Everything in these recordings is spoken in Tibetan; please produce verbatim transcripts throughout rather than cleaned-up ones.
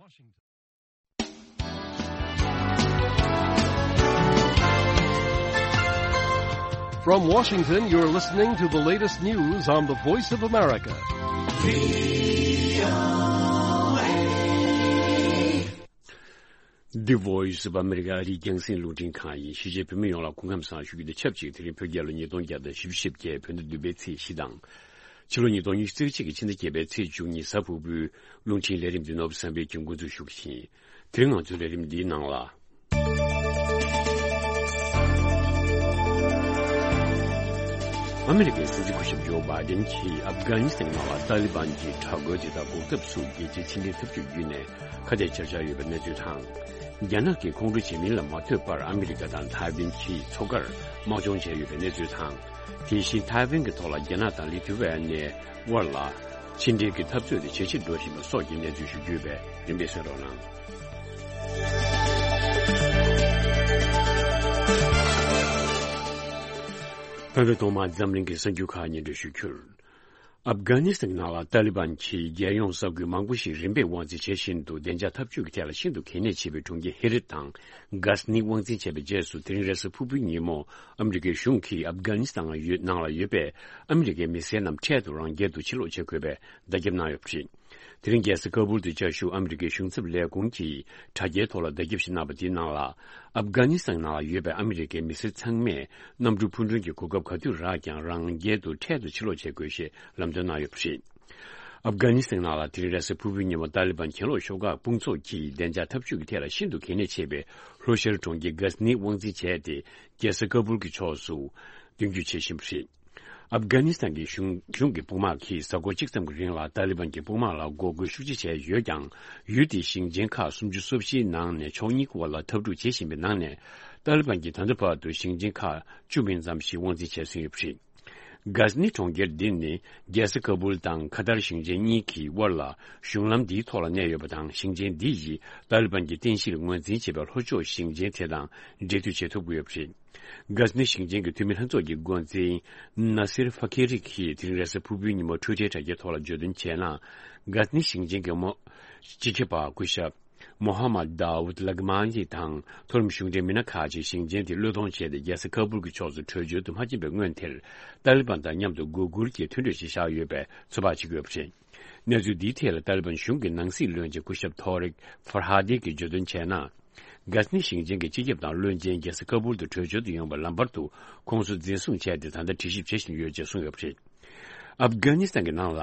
From Washington, you're listening to the latest news on the Voice of America. The Voice of America རིགས་རྒྱང་སྲིང་རླུང་འཕྲིན་ཁང་ཡིན། གཞིས་བྱེས་བོད་མི་ཡོངས་ལ་སྐུ་ཁམས་བཟང་ཞུ་རྒྱུ་དང་ཆབས་ཅིག་དེ་རིང་བོད་རྒྱལ་ལོ་ཉིས་སྟོང་བརྒྱ་དང་བཞི་བཅུ་ཞེ་བརྒྱད། བོད་ཟླ་བདུན་པའི་ཚེས་བཞི་དང་། ཕྱི་ལོ་ཉིས་སྟོང་ཉི་ཤུ་རྩ་གཅིག་གི་ཕྱི་ཟླ་བརྒྱད་པའི་ཚེས་བཅུ་གཉིས། གཟའ་ཕུར་བུའི་རླུང་འཕྲིན་ལས་རིམ་འདི་ནོར་བུ་བསམ་འཕེལ་གྱིས་འགོ་འཛུགས་ཞུ་གི་ཡིན། དེ་རིང་ང་ཚོའི་ལས་རིམ་འདིའི་ནང་ལ། ཨ་མི་རི་ཀའི་སྲིད་འཛིན་སྐུ་ཞབས་ཇོ་བྷའི་ཌེན་གྱིས་ཨབ་གྷ་ནི་སི་ཐན་ནང་ལ་ཏཱ་ལི་བན་གྱི་དྲག་རྒོལ་དེ་དག་འགོག་ཐབས་སུ་རྒྱལ་སྤྱིའི་ཕྱི་འབྲེལ་འཐབ་ཇུས་བརྒྱུད་ནས་ཁ་གཏད་བཅག་འཆར་ཡོད་པའི་གནས་ཚུལ་དང་། རྒྱ་ནག་གིས་ཁོང་ཁྲོ་བྱེད་མིན་ལ་མ་ལྟོས་པར་ཨ་མི་རི་ཀ་དང་ཐའེ་ཝན་གྱི་མཚོ་ཁར་དམག་སྦྱོང་བྱས་ཡོད་པའི་གནས་ཚུལ་དང་། དེ་བཞིན་ཐའེ་ཝན་གྱི་ཐོག་ལ་རྒྱ་ནག་དང་ལི་ཐུ་ཝེ་ནེ་དབར་ལ་ཕྱི་འབྲེལ་གྱི་འཐབ་རྩོད་དེ་ཇེ་ཆེར་འགྲོ་བཞིན་པ་སོགས་ཀྱི་གནས་ཚུལ་ཞུ་རྒྱུ་ཡོད་པས་རིམ་པས་གསན་རོགས་གནང་། ད་ལྟ་ཐོག་མར་འཛམ་གླིང་གི་གསར་འགྱུར་ཁག་སྙན་སྒྲོན་ཞུ་རྒྱུར། ཨབ་གྷ་ནི་སི་ཐན་ནང་ལ་ཏཱ་ལི་བན་གྱིས་རྒྱལ་ཡོངས་ས་ཁུལ་མང་པོ་ཞིག་རིམ་པས་དབང་འཛིན་བྱེད་བཞིན་དུ་བདེ་འཇགས་འཐབ་ཇུས་ཀྱི་ཐད་ལ་ཤིན་ཏུ་གལ་གནད་ཆེ་བའི་གྲོང་ཁྱེར་ཧེ་རད་དང་གྷ་ཟ་ནི་དབང་འཛིན་བྱས་པའི་རྗེས་སུ། དེ་རིང་རེས་གཟའ་ཕུར་བུའི་ཉིན་མོ་ཨ་མི་རི་ཀའི་གཞུང་གིས་ཨབ་གྷ་ནི་སི་ཐན་ནང་ཡོད་ནང་ལ་ཡོད་པའི་ཨ་མི་རི་ཀའི་མི་སེར་རྣམས་འཕྲལ་དུ་རང་རྒྱལ་དུ་ཕྱིར་ལོག་བྱེད་དགོས་པའི་བརྡ་ཁྱབ་གནང་ཡོད་པ་རེད། དེ་རིང་རྒྱལ་ས་ཀ་བུལ་དུ་བཅའ་བཞུགས་ཨ་མི་རི་ཀའི་གཞུང་ཚབ་ལས་ཁུངས་ཀྱིས་དྲ་རྒྱའི་ཐོག་ལ་བརྡ་ཁྱབ་ཞིག་གནང་བ་དེའི་ནང་ལ། ཨབ་གྷ་ནི་སི་ཐན་ནང་ལ་ཡོད་པའི་ཨ་མི་རི་ཀའི་མི་སེར་ཚང་མས་གནམ་གྲུ་འཕུར་འགྲུམ་གྱི་གོ་སྐབས་ག་དུས་རག་ཀྱང་རང་རྒྱལ་དུ་འཕྲལ་དུ་ཕྱིར་ལོག་བྱེད་དགོས་ཞེས་ལམ་སྟོན་གནང་ཡོད་པ་རེད། ཨབ་གྷ་ནི་སི་ཐན་ནང་ལ་དེ་རིང་རེས་གཟའ་ཕུར་བུའི་ཉིན་མོ་ཏཱ་ལི་བན་གྱེན་ལོག་ཤོག་ཁག་དཔུང་ཚོགས་ཀྱིས་བདེ་འཇགས་འཐབ་ཇུས་ཀྱི་ཐད་ལ་ཤིན་ཏུ་གལ་གནད་ཆེ་བའི་ལྷོ་ཤར་གྲོང་ཁྱེར་གྷ་ཟ་ནི་དབང་འཛིན་བྱས་ཏེ། རྒྱལ་ས་ཀ་བུལ་གྱི་ཕྱོགས་སུ་མདུན་སྐྱོད་བྱེད་བཞིན་པ་རེད། ཨབ་གྷ་ནི་སི་ཐན་གྱི་གཞུང་གཞུང་གི་དཔུང་དམག་གིས་གཟའ་འཁོར་གཅིག་ཙམ་གྱི་རིང་ལ་ཏཱ་ལི་བན་གྱི་དཔུང་དམག་ལ་འགོག་རྒོལ་ཤུགས་ཆེ་བྱས་ཡོད་ཀྱང་། ཡུལ་དེའི་ཞིང་ཆེན་ཁག་སུམ་ཅུ་སོ་བཞིའི་ནང་ནས་ཕྱོགས་གཉིས་ཀྱི་དབར་ལ་འཐབ་འཁྲུག་བྱེད་བཞིན་པའི་ནང་ནས། ཏཱ་ལི་བན་གྱིས་ད་ལྟ་བར་དུ་ཞིང་ཆེན་ཁག་བཅུ་མིན་ཙམ་ཞིག་དབང་འཛིན་བྱས་ཟིན་ཡོད་པ་རེད། གྷ་ཟ་ནི་གྲོང་ཁྱེར་འདི་ནི་རྒྱལ་ས་ཀ་བུལ་དང་ཁ་ཐར་ཞིང་ཆེན་གཉིས་ཀྱི་དབར་ལ་གཞུང་ལམ་འདིའི་ཐོག་ལ་གནས་ཡོད་པ་དང་། ཞིང་ཆེན་འདི་ཡིས་ཏཱ་ལི་བན་གྱི་རྟེན་གཞིར་ངོས་འཛིན་བྱས་པའི་ལྷོ་ཕྱོགས་ཞིང་ཆེན་དེ་དང་འབྲེལ་མཐུད་བྱེད་ཐུབ་ཀྱི་ཡོད་པ་རེད། གྷ་ཟ་ནི་ཞིང་ཆེན་གྱི་འཐུས་མི་ལྷན་ཚོགས་ཀྱི་འགོ་འཛིན་ནཱ་སིར་ཧྥ་ཁེ་རི་གིས་དེ་རིང་རེས་གཟའ་ཕུར་བུའི་ཉིན་མོ་ཊུའི་ཊར་དྲ་རྒྱའི་ཐོག་ལ་བརྗོད་དོན་བྱས་ན། གྷ་ཟ་ནི་ཞིང་ཆེན་གྱི་མོ་སྤྱི་ཁྱབ་པ་སྐུ་ཞབས་མོ་ཧ་མད་དཱ་ཝུད་ལག་མཱ་ལི་དང་མཐོ་རིམ་གཞུང་འབྲེལ་མི་སྣ་ཁག་ཅིག་ཞིང་ཆེན་དེ་བློས་གཏོང་བྱས་ཏེ། རྒྱལ་ས་ཁ་བུལ་གྱི་ཕྱོགས་སུ་བྲོས་བྱོལ་དུ་མ་ཕྱིན་པའི་སྔོན་དེར། ཏཱ་ལི་བན་དང་མཉམ་དུ་མགོ་སྒུར་གྱིས་མཐུན་གྲོས་ཤིག་བཞག་ཡོད་པའི་ཚོད་དཔག་བྱེད་ཀྱི་ཡོད་པ་རེད། གནས་ཚུལ་འདིའི་ཐད་ལ་ཏཱ་ལི་བན་གཞུང་གི་ནང་སྲིད་བློན་ཆེན་སྐུ་ཞབས་ཐོ་རིག་ཧྥར་ཧ་དི་གིས་བརྗོད་དོན་བྱས་ན། གྷ་ཟ་ནི་ཞིང་ཆེན་གྱི་སྤྱི་ཁྱབ་དང་བློན་ཆེན་རྒྱལ་ས་ཁ་བུལ་དུ་བྲོས་བྱོལ་དུ་ཡོང་བའི་ལམ་བར་དུ་ཁོང་ཚོ་འཛིན་བཟུང་བྱས་ཏེ། ད་ལྟ་དྲི་ཞིབ་བྱེད་བཞིན་ཡོད་ཅེས་གསུངས་ཡོད་པ་རེད། ཨབ་གྷ་ནི་སི་ཐན་གྱི་ནང་ལ།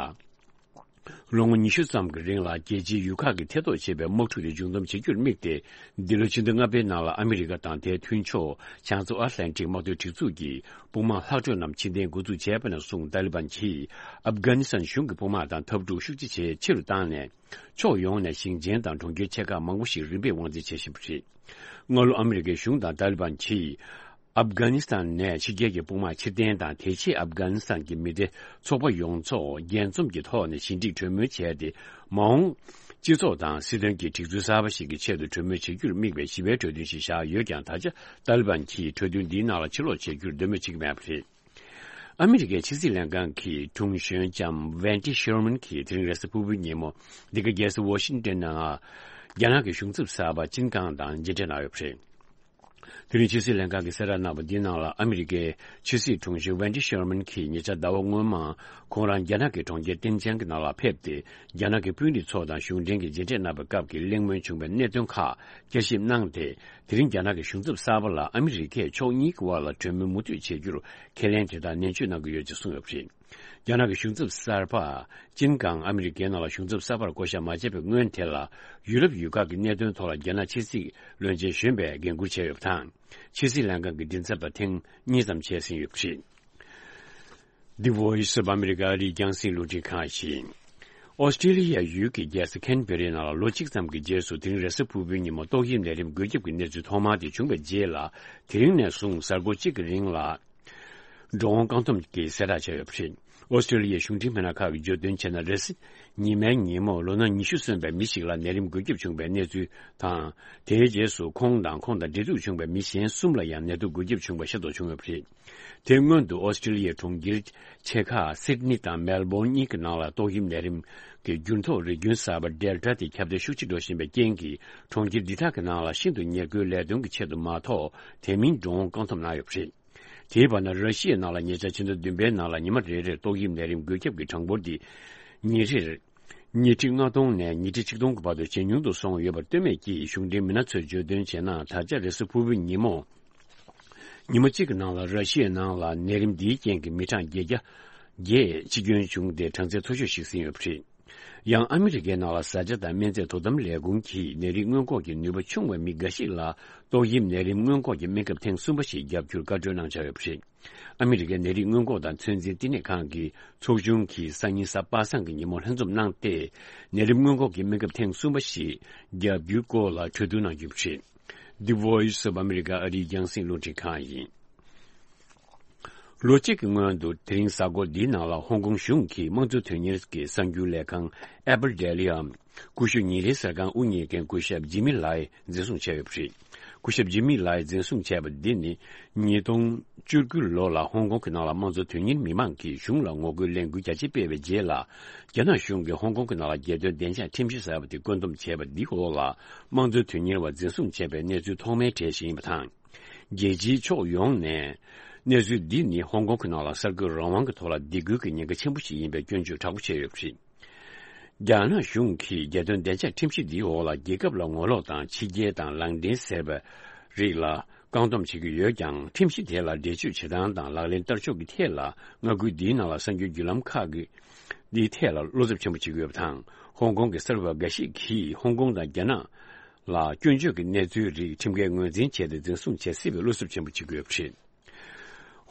ལོ་ངོ་ཉི་ཤུ་ཙམ་གྱི་རིང་ལ་རྒྱལ་སྤྱིའི་ཡུལ་ཁག་གིས་ཐེ་གཏོགས་བྱེད་པའི་དམག་འཁྲུག་དེ་མཇུག་བསྡོམས་བྱེད་རྒྱུར་དམིགས་ཏེ། འདི་ལོའི་ཕྱི་ཟླ་ལྔ་པའི་ནང་ལ་ཨ་མི་རི་ཀ་དང་དེའི་མཐུན་ཕྱོགས་བྱང་མཚོ་ཨ་ཊ་ལན་ཊིག་དམག་དོན་སྒྲིག་འཛུགས་ཀྱི་དཔུང་དམག་ལྷག་འཕྲོས་རྣམས་ཕྱིར་འཐེན་འགོ་འཛུགས་བྱས་པ་ནས་བཟུང་། ཏཱ་ལི་བན་གྱིས་ཨབ་གྷ་ནི་སི་ཐན་གཞུང་གི་དཔུང་དམག་དང་འཐབ་འཁྲུག་ཤུགས་ཆེ་བྱས་ཆེ་རུ་བཏང་ནས། ཕྱོགས་ཡོངས་ནས་ཞིང་ཆེན་དང་གྲོང་ཁྱེར་ཆེ་ཁག་མང་པོ་ཞིག་རིམ་པས་དབང་འཛིན་བྱེད་བཞིན་པ་རེད། སྔ་ལོ་ཨ་མི་རི་ཀའི་གཞུང་དང་ཏཱ་ལི་བན་གྱིས། ཨབ་གྷ་ནི་སི་ཐན་ནས་ཕྱི་རྒྱལ་གྱི་དཔུང་དམག་ཕྱིར་འཐེན་དང་། དེ་རྗེས་ཨབ་གྷ་ནི་སི་ཐན་གྱི་མི་སྡེ་ཚོགས་པ་ཡོངས་རྫོགས་རྒྱས་འཛོམས་ཀྱི་ཐོག་ནས་ཞི་འགྲིག་གྲོས་མོལ་བྱས་ཏེ། མ་འོངས་སྤྱི་ཚོགས་དང་སྲིད་དོན་གྱི་སྒྲིག་འཛུགས་གསར་པ་ཞིག་གི་ཆེད་དུ་གྲོས་མོལ་བྱེད་རྒྱུར་དམིགས་པའི་ཞི་བའི་གྲོས་མཐུན་ཞིག་བཞག་ཡོད་ཀྱང་། ད་ཆ་ཏཱ་ལི་བན་གྱིས་གྲོས་མཐུན་འདིའི་ནང་ལ་ཕྱིར་ལོག་བྱེད་རྒྱུར་འདོད་མོས་བྱེད་ཀྱི་མེད་པ་རེད། ཨ་མི་རི་ཀའི་ཕྱི་སྲིད་ལྷན་ཁང་གི་དྲུང་གཞོན་ལྕམ་ཝན་ཏི་ཤེར་མན་གྱིས་དེ་རིང་རེས་གཟའ་ཕུར་བུའི་ཉིན་མོ་འདི་ག་རྒྱལ་ས་ཝ་ཤིང་ཏོན་ནང་རྒྱ་ནག་གི་གཞུང་ཚབ་གསར་པ་ཅིན་ཀང་དང་མཇལ་འཕྲད་གནང་ཡོད་པ་རེད། དེ་རིང་ཕྱི་སྲིད་ལྷན་ཁང་གིས་གསལ་བསྒྲགས་གནང་བ་འདིའི་ནང་ལ། ཨ་མི་རི་ཀའི་ཕྱི་སྲིད་དྲུང་གཞོན་ཝན་ཏི་ཤེར་མན་གྱིས་ཉེ་ཆར་ཟླ་བ་སྔོན་མ་ཁོང་རང་རྒྱ་ནག་གི་གྲོང་ཁྱེར་ཏིན་ཅན་གྱི་ནང་ལ་ཕེབས་ཏེ། རྒྱ་ནག་གི་དཔོན་རིགས་ཚོ་དང་གཞུང་འབྲེལ་གྱི་མཇལ་འཕྲད་གནང་བའི་སྐབས་ཀྱི་གླེང་མོལ་བྱུང་བའི་གནད་དོན་ཁག་བསྐྱར་ཞིབ་གནང་སྟེ། དེ་རིང་རྒྱ་ནག་གི་གཞུང་ཚབ་གསར་པ་ལ་ཨ་མི་རི་ཀས་ཕྱོགས་གཉིས་ཀྱི་དབར་ལ་གྲོས་མོལ་མུ་མཐུད་བྱེད་རྒྱུར་ཁས་ལེན་དེ་དག་ནན་བརྗོད་གནང་གི་ཡོད་ཅེས་གསུངས་ཡོད་པ་རེད། རྒྱ་ནག་གི་གཞུང་ཚབ་གསར་པ་ཅིན་ཀང་ཨ་མི་རི་ཀའི་ནང་ལ་གཞུང་ཚབ་གསར་པར་བསྐོ་བཞག་མ་བྱས་པའི་སྔོན་དེ་ལ། ཡུ་རོབ་ཡུལ་ཁག་གི་གནད་དོན་ཐོག་ལ་རྒྱ་ནག་ཕྱི་སྲིད་བློན་ཆེན་གཞོན་པས་འགན་འཁུར་བྱས་ཡོད་པ་དང་། ཕྱི་སྲིད་ལྷན་ཁང་གི་མགྲིན་ཚབ་པ་ཐེངས་གཉིས་ཙམ་བྱས་ཟིན་ཡོད་པ་རེད། The Voice of America རིགས་རྒྱང་སྲིང་རླུང་འཕྲིན་ཁང་ཡིན། ཨོ་སི་ཀྲི་ལི་ཡ་ཡུལ་གྱི་རྒྱལ་ས་ཁན་བེ་རའི་ནང་ལ་ལོ་གཅིག་ཙམ་གྱི་རྗེས་སུ་དེ་རིང་རེས་གཟའ་ཕུར་བུའི་ཉིན་མོ་ཏོག་དབྱིབས་ནད་རིམས་འགོས་ཁྱབ་ཀྱི་གནས་ཚུལ་ཐོག་མ་དེ་བྱུང་བའི་རྗེས་ལ། དེ་རིང་ནས་བཟུང་གཟའ་འཁོར་གཅིག་གི་རིང་ལ། འགྲོ་འོང་བཀག་སྡོམ་གྱིས་གསལ་བསྒྲགས་བྱས་ཡོད་པ་རེད། ཨོ་སི་ཀྲི་ལི་ཡའི་གཞུང་འབྲེལ་མི་སྣ་ཁག་གིས་བརྗོད་དོན་བྱས་ན། རེས་གཟའ་ཉི་མའི་ཉིན་མོ་ལོ་ན་ཉི་ཤུ་སོན་པའི་མི་ཞིག་ལ་ནད་རིམས་འགོས་ཁྱབ་བྱུང་བའི་གནས་ཚུལ་དང་། དེའི་རྗེས་སུ་ཁོང་དང་ཁོང་དང་འབྲེལ་གཏུག་བྱུང་བའི་མི་གཞན་གསུམ་ལ་ཡང་ནད་དུག་འགོས་ཁྱབ་བྱུང་བ་ཤེས་རྟོགས་བྱུང་ཡོད་པ་རེད། དེ་སྔོན་དུ་ཨོ་སི་ཀྲི་ལི་ཡའི་གྲོང་ཁྱེར་ཆེ་ཁག་སིད་ནི་དང་མེལ་བོན་གཉིས་ཀྱི་ནང་ལ་ཏོག་དབྱིབས་ནད་རིམས་ཀྱི་འགྱུར་ལྡོག་རིགས་རྒྱུན་གསར་པ་ཌེལ་ཊ་དེ་ཁྱབ་གདལ་ཤུགས་ཆེ་འགྲོ་བཞིན་པའི་རྐྱེན་གྱིས། གྲོང་ཁྱེར་འདི་དག་གི་ནང་ལ་ཤིན་ཏུ་ཉེར་མཁོའི་ལས་དོན་གྱི་ཆེད་དུ་མ་གཏོགས་དེ་མིན་འགྲོ་འོང་བཀག་སྡོམ་གནང་ཡོད་པ་རེད། དེའི་བར་ན། ར་ཤི་ཡའི་ནང་ལ་ཉེ་ཆར་ཕྱི་ཟླ་བདུན་པའི་ནང་ལ་ཉི་མ་རེ་རེར་ཏོག་དབྱིབས་ནད་རིམས་འགོས་ཁྱབ་ཀྱི་གྲངས་འབོར་འདི་ཉིན་རེར་ཉི་ཁྲི་ལྔ་སྟོང་ནས་ཉི་ཁྲི་ཆིག་སྟོང་གི་བར་དུ་ཇེ་ཉུང་དུ་སོང་ཡོད་པར་ལྟོས་མེད་ཀྱིས། གཞུང་འབྲེལ་མི་སྣ་ཚོས་བརྗོད་དོན་བྱས་ན། ད་ཆ་རེས་གཟའ་ཕུར་བུའི་ཉིན་མོ། ཉི་མ་གཅིག་གི་ནང་ལ་ར་ཤི་ཡའི་ནང་ལ་ནད་རིམས་འདིའི་རྐྱེན་གྱིས་མི་གྲངས་བརྒྱད་བརྒྱ་བརྒྱད་འཆི་སྐྱོན་བྱུང་སྟེ། གྲངས་ཚད་མཐོ་ཤོས་ཤིག་ཟིན་ཡོད་པ་རེད། ཡང་ཨ་མི་རི་ཀའི་ནང་ལ་བཟའ་བཅའ་དང་སྨན་རྫས་དོ་དམ་ལས་ཁུངས་ཀྱིས་ནད་རིགས་སྔོན་འགོག་གི་ནུས་པ་ཆུང་བའི་མི་འགའ་ཞིག་ལ་ཏོག་དབྱིབས་ནད་རིམས་སྔོན་འགོག་གི་སྨན་ཁབ་ཐེངས་གསུམ་པ་ཞིག་བརྒྱབ་རྒྱུར་བཀའ་འཁྲོལ་གནང་འཆར་ཡོད་པ་རེད། ཨ་མི་རི་ཀའི་ནད་རིགས་སྔོན་འགོག་དང་ཚོད་འཛིན་བསྟི་གནས་ཁང་གི་ཚོགས་ཆུང་གིས་སང་ཉིན་གཟའ་པ་སངས་ཀྱི་ཉིན་མོ་ལྷན་འཛོམས་གནང་སྟེ། ནད་རིམས་སྔོན་འགོག་གི་སྨན་ཁབ་ཐེངས་གསུམ་པ་ཞིག་བརྒྱབ་རྒྱུའི་སྐོར་ལ་གྲོས་བསྡུར་གནང་རྒྱུ་རེད། The Voice of America ཨ་རིའི་རྒྱང་སྲིང་རླུང་འཕྲིན་ཁང་ཡིན། ལོ་གཅིག་གི་སྔོན་དུ། དེ་རིང་གཟའ་འཁོར་འདིའི་ནང་ལ་ཧོང་ཀོང་གཞུང་གིས་དམངས་གཙོ་དོན་གཉེར་གྱི་གསར་འགྱུར་ལས་ཁང་Apple Daily འམ། ཀུ་ཤུ་ཉིན་རེའི་གསར་ཁང་དབུ་བརྙེས་མཁན་སྐུ་ཞབས་ཇི་མི་ལའི་འཛིན་བཟུང་བྱས་ཡོད་པ་རེད། སྐུ་ཞབས་ཇི་མི་ལའི་འཛིན་བཟུང་བྱས་པ་འདི་ནི། ཉིས་སྟོང་བཅུ་དགུ་ལོ་ལ་ཧོང་ཀོང་གི་ནང་ལ་དམངས་གཙོ་དོན་གཉེར་མི་མང་གིས་གཞུང་ལ་ངོ་རྒོལ་ལས་འགུལ་རྒྱ་ཆེ་སྤེལ་བའི་རྗེས་ལ། རྒྱ་ནག་གཞུང་གིས་ཧོང་ཀོང་གི་ནང་ལ་རྒྱལ་དོན་བདེ་འཇགས་ཁྲིམས་གཞི་གསར་པ་དེ་བཀོད་འདོམས་བྱས་པ་འདིའི་འོག་ལ། དམངས་གཙོ་དོན་གཉེར་བ་འཛིན་བཟུང་བྱས་པའི་གནས་ཚུལ་ཐོག་མའི་གྲས་ཤིག་ཡིན་པ་དང་། རྒྱལ་སྤྱིའི་ཕྱོགས་ཡོངས་ནས། གནས་ཚུལ་འདི་ནི་ཧོང་ཀོང་གི་ནང་ལ་གསར་འགོད་རང་དབང་གི་ཐོག་ལ་སྡིགས་སྐུལ་གྱི་ཉེན་ཁ་ཆེན་པོ་ཞིག་ཡིན་པའི་སྐྱོན་བརྗོད་དྲག་པོ་བྱས་ཡོད་པ་རེད། རྒྱ་ནག་གཞུང་གིས་རྒྱལ་དོན་བདེ་འཇགས་ཁྲིམས་གཞི་འདིའི་འོག་ལ། རྒྱལ་ཁབ་ལ་ངོ་ལོག་དང་། ཕྱི་རྒྱལ་དང་ལངས་འདྲེན་ཟེར་བའི་རིགས་ལ་བཀག་སྡོམ་བྱེད་ཀྱི་ཡོད་ཀྱང་། ཁྲིམས་གཞི་དེ་ལ་འགྲེལ་བརྗོད་བྱེད་སྟངས་དང་ལག་ལེན་བསྟར་ཕྱོགས་ཀྱི་ཐད་ལ། མངའ་ཁུལ་འདིའི་ནང་ལ་གསར་འགྱུར་བརྒྱུད་ལམ་ཁག་གི་འདིའི་ཐད་ལ་བློ་འཚབ་ཆེན་པོ་བྱེད་ཀྱི་ཡོད་པ་དང་། ཧོང་ཀོང་གི་གསར་འགོད་པ་འགའ་ཞིག་གིས་ཧོང་ཀོང་དང་རྒྱ་ནག་ལ་སྐྱོན་བརྗོད་ཀྱི་གནས་ཚུལ་རིགས་ཁྲིམས་འགལ་ངོས་འཛིན་བྱས་ཏེ། འཛིན་བཟུང་བྱེད་སྲིད་པའི་བློ་འཚབ་ཆེན་པོ་བྱེད་ཀྱི་ཡོད་པ་རེད།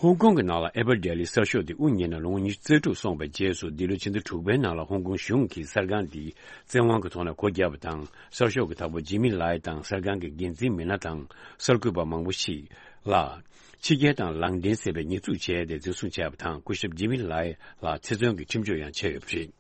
ཧོང་ཀོང་གི་ནང་ལ་Apple Daily གསར་ཤོག་དེ་དབུ་བརྙེས་ནས་ལོ་ངོ་ཉི་ཤུ་རྩ་དྲུག་སོང་བའི་རྗེས་སུ། འདི་ལོའི་ཕྱི་ཟླ་དྲུག་པའི་ནང་ལ་ཧོང་ཀོང་གཞུང་གིས་གསར་ཁང་འདི་བཙན་དབང་གི་ཐོག་ནས་སྒོ་བརྒྱབ་པ་དང་། གསར་ཤོག་གི་བདག་པོ་ཇི་མི་ལའི་དང་། གསར་ཁང་གི་འགན་འཛིན་མི་སྣ་དང་། གསར་འགོད་པ་མང་པོ་ཞིག་ལ་ཕྱི་རྒྱལ་དང་ལངས་འདྲེན་ཟེར་བའི་ཉེས་འཛུགས་བྱས་ཏེ་འཛིན་བཟུང་བྱས་པ་དང་། སྐུ་ཞབས་ཇི་མི་ལའི་ལ་ཚེ་བཙོན་གྱི་ཁྲིམས་གཅོད་ཡང་བྱས་ཡོད་པ་རེད།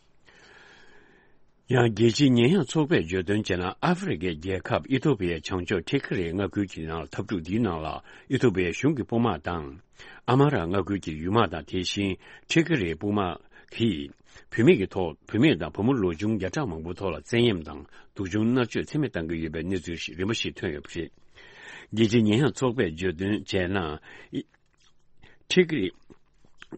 ཡང་རྒྱལ་སྤྱིའི་ཉེས་ཡངས་ཚོགས་པས་བརྗོད་དོན་བྱས་ན། ཨ་ཧྥེ་རི་ཁའི་རྒྱལ་ཁབ་ཨི་ཐོ་པི་ཡའི་བྱང་ཕྱོགས་ཊི་ཁི་རེ་མངའ་ཁུལ་གྱི་ནང་ལ། འཐབ་འཁྲུག་འདིའི་ནང་ལ་ཨི་ཐོ་པི་ཡའི་གཞུང་གི་དཔུང་དམག་དང་། ཨ་མ་ར་མངའ་ཁུལ་གྱི་ཡུལ་དམག་དང་། དེ་བཞིན་ཊི་ཁི་རེ་དཔུང་དམག་གིས་བུད་མེད་ཀྱི་ཐོག་བུད་མེད་དང་བུ་མོ་ལོ་ཆུང་བརྒྱ་ཕྲག་མང་པོའི་ཐོག་ལ་བཙན་གཡེམ་དང་སྡུག་སྦྱོང་མནར་གཅོད་ཚད་མེད་བཏང་གི་ཡོད་པའི་གནས་ཚུལ་ཞིག་རིམ་པ་ཞིག་ཐོན་ཡོད་པ་རེད། རྒྱལ་སྤྱིའི་ཉེས་ཡངས་ཚོགས་པས་བརྗོད་དོན་བྱས་ན། ཊི་ཁི་རེ།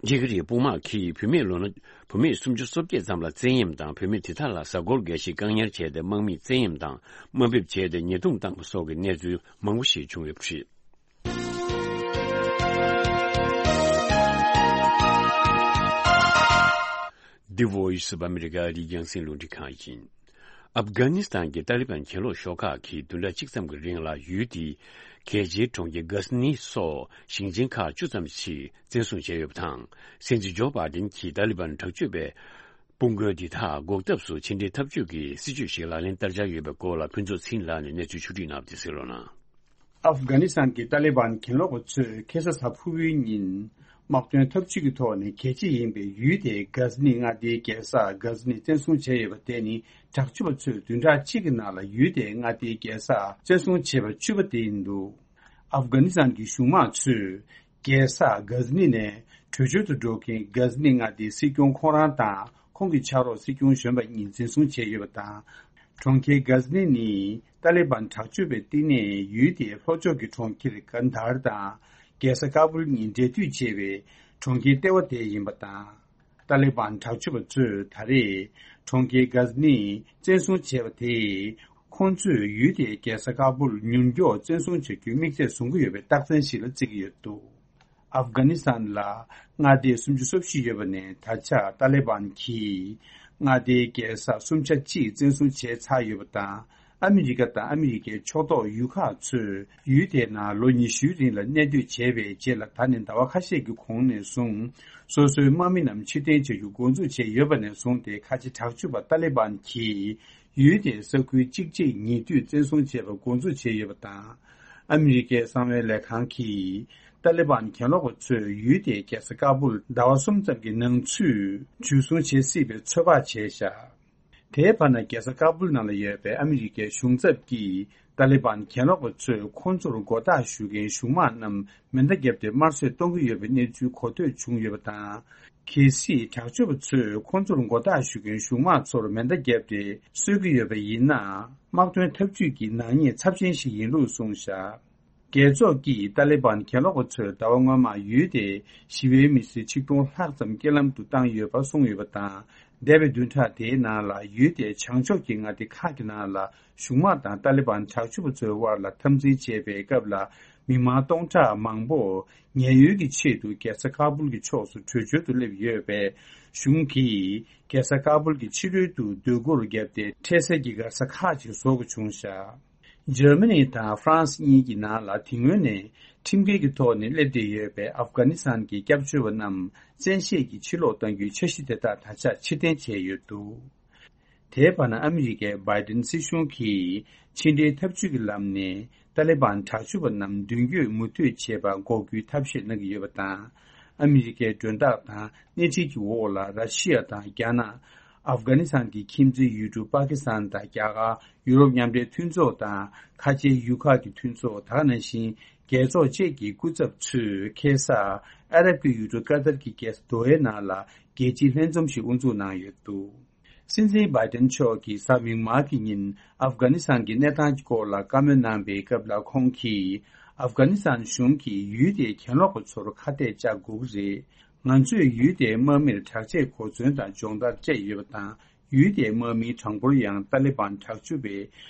ཊི་ཁི་རེ་དཔུང་དམག་གིས་བུད་མེད་ལོ་ན། བུད་མེད་སུམ་ཅུ་སོ་བརྒྱད་ཙམ་ལ་བཙན་གཡེམ་དང་། བུད་མེད་དེ་དག་ལ་གཟའ་འཁོར་འགའ་ཞིག་བཀག་ཉར་བྱས་ཏེ། དམག་མིས་བཙན་གཡེམ་དང་དམའ་འབེབས་བྱས་ཏེ་ཉེས་རྡུང་བཏང་པ་སོགས་ཀྱི་གནས་ཚུལ་མང་པོ་ཞིག་བྱུང་ཡོད་པ་རེད། The Voice of America ཨ་རིའི་རྒྱང་སྲིང་རླུང་འཕྲིན་ཁང་ཡིན། ཨབ་གྷ་ནི་སི་ཐན་གྱི་ཏཱ་ལི་བན་གྱེན་ལོག་ཤོག་ཁག་གིས་བདུན་ཕྲག་གཅིག་ཙམ་གྱི་རིང་ལ་ཡུལ་དེའི་གལ་ཆེའི་གྲོང་ཁྱེར་གྷ་ཟི་ནི་སོགས་ཞིང་ཆེན་ཁག་བཅུ་ཙམ་ཞིག་བཙན་བཟུང་བྱས་ཡོད་པ་དང་། སྲིད་འཛིན་ཇོ་བྷ་དན་གྱིས་ཏཱ་ལི་བན་དྲག་སྤྱོད་པའི་དཔུང་རྒོལ་འདི་དག་འགོག་ཐབས་སུ་ཕྱི་འབྲེལ་འཐབ་ཇུས་ཀྱི་སྲིད་ཇུས་ཤིག་ལག་ལེན་བསྟར་འཆར་ཡོད་པའི་སྐོར་ལ་ཕུན་ཚོགས་ཚེ་རིང་ལགས་ནས་གནས་ཚུལ་ཕྱོགས་བསྒྲིགས་གནང་བ་དེ་གསན་རོགས་གནང་། ཨབ་གྷ་ནི་སི་ཐན་གྱི་ཏཱ་ལི་བན་གྱེན་ལོག་པ་ཚོས་ཁ་སང་གཟའ་ཕུར་བུའི་ཉིན། དམག་དོན་འཐབ་ཇུས་ཀྱི་ཐོག་ནས་གལ་ཆེ་ཡིན་པའི་ཡུལ་དེའི་གྷ་ཟི་ནི་མངའ་སྡེའི་རྒྱལ་ས་གྷ་ཟི་ནི་བཙན་བཟུང་བྱས་ཡོད་པ་དེ་ནི། དྲག་སྤྱོད་པ་ཚོས་བདུན་ཕྲག་གཅིག་གི་ནང་ལ་ཡུལ་དེའི་མངའ་སྡེའི་རྒྱལ་ས་བཙན་བཟུང་བྱས་པ་བཅུ་པ་དེ་ཡིན་འདུག་ཨབ་གྷ་ནི་སི་ཐན་གྱི་གཞུང་དམངས་ཚོས། རྒྱལ་ས་གྷ་ཟི་ནི་ནས་བྲོས་བྱོལ་དུ་འགྲོ་མཁན་གྷ་ཟི་ནི་མངའ་སྡེའི་སྲིད་སྐྱོང་ཁོང་རང་དང་། ཁོང་གི་ཕྱག་རོགས་སྲིད་སྐྱོང་གཞོན་པ་གཉིས་འཛིན་བཟུང་བྱས་ཡོད་པ་དང་། གྲོང་ཁྱེར་གྷ་ཟི་ནི་ནི་ཏཱ་ལི་བན་དྲག་སྤྱོད་པའི་བསྟི་གནས་ཡུལ་དེའི་ལྷོ་ཕྱོགས་ཀྱི་གྲོང་ཁྱེར་ཀན་དྷར་དང་། རྒྱལ་ས་ཀ་བུལ་གཉིས་འབྲེལ་མཐུད་བྱས་པའི་གྲོང་ཁྱེར་ལྟེ་བ་དེ་ཡིན་པ་དང་། ཏཱ་ལི་བན་དྲག་སྤྱོད་པ་ཚོས་ད་རེས་གྲོང་ཁྱེར་གྷ་ཟི་ནི་བཙན་བཟུང་བྱས་པ་དེས། ཁོང་ཚོས་ཡུལ་དེའི་རྒྱལ་ས་ཀ་བུལ་མྱུར་མགྱོགས་བཙན་བཟུང་བྱ་རྒྱུའི་དམིགས་ཚད་བཟུང་གི་ཡོད་པའི་རྟགས་མཚན་ཞིག་ལ་བརྩི་གི་ཡོད་འདུག་ཨབ་གྷ་ནི་སི་ཐན་ལ་མངའ་སྡེ་སུམ་ཅུ་སོ་བཞི་ཡོད་པ་ནས། ད་ཆ་ཏཱ་ལི་བན་གྱིས་མངའ་སྡེའི་རྒྱལ་ས་སུམ་ཆ་གཅིག་བཙན་བཟུང་བྱས་ཚར་ཡོད་པ་དང་། ཨ་མི་རི་ཀ་དང་ཨ་མི་རི་ཀའི་ཕྱོགས་གཏོགས་ཡུལ་ཁག་ཚོས་ཡུལ་དེའི་ནང་ལོ་ཉི་ཤུའི་རིང་ལ་གནས་སྡོད་བྱས་པའི་རྗེས་ལ། ད་ནི་ཟླ་བ་ཁ་ཤས་ཀྱི་གོང་ནས་བཟུང་སོ་སོའི་དམག་མི་རྣམས་ཕྱིར་འཐེན་བྱ་རྒྱུ་འགོ་འཛུགས་བྱས་ཡོད་པ་ནས་བཟུང་སྟེ། ཁ་ཆེ་དྲག་སྤྱོད་པ་ཏཱ་ལི་བན་གྱིས་ཡུལ་དེའི་ས་ཁུལ་གཅིག་རྗེས་གཉིས་མཐུད་བཙན་བཟུང་བྱས་པ་འགོ་འཛུགས་བྱས་ཡོད་པ་དང་། ཨ་མི་རི་ཀའི་གསང་བའི་ལས་ཁང་གིས་ ཏཱ་ལི་བན་གྱེན་ལོག་པ་ཚོས་ཡུལ་དེའི་རྒྱལ་ས་ཀ་སྦུལ་ཟླ་བ་གསུམ་ཙམ་གྱི་ནང་ཚུད་འཇུ་བཟུང་བྱེད་སྲིད་པའི་ཚོད་དཔག་བྱས་བཞག་དེའི་བར་ན་རྒྱལ་ས་ཀ་སྦུལ་ནང་ལ་ཡོད་པའི་ཨ་མི་རི་ཀའི་གཞུང་ཚབ་ཀྱིས་ཏཱ་ལི་བན་གྱེན་ལོག་པ་ཚོས་ཁོང་ཚོར་མགོ་བཏགས་ཞུ་མཁན་གཞུང་དམག་རྣམས་མེ་མདའ་བརྒྱབ་སྟེ་དམར་གསོད་གཏོང་གི་ཡོད་པའི་གནས་ཚུལ་གོ་ཐོས་བྱུང་ཡོད་པ་དང་། གལ་སྲིད་དྲག་སྤྱོད་པ་ཚོས་ཁོང་ཚོར་མགོ་བཏགས་ཞུ་མཁན་གཞུང་དམག་ཚོར་མེ་མདའ་བརྒྱབ་སྟེ་གསོད་ཀྱི་ཡོད་པ་ཡིན་ན། དམག་དོན་འཐབ་ཇུས་ཀྱི་ནག་ཉེས་ཚབས་ཆེན་ཞིག་ཡིན་ལུགས་གསུངས་བཞག་རྒྱལ་ཚོགས་ཀྱིས་ཏཱ་ལི་བན་གྱེན་ལོག་པ་ཚོས་ཟླ་བ་སྔོན་མ་ཡུལ་དེའི་ཞི་བའི་མི་སེར་ཆིག་སྟོང་ལྷག་ཙམ་རྐྱེན་ལམ་དུ་བཏང་ཡོད་པ་གསུངས་ཡོད་པ་དང་། འདས་པའི་བདུན་ཕྲག་དེའི་ནང་ལ་ཡུལ་དེའི་བྱང་ཕྱོགས་ཀྱི་མངའ་སྡེ་ཁག་གི་ནང་ལ་གཞུང་དམག་དང་ཏཱ་ལི་བན་དྲག་སྤྱོད་པ་ཚོའི་དབར་ལ་འཐབ་འཛིང་བྱེད་པའི་སྐབས་ལ། མི་མང་སྟོང་ཕྲག་མང་པོ་ཉེན་གཡོལ་གྱི་ཆེད་དུ་རྒྱལ་ས་ཁ་སྦུལ་གྱི་ཕྱོགས་སུ་བྲོས་བྱོལ་དུ་སླེབས་ཡོད་པས། གཞུང་གིས་རྒྱལ་ས་ཁ་སྦུལ་གྱི་ཕྱི་རོལ་དུ་སྡོད་སྒོར་བརྒྱབ་སྟེ། འཕྲལ་སེལ་གྱི་གར་ས་ཁག་ཅིག་བཟོ་དགོས་བྱུང་བཞག་འཇར་མ་ནི་དང་ཧྥ་རན་སི་གཉིས་ཀྱི་ནང་ལ་དེ་སྔོན་ནས་ཁྲིམས་འགལ་གྱི་ཐོག་ནས་སླེབས་བསྡད་ཡོད་པའི་ཨབ་གྷ་ནི་སི་ཐན་གྱི་སྐྱབས་བཅོལ་བ་རྣམས་བཙན་ཤེད་ཀྱིས་ཕྱིར་ལོག་གཏང་རྒྱུའི་འཆར་གཞི་དེ་དག་ད་ཆ་ཕྱིར་འཐེན་བྱས་ཡོད་འདུག་དེའི་བར་ན་ཨ་མི་རི་ཀའི་བྷའི་ཏིན་སྲིད་གཞུང་གིས་ཕྱི་འབྲེལ་འཐབ་ཇུས་ཀྱི་ལམ་ནས་ཏཱ་ལི་བན་དྲག་སྤྱོད་པ་རྣམས་མདུན་སྐྱོད་མུ་མཐུད་བྱེད་པར་འགོག་རྒྱུའི་ཐབས་ཤེས་གནང་གི་ཡོད་པ་དང་། ཨ་མི་རི་ཀའི་མགྲོན་བདག་དང་སྣེ་ཁྲིད་ཀྱི་འོག་ལ་ར་ཤི་ཡ་དང་རྒྱ་ནག་ཨབ་གྷ་ནི་སི་ཐན་གྱི་ཁྱིམ་མཚེས་ཡུལ་གྲུ་པ་ཀི་སི་ཐན་དང་རྒྱ་གར། ཡུ་རོབ་མཉམ་འབྲེལ་མཐུན་ཚོགས་དང་ཁ་ཆེའི་ཡུལ་ཁག་གི་མཐུན་ཚོགས། ད་ག་ནང་བཞིན་རྒྱལ་ཚོགས་བཅས་ཀྱི་སྐུ་ཚབ་ཚོས་ཁ་སང་ཨ་རབ་ཀྱི་ཡུལ་གྲུ་ཀ་ཏར་གྱི་རྒྱལ་ས་དོ་ཧའི་ནང་ལ་རྒྱལ་སྤྱིའི་ལྷན་འཛོམས་ཤིག་དབུ་འཛུགས་གནང་ཡོད་འདུག་སྲིད་འཛིན་བྷའི་ཏན་མཆོག་གིས་གཟའ་མིག་དམར་གྱི་ཉིན་ཨབ་གྷ་ནི་སི་ཐན་གྱི་གནས་སྟངས་ཀྱི་སྐོར་ལ་བཀའ་མོལ་གནང་པའི་སྐབས་ལ། ཁོང་གིས་ཨབ་གྷ་ནི་སི་ཐན་གཞུང་གིས་ཡུལ་དེའི་གྱེན་ལོག་པ་ཚོར་ཁ་གཏད་བཅག་དགོས་ཀྱི་རེད། ང་ཚོས་ཡུལ་དེའི་དམག་མིར་དྲག་ཆས་གོ་མཚོན་དང་སྦྱོང་བརྡར་སྤྲད་ཡོད་པ་དང་། ཡུལ་དེའི་དམག་མིའི་གྲངས་འབོར་ཡང་ཏཱ་ལི་བན་དྲག་སྤྱོད་པའི་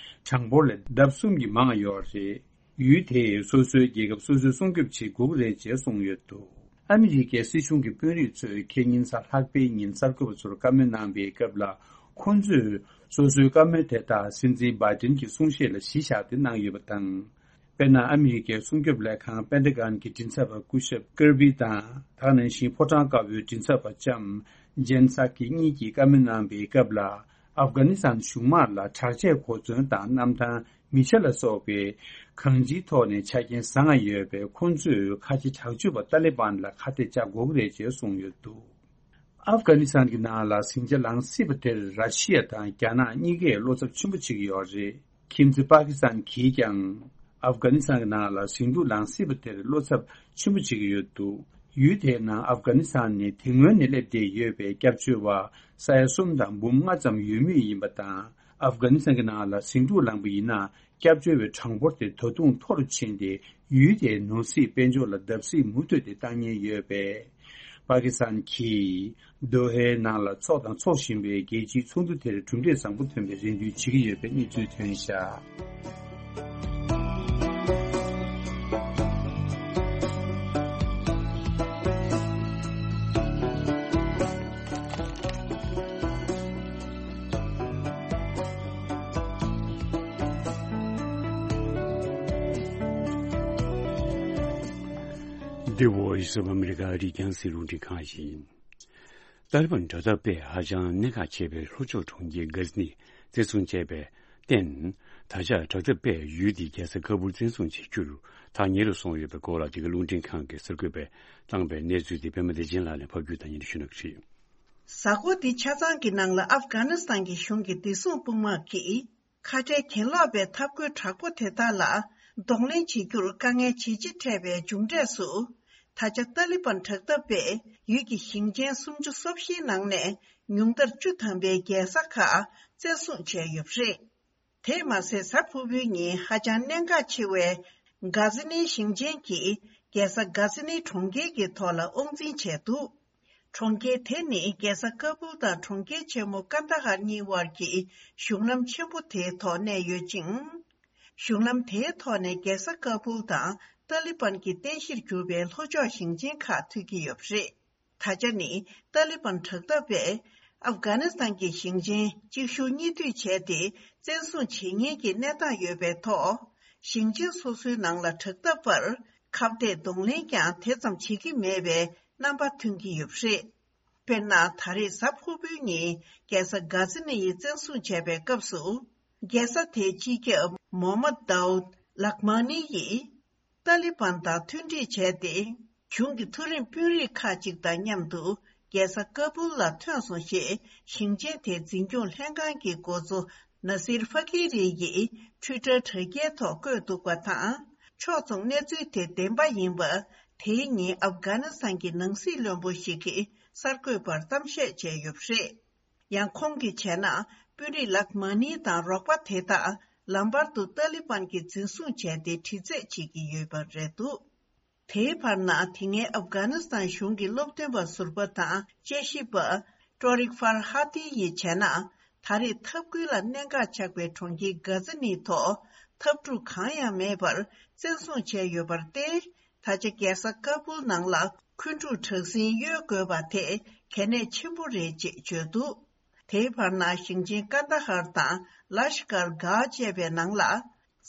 གྲངས་འབོར་ལས་ལྡབ་གསུམ་གྱིས་མང་ཡོད་རེད། ཡུལ་དེས་སོ་སོའི་རྒྱལ་ཁབ་སོ་སོས་སྲུང་སྐྱོབ་བྱེད་དགོས་ཀྱི་རེད་ཅེས་གསུངས་ཡོད་འདུག་ཨ་མི་རི་ཀའི་སྲིད་གཞུང་གི་དཔོན་རིགས་ཚོས་ཁེ་ཉིན་གཟའ་ལྷག་པའི་ཉིན་གསར་འགོད་པ་ཚོར་བཀའ་མོལ་གནང་པའི་སྐབས་ལ། ཁོང་ཚོས་སོ་སོའི་བཀའ་མོལ་དེ་དག་སྲིད་འཛིན་བྷའི་ཏིན་གྱི་གསུང་བཤད་ལ་གཞི་བཞག་སྟེ་གནང་ཡོད་པ་དང་། དཔེར་ན། ཨ་མི་རི་ཀའི་སྲུང་སྐྱོབ་ལས་ཁང་པེན་ཏ་གོན་གྱི་མགྲིན་ཚབ་པ་སྐུ་ཞབས་ཀིར་པི་དང་། ད་ག་ནང་བཞིན་ཕོ་བྲང་དཀར་པོའི་མགྲིན་ཚབ་པ་ལྕམ་ཇེན་སཱ་ཀི་གཉིས་ཀྱིས་བཀའ་མོལ་གནང་པའི་སྐབས་ལ། ཨབ་གྷ་ནི་སི་ཐན་གཞུང་དམག་ལ་དྲག་ཆས་གོ་མཚོན་དང་གནམ་ཐང་། མི་ཆ་ལ་སོགས་པའི་གང་ཅིའི་ཐོག་ནས་ཆ་རྐྱེན་བཟང་ང་ཡོད་པས། ཁོང་ཚོས་ཁ་ཆེ་དྲག་སྤྱོད་པ་ཏཱ་ལི་བན་ལ་ཁ་གཏད་བཅག་དགོས་ཀྱི་རེད་ཅེས་གསུངས་ཡོད་འདུག་ཨབ་གྷ་ནི་སི་ཐན་གྱི་ནང་ལ་ཟིང་ཆ་ལངས་སྲིད་པ་དེར་ར་ཤི་ཡ་དང་རྒྱ་ནག་གཉིས་ཀས་བློ་འཚབ་ཆེན་པོ་བྱེད་ཀྱི་ཡོད་རེད། ཁྱིམ་མཚེས་པ་ཀི་སི་ཐན་གྱིས་ཀྱང་ཨབ་གྷ་ནི་སི་ཐན་གྱི་ནང་ལ་ཟིང་འཁྲུག་ལངས་སྲིད་པ་དེར་བློ་འཚབ་ཆེན་པོ་བྱེད་ཀྱི་ཡོད་འདུག་ཡུལ་དེའི་ནང་ཨབ་གྷ་ནི་སི་ཐན་ནས་དེ་སྔོན་ནས་སླེབས་བསྡད་ཡོད་པའི་སྐྱབས་བཅོལ་བ་ས་ཡ་གསུམ་དང་འབུམ་ལྔ་ཙམ་ཡོད་མུས་ཡིན་པ་དང་། ཨབ་གྷ་ནི་སི་ཐན་གྱི་ནང་ལ་ཟིང་འཁྲུག་ལངས་པ་ཡིན་ན། སྐྱབས་བཅོལ་བའི་གྲངས་འབོར་དེ་ད་དུང་མཐོ་རུ་ཕྱིན་ཏེ། ཡུལ་དེའི་ནོར་སྲིད་དཔལ་འབྱོར་ལ་བརྡབ་གསིག་མུ་མཐུད་དེ་བཏང་ཉེན་ཡོད་པས། པ་ཀི་སི་ཐན་གྱིས་དོ་ཧའི་ནང་ལ་འཚོགས་དང་འཚོགས་བཞིན་པའི་རྒྱལ་སྤྱིའི་ཚོགས་འདུ་དེར་གྲུབ་འབྲས་བཟང་པོ་ཐོན་པའི་རེ་འདུན་བྱེད་ཀྱི་ཡོད་པའི་གནས་ཚུལ་ཐོན་བཞག་འདི་Voice of America རི་རྒྱང་སྲིད་རླུང་འཕྲིན་ཁང་ཡིན། ཏཱ་ལི་བན་དྲག་འཐབ་པས་ཧ་ཅང་གནད་འགག་ཆེ་བའི་ལྷོ་ཕྱོགས་གྲོང་ཁྱེར་གྷ་ཛི་ནི་བཙན་བཟུང་བྱས་པའི་རྟེན། ད་ཆ་དྲག་འཐབ་པས་ཡུལ་དེའི་རྒྱལ་ས་ཁ་སྦུལ་བཙན་བཟུང་བྱེད་རྒྱུར་ཐག་ཉེ་རུ་སོང་ཡོད་པའི་སྐོར་ལ། འདི་ག་རླུང་འཕྲིན་ཁང་གིས་གསར་འགོད་པས་བཏང་པའི་གནས་ཚུལ་དེ་པད་མ་བདེ་ཆེན་ལགས་ནས་ཕབ་སྒྱུར་དང་སྙན་སྒྲོན་ཞུ་གནང་གི་རེད། གཟའ་འཁོར་འདི་ཆ་ཚང་གི་ནང་ལ་ཨབ་གྷ་ནི་སི་ཐན་གྱི་གཞུང་གི་བདེ་སྲུང་དཔུང་དམག་གིས་ཁ་བྲལ་གྱེན་ལོག་པའི་འཐབ་རྒོལ་དྲག་པོ་དེ་དག་ལ་གདོང་ལེན་བྱེད་རྒྱུར་དཀའ་ངལ་ཇེ་ཆེ་འཕྲད་པའི་མཇུག་འབྲས་སུ། ད་ཆ་ཏཱ་ལི་བན་དྲག་འཐབ་པས་ཡུལ་གྱི་ཞིང་ཆེན་སུམ་ཅུ་སོ་བཞིའི་ནང་ནས་ཉུང་མཐར་བཅུ་ཐམ་པའི་རྒྱལ་ས་ཁག་བཙན་བཟུང་བྱས་ཡོད་པ་རེད། དེས་མ་ཟད། གཟའ་ཕུར་བུའི་ཉིན་ཧ་ཅང་གནད་འགག་ཆེ་བའི་གྷ་ཛི་ནི་ཞིང་ཆེན་གྱི་རྒྱལ་ས་གྷ་ཛི་ནི་གྲོང་ཁྱེར་གྱི་ཐོག་ལ་དབང་འཛིན་བྱས་འདུག་གྲོང་ཁྱེར་དེ་ནི་རྒྱལ་ས་ཀ་སྦུལ་དང་གྲོང་ཁྱེར་ཆེན་མོ་ཀན་ད་ཧར་གཉིས་དབར་གྱི་གཞུང་ལམ་ཆེན་པོ་དེའི་ཐོག་གནས་ཡོད་ཅིང་། གཞུང་ལམ་དེའི་ཐོག་ནས་རྒྱལ་ས་ཀ་སྦུལ་དང་ཏཱ་ལི་བན་གྱི་རྟེན་གཞིར་གྱུར་པའི་ལྷོ་ཕྱོགས་ཞིང་ཆེན་ཁག་མཐུད་ཀྱི་ཡོད་པ་རེད། ད་ཆ་ནི་ཏཱ་ལི་བན་དྲག་འཐབ་པས་ཨབ་གྷ་ནི་སི་ཐན་གྱི་ཞིང་ཆེན་གཅིག་མཇུག་གཉིས་མཐུད་བྱས་ཏེ་བཙན་བཟུང་བྱེད་ཉེན་གྱི་གནས་སྟངས་ཡོད་པའི་ཐོག་ཞིང་ཆེན་སོ་སོའི་ནང་ལ་དྲག་འཐབ་པར་ཁ་གཏད་གདོང་ལེན་ཀྱང་དེ་ཙམ་བྱེད་ཀྱི་མེད་པའི་རྣམ་པ་ཐོན་གྱི་ཡོད་པ་རེད། དཔེར་ན། ད་རེས་གཟའ་ཕུར་བུའི་ཉིན་རྒྱལ་ས་གྷ་ཛི་ནི་ཡིས་བཙན་བཟུང་བྱས་པའི་སྐབས་སུ། རྒྱལ་ས་དེའི་སྤྱི་ཁྱབ་མོ་མ་དའུད་ལག་མ་ནི་ཡིས། ཏཱ་ལི་བན་དང་མཐུན་སྒྲིག་བྱས་ཏེ། གཞུང་གི་མཐོ་རིམ་དཔོན་རིགས་ཁག་ཅིག་དང་མཉམ་དུ་རྒྱལ་ས་ཀ་པུལ་ལ་ཐོན་སོང་ཞེས་ཞིང་ཆེན་དེའི་འཛིན་སྐྱོང་ལྷན་ཁང་གི་འགོ་གཙོ་ན་སིར་ཧྥ་ཀི་རི་ཡིས་ཊུའི་ཊར་དྲ་རྒྱའི་ཐོག་བཀོད་འདུག་པ་དང་། ཕྱོགས་མཚུངས་གནས་ཚུལ་དེ་བདེན་པ་ཡིན་པ། དེའི་ཉིན་ཨབ་གྷ་ནི་སི་ཐན་གྱི་ནང་སྲིད་བློན་པོ་ཞིག་གིས་གསར་འགོད་པར་གཏམ་བཤད་བྱས་ཡོད་པ་རེད། ཡང་ཁོང་གིས་བྱས་ན། དཔོན་རིགས་ལག་མ་ནི་དང་རོགས་པ་དེ་དག་ལམ་བར་དུ་ཏཱ་ལི་བན་གྱིས་འཛིན་བཟུང་བྱས་ཏེ་དྲི་རྩད་བྱེད་ཀྱི་ཡོད་པ་རེད་འདུག་དེའི་བར་ན། དེ་སྔའི་ཨབ་གྷ་ནི་སི་ཐན་གཞུང་གི་སློབ་སྟོན་པ་ཟུར་པ་དང་དཔྱད་ཞིབ་པ་ཏོ་རིག་ཧྥར་ཧ་ཏི་ཡིས་བྱས་ན། ད་རེས་འཐབ་རྒོལ་ལ་གནད་འགག་ཆགས་པའི་གྲོང་ཁྱེར་གྷ་ཛ་ནི་ཐོག་འཐབ་འཁྲུག་གང་ཡང་མེད་པར་བཙན་བཟུང་བྱས་ཡོད་པར་བརྟེན། ད་ཆ་རྒྱལ་ས་ཀ་པུལ་ནང་ལ་འཁོན་འཁྲུག་དྲག་ཟིང་གཡོལ་དགོས་པ་དེ་གལ་གནད་ཆེན་པོ་རེད་ཅེས་བརྗོད་འདུག་དེའི་བར་ན། ཞིང་ཆེན་ཀན་ད་ཧར་དང་ལ་ཤ་ཀར་གྷ་བཅས་པའི་ནང་ལ།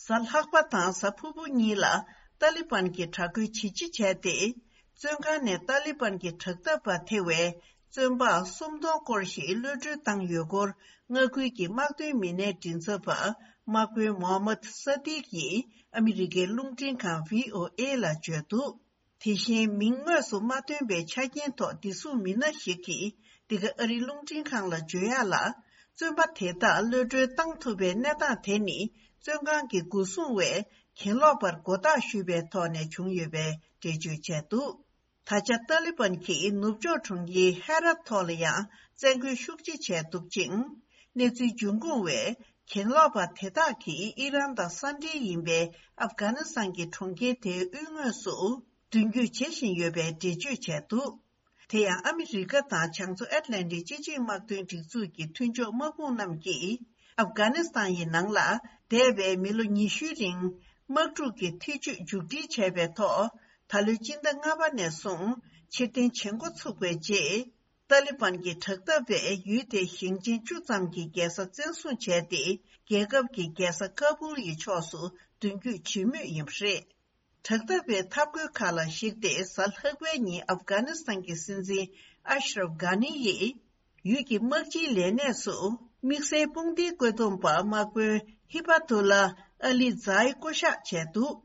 གཟའ་ལྷག་པ་དང་གཟའ་ཕུར་བུ་གཉིས་ལ་ཏཱ་ལི་བན་གྱིས་དྲག་རྒོལ་ཇི་ཆེ་བྱས་ཏེ། བཙོན་ཁང་ནས་ཏཱ་ལི་བན་གྱི་དྲག་འཐབ་པ་ཐེ་བའི་བཙོན་པ་སུམ་སྟོང་སྐོར་ཞིག་གློད་གྲོལ་བཏང་ཡོད་སྐོར། མངའ་ཁུལ་གྱི་དམག་དོན་མི་སྣའི་མགྲིན་ཚབ་པ་དམག་དཔོན་མོ་ཧམ་མད་ས་ཏིག་ཡིས་ཨ་མི་རི་ཀའི་རླུང་འཕྲིན་ཁང་བྷི་ཨོ་ཨེ་ལ་བརྗོད་འདུག་དེ་བཞིན་མིང་དངོས་སུ་མ་ཐོན་པའི་ཆ་རྐྱེན་ཐོག་བདེ་སྲུང་མི་སྣ་ཞིག་གིས་འདི་ག་ཨ་རིའི་རླུང་འཕྲིན་ཁང་ལ་བརྗོད་ཡག་ལ། བཙོན་པ་དེ་དག་གློད་གྲོལ་བཏང་ཐུབ་པའི་གནས་སྟངས་དེ་ནི། བཙོན་ཁང་གི་སྒོ་སྲུང་བས་གྱེན་ལོག་པར་མགོ་བཏགས་ཞུས་པའི་ཐོག་ནས་བྱུང་ཡོད་པའི་འགྲེལ་བརྗོད་བྱས་འདུག་ད་ཆ་ཏཱ་ལི་བན་གྱིས་ནུབ་ཕྱོགས་གྲོང་ཁྱེར་ཧེ་ར་ཐོག་ལ་ཡང་བཙན་རྒོལ་ཤུགས་ཆེ་བྱས་འདུག་ཅིང་། གནས་ཚུལ་འབྱུང་ཁུངས་བས། གྱེན་ལོག་པ་དེ་དག་གིས་ཨི་རན་དང་ས་འབྲེལ་ཡིན་པའི་ཨབ་གྷ་ནི་སི་ཐན་གྱི་གྲོང་ཁྱེར་དེའི་དབུས་ངོས་སུ་མདུན་སྐྱོད་བྱེད་བཞིན་ཡོད་པའི་འགྲེལ་བརྗོད་བྱས་འདུག་དེ་ཡང་ཨ་མི་རི་ཀ་དང་བྱང་མཚོ་ཨེཊ་ལན་ཊིག་སྤྱི་ཆིངས་དམག་དོན་སྒྲིག་འཛུགས་ཀྱི་མཐུན་ཕྱོགས་དམག་དཔུང་རྣམས་ཀྱིས་ཨབ་གྷ་ནི་སི་ཐན་ཡི་ནང་ལ་འདས་པའི་མི་ལོ་ཉི་ཤུའི་རིང་དམག་འཁྲུག་གི་ཐེ་ཇུས་མཇུག་སྒྲིལ་བྱས་པའི་ཐོག་ད་ལོའི་སྤྱི་ཟླ་ལྔ་པ་ནས་བཟུང་ཕྱིར་འཐེན་བྱེད་འགོ་ཚུགས་པའི་རྗེས། ཏཱ་ལི་བན་གྱི་དྲག་འཐབ་པས་ཡུལ་དེའི་ཞིང་ཆེན་བཅུ་ཙམ་གྱི་རྒྱལ་ས་བཙན་བཟུང་བྱས་ཏེ། རྒྱལ་ཁབ་ཀྱི་རྒྱལ་ས་ཀ་པུལ་ཡི་ཕྱོགས་སུ་མདུན་སྐྱོད་བྱེད་མུས་ཡིན་པ་རེད། དྲག་འཐབ་པའི་འཐབ་རྒོལ་ཁག་ལ་གཞིགས་ཏེ། གཟའ་ལྷག་པའི་ཉིན་ཨབ་གྷ་ནི་སི་ཐན་གྱི་སྲིད་འཛིན་ཨ་ཤ་རབ་གྷ་ནི་ཡིས་ཡུལ་གྱི་དམག་སྤྱིའི་ལས་གནས་སུ་དམིགས་བསལ་དཔུང་སྡེའི་བཀོད་འདོམས་པ་དམག་དཔོན་ཧི་པ་ཏུ་ལ་ཨ་ལི་ཛའི་བསྐོ་གཞག་བྱས་འདུག་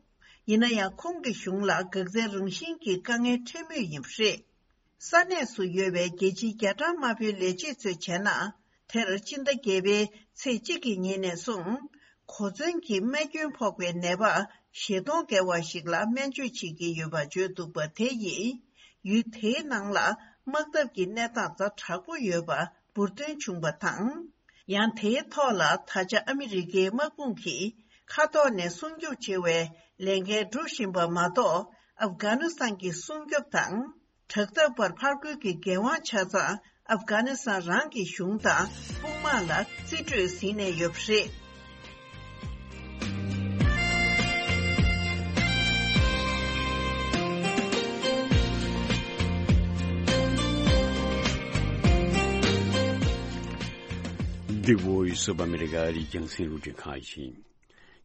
ཡིན་ན་ཡང་། ཁོང་གི་གཞུང་ལ་འགག་རྩའི་རང་བཞིན་གྱི་དཀའ་ངལ་འཕྲད་མུས་ཡིན་པ་རེད། ས་གནས་སུ་ཡོད་པའི་རྒྱལ་སྤྱིའི་རྒྱ་གྲམ་དམར་པོའི་ལས་བྱེད་ཚོས་བྱས་ན། དེར་སྤྱི་ཟླ་བརྒྱད་པའི་ཚེས་གཅིག་གི་ཉིན་ནས་བཟུང་། གོ་མཚོན་གྱི་རྨས་སྐྱོན་ཕོག་པའི་ནད་པ་ཞེ་སྟོང་བརྒལ་བ་ཞིག་ལ་སྨན་བཅོས་བྱེད་ཀྱི་ཡོད་པ་བརྗོད་འདུག་པ་དེ་ཡིས། ཡུལ་དེའི་ནང་ལ་དམག་འཐབ་ཀྱི་གནས་སྟངས་ཛ་དྲག་པོ་ཡོད་པ་འབུར་ཐོན་བྱུང་བ་དང་། ཡང་དེའི་ཐོག་ལ་ད་ཆ་ཨ་མི་རི་ཀའི་དམག་དཔུང་གིས་མཁའ་ཐོག་ནས་སྲུང་སྐྱོབ་བྱེད་པའི་ལས་འགན་སྒྲུབ་བཞིན་པ་མ་གཏོགས། ཨབ་གྷ་ནི་སི་ཐན་གྱི་སྲུང་སྐྱོབ་དང་། དྲག་འཐབ་པར་ཕར་རྒོལ་གྱི་འགན་དབང་ཆ་ཚང་ཨབ་གྷ་ནི་སི་ཐན་རང་གི་གཞུང་དང་དཔུང་དམག་ལ་རྩིས་སྤྲོད་ཟིན་ནས་ཡོད་པ་རེད། འདི་Voice of America ཨ་རིའི་རྒྱང་སྲིང་རླུང་འཕྲིན་ཁང་ཡིན།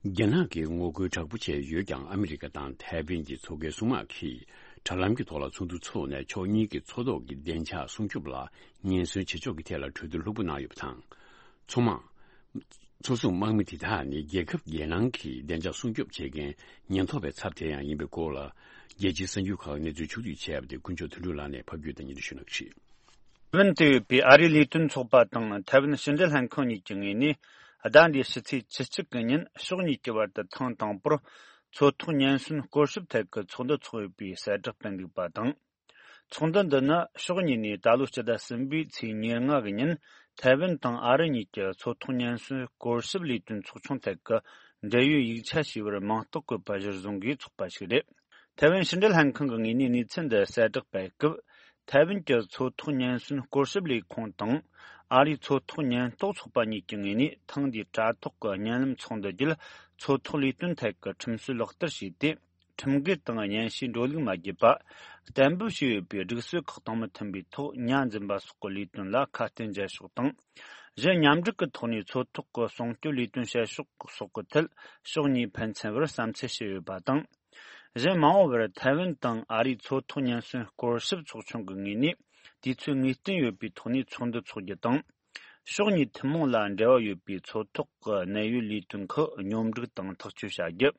རྒྱ་ནག་གིས་ངོ་རྒོལ་དྲག་པོ་བྱས་ཡོད་ཀྱང་། ཨ་མི་རི་ཀ་དང་ཐའེ་ཝན་གྱི་མཚོ་ཁའི་སྲུང་དམག་གིས་དྲ་ལམ་གྱི་ཐོག་ལ་ཚོགས་འདུ་འཚོགས་ནས། ཕྱོགས་གཉིས་ཀྱི་མཚོ་ཐོག་གི་བདེ་འཇགས་སྲུང་སྐྱོབ་ལ་ཉེན་ཟོན་བྱེད་ཕྱོགས་ཀྱི་ཐད་ལ་གྲོས་བསྡུར་ལྷུག་པོ་གནང་ཡོད་པ་དང་། མཚོ་དམག་མཚོ་སྲུང་དམག་མི་དེ་དག་ནི་རྒྱལ་ཁབ་རྒྱལ་ནང་གི་བདེ་འཇགས་སྲུང་སྐྱོབ་བྱེད་མཁན་ཉེན་རྟོག་པའི་ཚབ་དེ་ཡང་ཡིན་པའི་སྐོར་ལ། རྒྱལ་སྤྱིའི་གསར་འགྱུར་ཁག་གནས་ཚུལ་ཕྱོགས་བསྡུས་བྱས་པ་དེ་དཀོན་མཆོག་དོན་གྲུབ་ལགས་ནས་ཕབ་སྒྱུར་དང་སྙན་སྒྲོན་ཞུ་གནང་གི་རེད། ཐའེ་ཝན་དུ་ཡོད་པའི་ཨ་རིའི་ལས་དོན་ཚོགས་པ་དང་ཐའེ་ཝན་ཕྱི་འབྲེལ་ལྷན་ཁང་གཉིས་ཀྱི་ངོས་ནས། ཟླ་འདིའི་ཕྱི་ཚེས་བཅུ་གཅིག་གི་ཉིན་ཕྱོགས་གཉིས་ཀྱི་བར་དུ་ཐེངས་དང་པོར་མཚོ་ཐོག་ཉེན་སྲུང་སྐོར་ཞིབ་ཐད་ཀྱི་ཚོགས་འདུ་འཚོགས་ཡོད་པའི་གསལ་བསྒྲགས་སྤེལ་འདུག་པ་དང་། ཚོགས་འདུ་འདི་ནི་ཕྱོགས་གཉིས་ནས་ད་ལོ་སྤྱི་ཟླ་གསུམ་པའི་ཚེས་ཉེར་ལྔ་གི་ཉིན་ཐའེ་ཝན་དང་ཨ་རི་གཉིས་ཀྱི་མཚོ་ཐོག་ཉེན་སྲུང་སྐོར་ཞིབ་ལས་དོན་ཚོགས་ཆུང་ཐད་ཀྱི་འབྲེལ་ཡོད་ཡིག་ཆ་ཞེས་པར་མིང་རྟགས་བཀོད་པ་གཞིར་བཟུང་གིས་ཚོགས་པ་ཞིག་རེད། ཐའེ་ཝན་ཕྱི་འབྲེལ་ལྷན་ཁང་གི་ངོས་ནས་གནས་ཚུལ་འདི་གསལ་བསྒྲགས་སྤེལ་སྐབས། ཐའེ་ཝན་གྱི་མཚོ་ཐོག་ཉེན་སྲུང་སྐོར་ཞིབ་ལས་ཁུངས་དང་ཨ་རིའི་མཚོ་ཐོག་ཉེན་རྟོག་ཚོགས་པ་གཉིས་ཀྱི་ངོས་ནས་ཐེངས་འདིའི་དྲ་ཐོག་གི་བརྙན་ལམ་ཚོགས་འདུ་བརྒྱུད་མཚོ་ཐོག་ལས་དོན་ཐད་ཀྱི་ཁྲིམས་སྲོལ་ལག་བསྟར་བྱས་ཏེ། ཁྲིམས་འགལ་དང་གཉེན་བཤེས་འགྲོ་ལུགས་མ་བརྒྱུད་པ། གཏན་འབེབས་བྱས་ཡོད་པའི་སྒྲིག་སྲོལ་ཁག་དང་མི་མཐུན་པའི་ཐོག་ཉ་འཛིན་པ་སོགས་ཀྱི་ལས་དོན་ལ་ཁ་གཏད་འཇལ་ཕྱོགས་དང་། གཞན་མཉམ་འབྲེལ་གྱི་ཐོག་ནས་མཚོ་ཐོག་གི་སྲུང་སྐྱོབ་ལས་དོན་བྱེད་ཕྱོགས་སོགས་ཀྱི་ཐད་ཕྱོགས་གཉིས་ཕན་ཚུན་བར་བསམ་ཚུལ་བྱས་ཡོད་པ་དང་། གཞན་མ་འོངས་པར་ཐའེ་ཝན་དང་ཨ་རིའི་མཚོ་ཐོག་ཉེན་སྲུང་སྐོར་ཞིབ་ཚོགས་ཆུང་གི་ངོས་ནས་དུས་ཚོད་ངེས་གཏན་ཡོད་པའི་ཐོག་ནས་ཚོགས་འདུ་འཚོགས་རྒྱུ་དང་། ཕྱོགས་གཉིས་ཐུན་མོང་ལ་འབྲེལ་བ་ཡོད་པའི་མཚོ་ཐོག་གི་གནད་ཡོད་ལས་དོན་ཁག་སྙོམས་སྒྲིག་དང་ཐག་གཅོད་བྱ་རྒྱུ།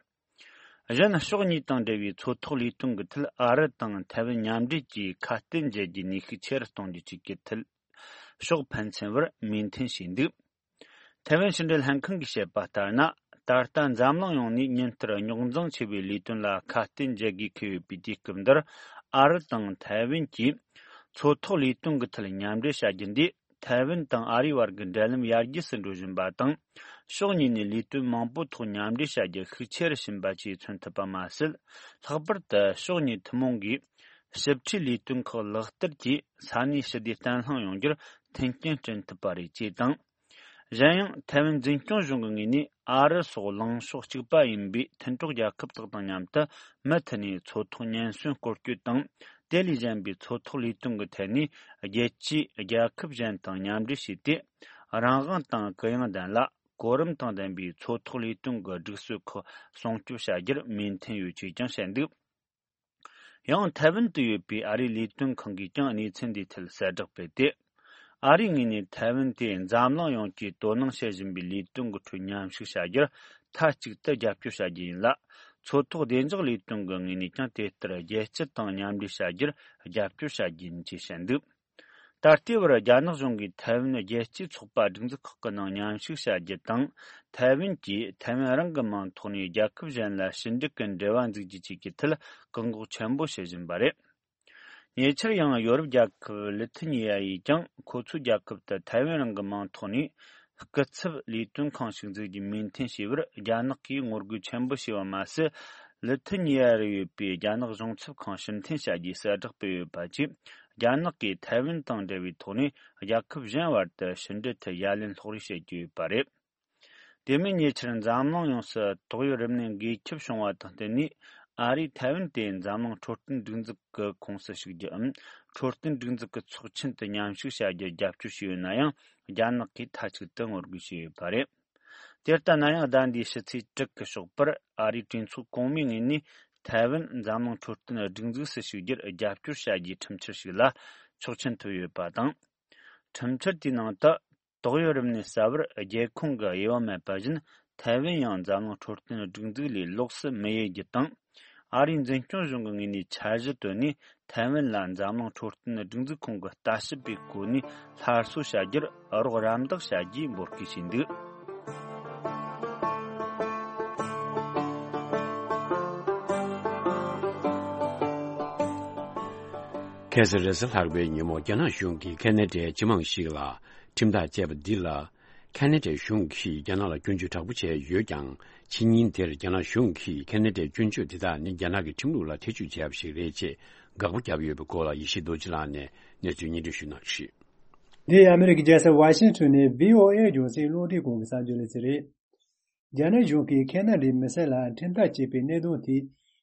གཞན་ཕྱོགས་གཉིས་དང་འབྲེལ་བའི་མཚོ་ཐོག་ལས་དོན་གྱི་ཐད། ཨ་རི་དང་ཐའེ་ཝན་མཉམ་འབྲེལ་གྱིས་ཁ་གཏད་འཇལ་རྒྱུའི་ནུས་ཤུགས་ཆེ་རུ་གཏོང་རྒྱུ་བཅས་ཀྱི་ཐད་ཕྱོགས་ཕན་ཚུན་བར་མོས་མཐུན་བྱས་འདུག་ཐའེ་ཝན་ཕྱི་འབྲེལ་ལྷན་ཁང་གིས་བཤད་པ་ལྟར་ན། ད་ལྟ་འཛམ་གླིང་ཡོངས་ནས་ཉིན་ལྟར་རྙོག་འཛིང་ཆེ་བའི་ལས་དོན་ལ་ཁ་གཏད་འཇལ་དགོས་འཁེལ་ཡོད་པའི་དུས་སྐབས་འདིར། ཨ་རི་དང་ཐའེ་ཝན་གྱིས་མཚོ་ཐོག་ལས་དོན་གྱི་ཐད་མཉམ་འབྲེལ་བྱ་རྒྱུ་འདིས། ཐའེ་ཝན་དང་ཨ་རིའི་བར་གྱི་འབྲེལ་ལམ་ཡར་རྒྱས་སུ་འགྲོ་བཞིན་པ་དང་། ཕྱོགས་གཉིས་ནས་ལས་དོན་མང་པོའི་ཐོག་མཉམ་འབྲེལ་བྱ་རྒྱུར་ཤུགས་ཆེ་རུ་ཕྱིན་པ་བཅས་མཚོན་ཐུབ་པ་མ་ཟད། ལྷག་པར་དུ་ཕྱོགས་གཉིས་ཐུན་མོང་གིས་ཞིབ་ཕྲའི་ལས་དོན་ཁག་ལག་བསྟར་གྱིས་ས་གནས་ཞི་བདེ་བརྟན་ལྷིང་ཡོང་རྒྱུར་མཐུན་རྐྱེན་བསྐྲུན་ཐུབ་པ་རེད་ཅེས་དང་། གཞན་ཡང་། ཐའེ་ཝན་འཛིན་སྐྱོང་གཞུང་གི་ངོས་ནས། ཨ་རི་སོགས་ལངས་ཕྱོགས་གཅིག་པ་ཡིན་པའི་མཐུན་གྲོགས་རྒྱལ་ཁབ་དག་དང་མཉམ་དུ་མུ་མཐུད་ནས་མཚོ་ཐོག་ཉེན་ཟོན་སྐོར་སྐྱོད་དང་། དེ་ལས་གཞན་པའི་མཚོ་ཐོག་ལས་དོན་གྱི་ཐད་ནས། རྒྱལ་སྤྱིའི་རྒྱལ་ཁབ་གཞན་དང་མཉམ་འབྲེལ་བྱས་ཏེ། རང་དབང་དང་གུ་ཡངས་ལྡན་ལ། གོ་རིམ་དང་ལྡན་པའི་མཚོ་ཐོག་ལས་དོན་གྱི་སྒྲིག་སྲོལ་ཁག་སྲུང་སྐྱོབ་བྱ་རྒྱུར་མོས་མཐུན་ཡོད་ཅེས་ཀྱང་བཤད་འདུག་ཡང་། ཐའེ་ཝན་དུ་ཡོད་པའི་ཨ་རིའི་ལས་དོན་ཁང་གིས་ཀྱང་གནས་ཚུལ་འདིའི་ཐད་གསལ་བསྒྲགས་སྤེལ་ཏེ། ཨ་རིའི་ངོས་ནས་ཐའེ་ཝན་དེ་འཛམ་གླིང་ཡོངས་ཀྱིས་དོ་སྣང་བྱེད་བཞིན་པའི་ལས་དོན་གྱི་ཁྲོད་མཉམ་ཞུགས་བྱ་རྒྱུར་མཐའ་གཅིག་ཏུ་རྒྱབ་སྐྱོར་བྱ་རྒྱུ་ཡིན་ལ། མཚོ་ཐོག་བདེ་འཇགས་ལས་དོན་གྱི་ངོས་ནས་ཀྱང་དེ་ལྟར་རྒྱལ་སྤྱི་དང་མཉམ་འབྲེལ་བྱ་རྒྱུར་རྒྱབ་སྐྱོར་བྱ་རྒྱུ་ཡིན་ཅེས་བཤད་འདུག་ད་ལྟའི་བར་རྒྱ་ནག་གཞུང་གིས་ཐའེ་ཝན་རྒྱལ་སྤྱིའི་ཚོགས་པ་སྒྲིག་འཛུགས་ཁག་གི་ནང་མཉམ་ཞུགས་བྱ་རྒྱུ་དང་། ཐའེ་ཝན་གྱིས་ཐའེ་ཝན་རང་གི་མིང་ཐོག་ནས་རྒྱལ་ཁབ་གཞན་ལ་ཞི་འགྲིག་གི་འབྲེལ་བ་འཛུགས་རྒྱུ་བཅས་ཀྱི་ཐད་བཀག་འགོག་ཆེན་པོ་བྱེད་བཞིན་པ་རེད། ཉེ་ཆར་ཡང་ཡོ་རོབ་རྒྱལ་ཁབ་ལི་ཐི་ཉི་ཡ་ཡིས་ཀྱང་ཁོ་ཚོའི་རྒྱལ་ཁབ་ཏུ་ཐའེ་ཝན་རང་གི་མིང་ཐོག་ནས་སྐུ་ཚབ་ལས་དོན་ཁང་ཞིག་འཛུགས་རྒྱུའི་མོས་མཐུན་བྱས་པར་རྒྱ་ནག་གིས་ངོ་རྒོལ་ཆེན་པོ་བྱས་པ་མ་ཟད། ལི་ཐི་ཉི་ཡ་རུ་ཡོད་པའི་རྒྱ་ནག་གཞུང་ཚབ་ཁང་ཕྱིར་འཐེན་བྱ་རྒྱུའི་གསལ་བསྒྲགས་སྤེལ་ཡོད་པ་བཅས། རྒྱ་ནག་གིས་ཐའེ་ཝན་དང་འབྲེལ་བའི་ཐོག་ནས་རྒྱལ་ཁབ་གཞན་བར་དུ་ཕྱི་འབྲེལ་ཐད་ཡ་ལན་སློག་རེས་བྱེད་ཀྱི་ཡོད་པ་རེད། དེ་མིན་ཉེ་ཆར་འཛམ་གླིང་ཡོངས་སུ་ཏོག་དབྱིབས་རིམས་ནད་འགོས་ཁྱབ་བྱུང་བ་དང་བསྟུན་ནས། ཨ་རིས་ཐའེ་ཝན་དེ་འཛམ་གླིང་འཕྲོད་བསྟེན་སྒྲིག་འཛུགས་ཀྱི་ཁོངས་སུ་ཞུགས་རྒྱུའམ། འཕྲོད་བསྟེན་སྒྲིག་འཛུགས་ཀྱི་ཚོགས་ཆེན་དུ་མཉམ་ཞུགས་བྱ་རྒྱུར་རྒྱབ་སྐྱོར་བྱས་ཡོད་ན་ཡང་། རྒྱ་ནག་གིས་མཐའ་གཅིག་ཏུ་ངོ་རྒོལ་བྱས་ཡོད་པ་རེད། དེ་ལྟ་ན་ཡང་། ཟླ་འདིའི་ཕྱི་ཚེས་དྲུག་གི་ཞོགས་པར་ཨ་རིའི་གྲོས་ཚོགས་གོང་མའི་ངོས་ནས་ཐའེ་ཝན་འཛམ་གླིང་འཕྲོད་བསྟེན་སྒྲིག་འཛུགས་སུ་ཞུགས་རྒྱུར་རྒྱབ་སྐྱོར་བྱ་རྒྱུའི་ཁྲིམས་འཆར་ཞིག་ལ་ཆོག་མཆན་ཐོབ་ཡོད་པ་དང་། ཁྲིམས་འཆར་དེའི་ནང་དུ། ཏོག་དབྱིབས་རིམས་ནད་གསར་བར་རྒྱལ་ཁོངས་ཀྱི་དབྱེ་བ་མེད་པ་བཞིན། ཐའེ་ཝན་ཡང་འཛམ་གླིང་འཕྲོད་བསྟེན་སྒྲིག་འཛུགས་ལས་ལོགས་སུ་མི་དབྱེ་རྒྱུ་དང་། ཨ་རིའི་འཛིན་སྐྱོང་གཞུང་གི་ངོས་ནས་འཆར་གཞི་བཏོན་ནས། ཐའེ་ཝན་ལ་འཛམ་གླིང་འཕྲོད་བསྟེན་སྒྲིག་འཛུགས་ཁོངས་ཀྱི་ལྟ་ཞིབ་པའི་གོ་གནས་སླར་གསོ་བྱ་རྒྱུར་རོགས་རམ་འདེགས་བྱ་རྒྱུའི་འབོད་སྐུལ་བྱས་འདུག་ཁ་སང་རེས་གཟའ་ལྷག་པའི་ཉིན་མོ། རྒྱ་ནག་གཞུང་གིས་ཁ་ན་ཌའི་སྤྱི་དམངས་ཤིག་ལ་ཁྲིམས་ཐག་བཅད་པ་འདི་ལ། ཁ་ན་ཌའི་གཞུང་གིས་རྒྱ་ནག་ལ་སྐྱོན་བརྗོད་དྲག་པོ་བྱས་ཡོད་ཀྱང་། ཕྱི་ཉིན་དེར་རྒྱ་ནག་གཞུང་གིས་ཁ་ན་ཌའི་སྐྱོན་བརྗོད་དེ་དག་ནི་རྒྱ་ནག་གི་ཁྲིམས་ལུགས་ལ་ཐེ་ཇུས་བྱས་པ་ཞིག་རེད་ཅེས་དགག་པ་བརྒྱབ་ཡོད་པའི་སྐོར་ལ། ཡེ་ཤེས་རྡོ་རྗེ་ལགས་ནས་གནས་ཚུལ་སྙན་སྒྲོན་ཞུ་གནང་རེད། འདི་ཨ་མི་རི་ཀའི་རྒྱལ་ས་ཝ་ཤིང་ཊོན་ནས་བྷི་ཨོ་ཨེ་རྒྱང་སྲིང་རླུང་འཕྲིན་ཁང་གི་གསར་འགྱུར་ལེ་ཚན་རེད། རྒྱ་ནག་གཞུང་གིས་ཁ་ན་ཌའི་མི་སེར་ལ་ཁྲིམས་ཐག་བཅད་པའི་གནད་དོན་དེ།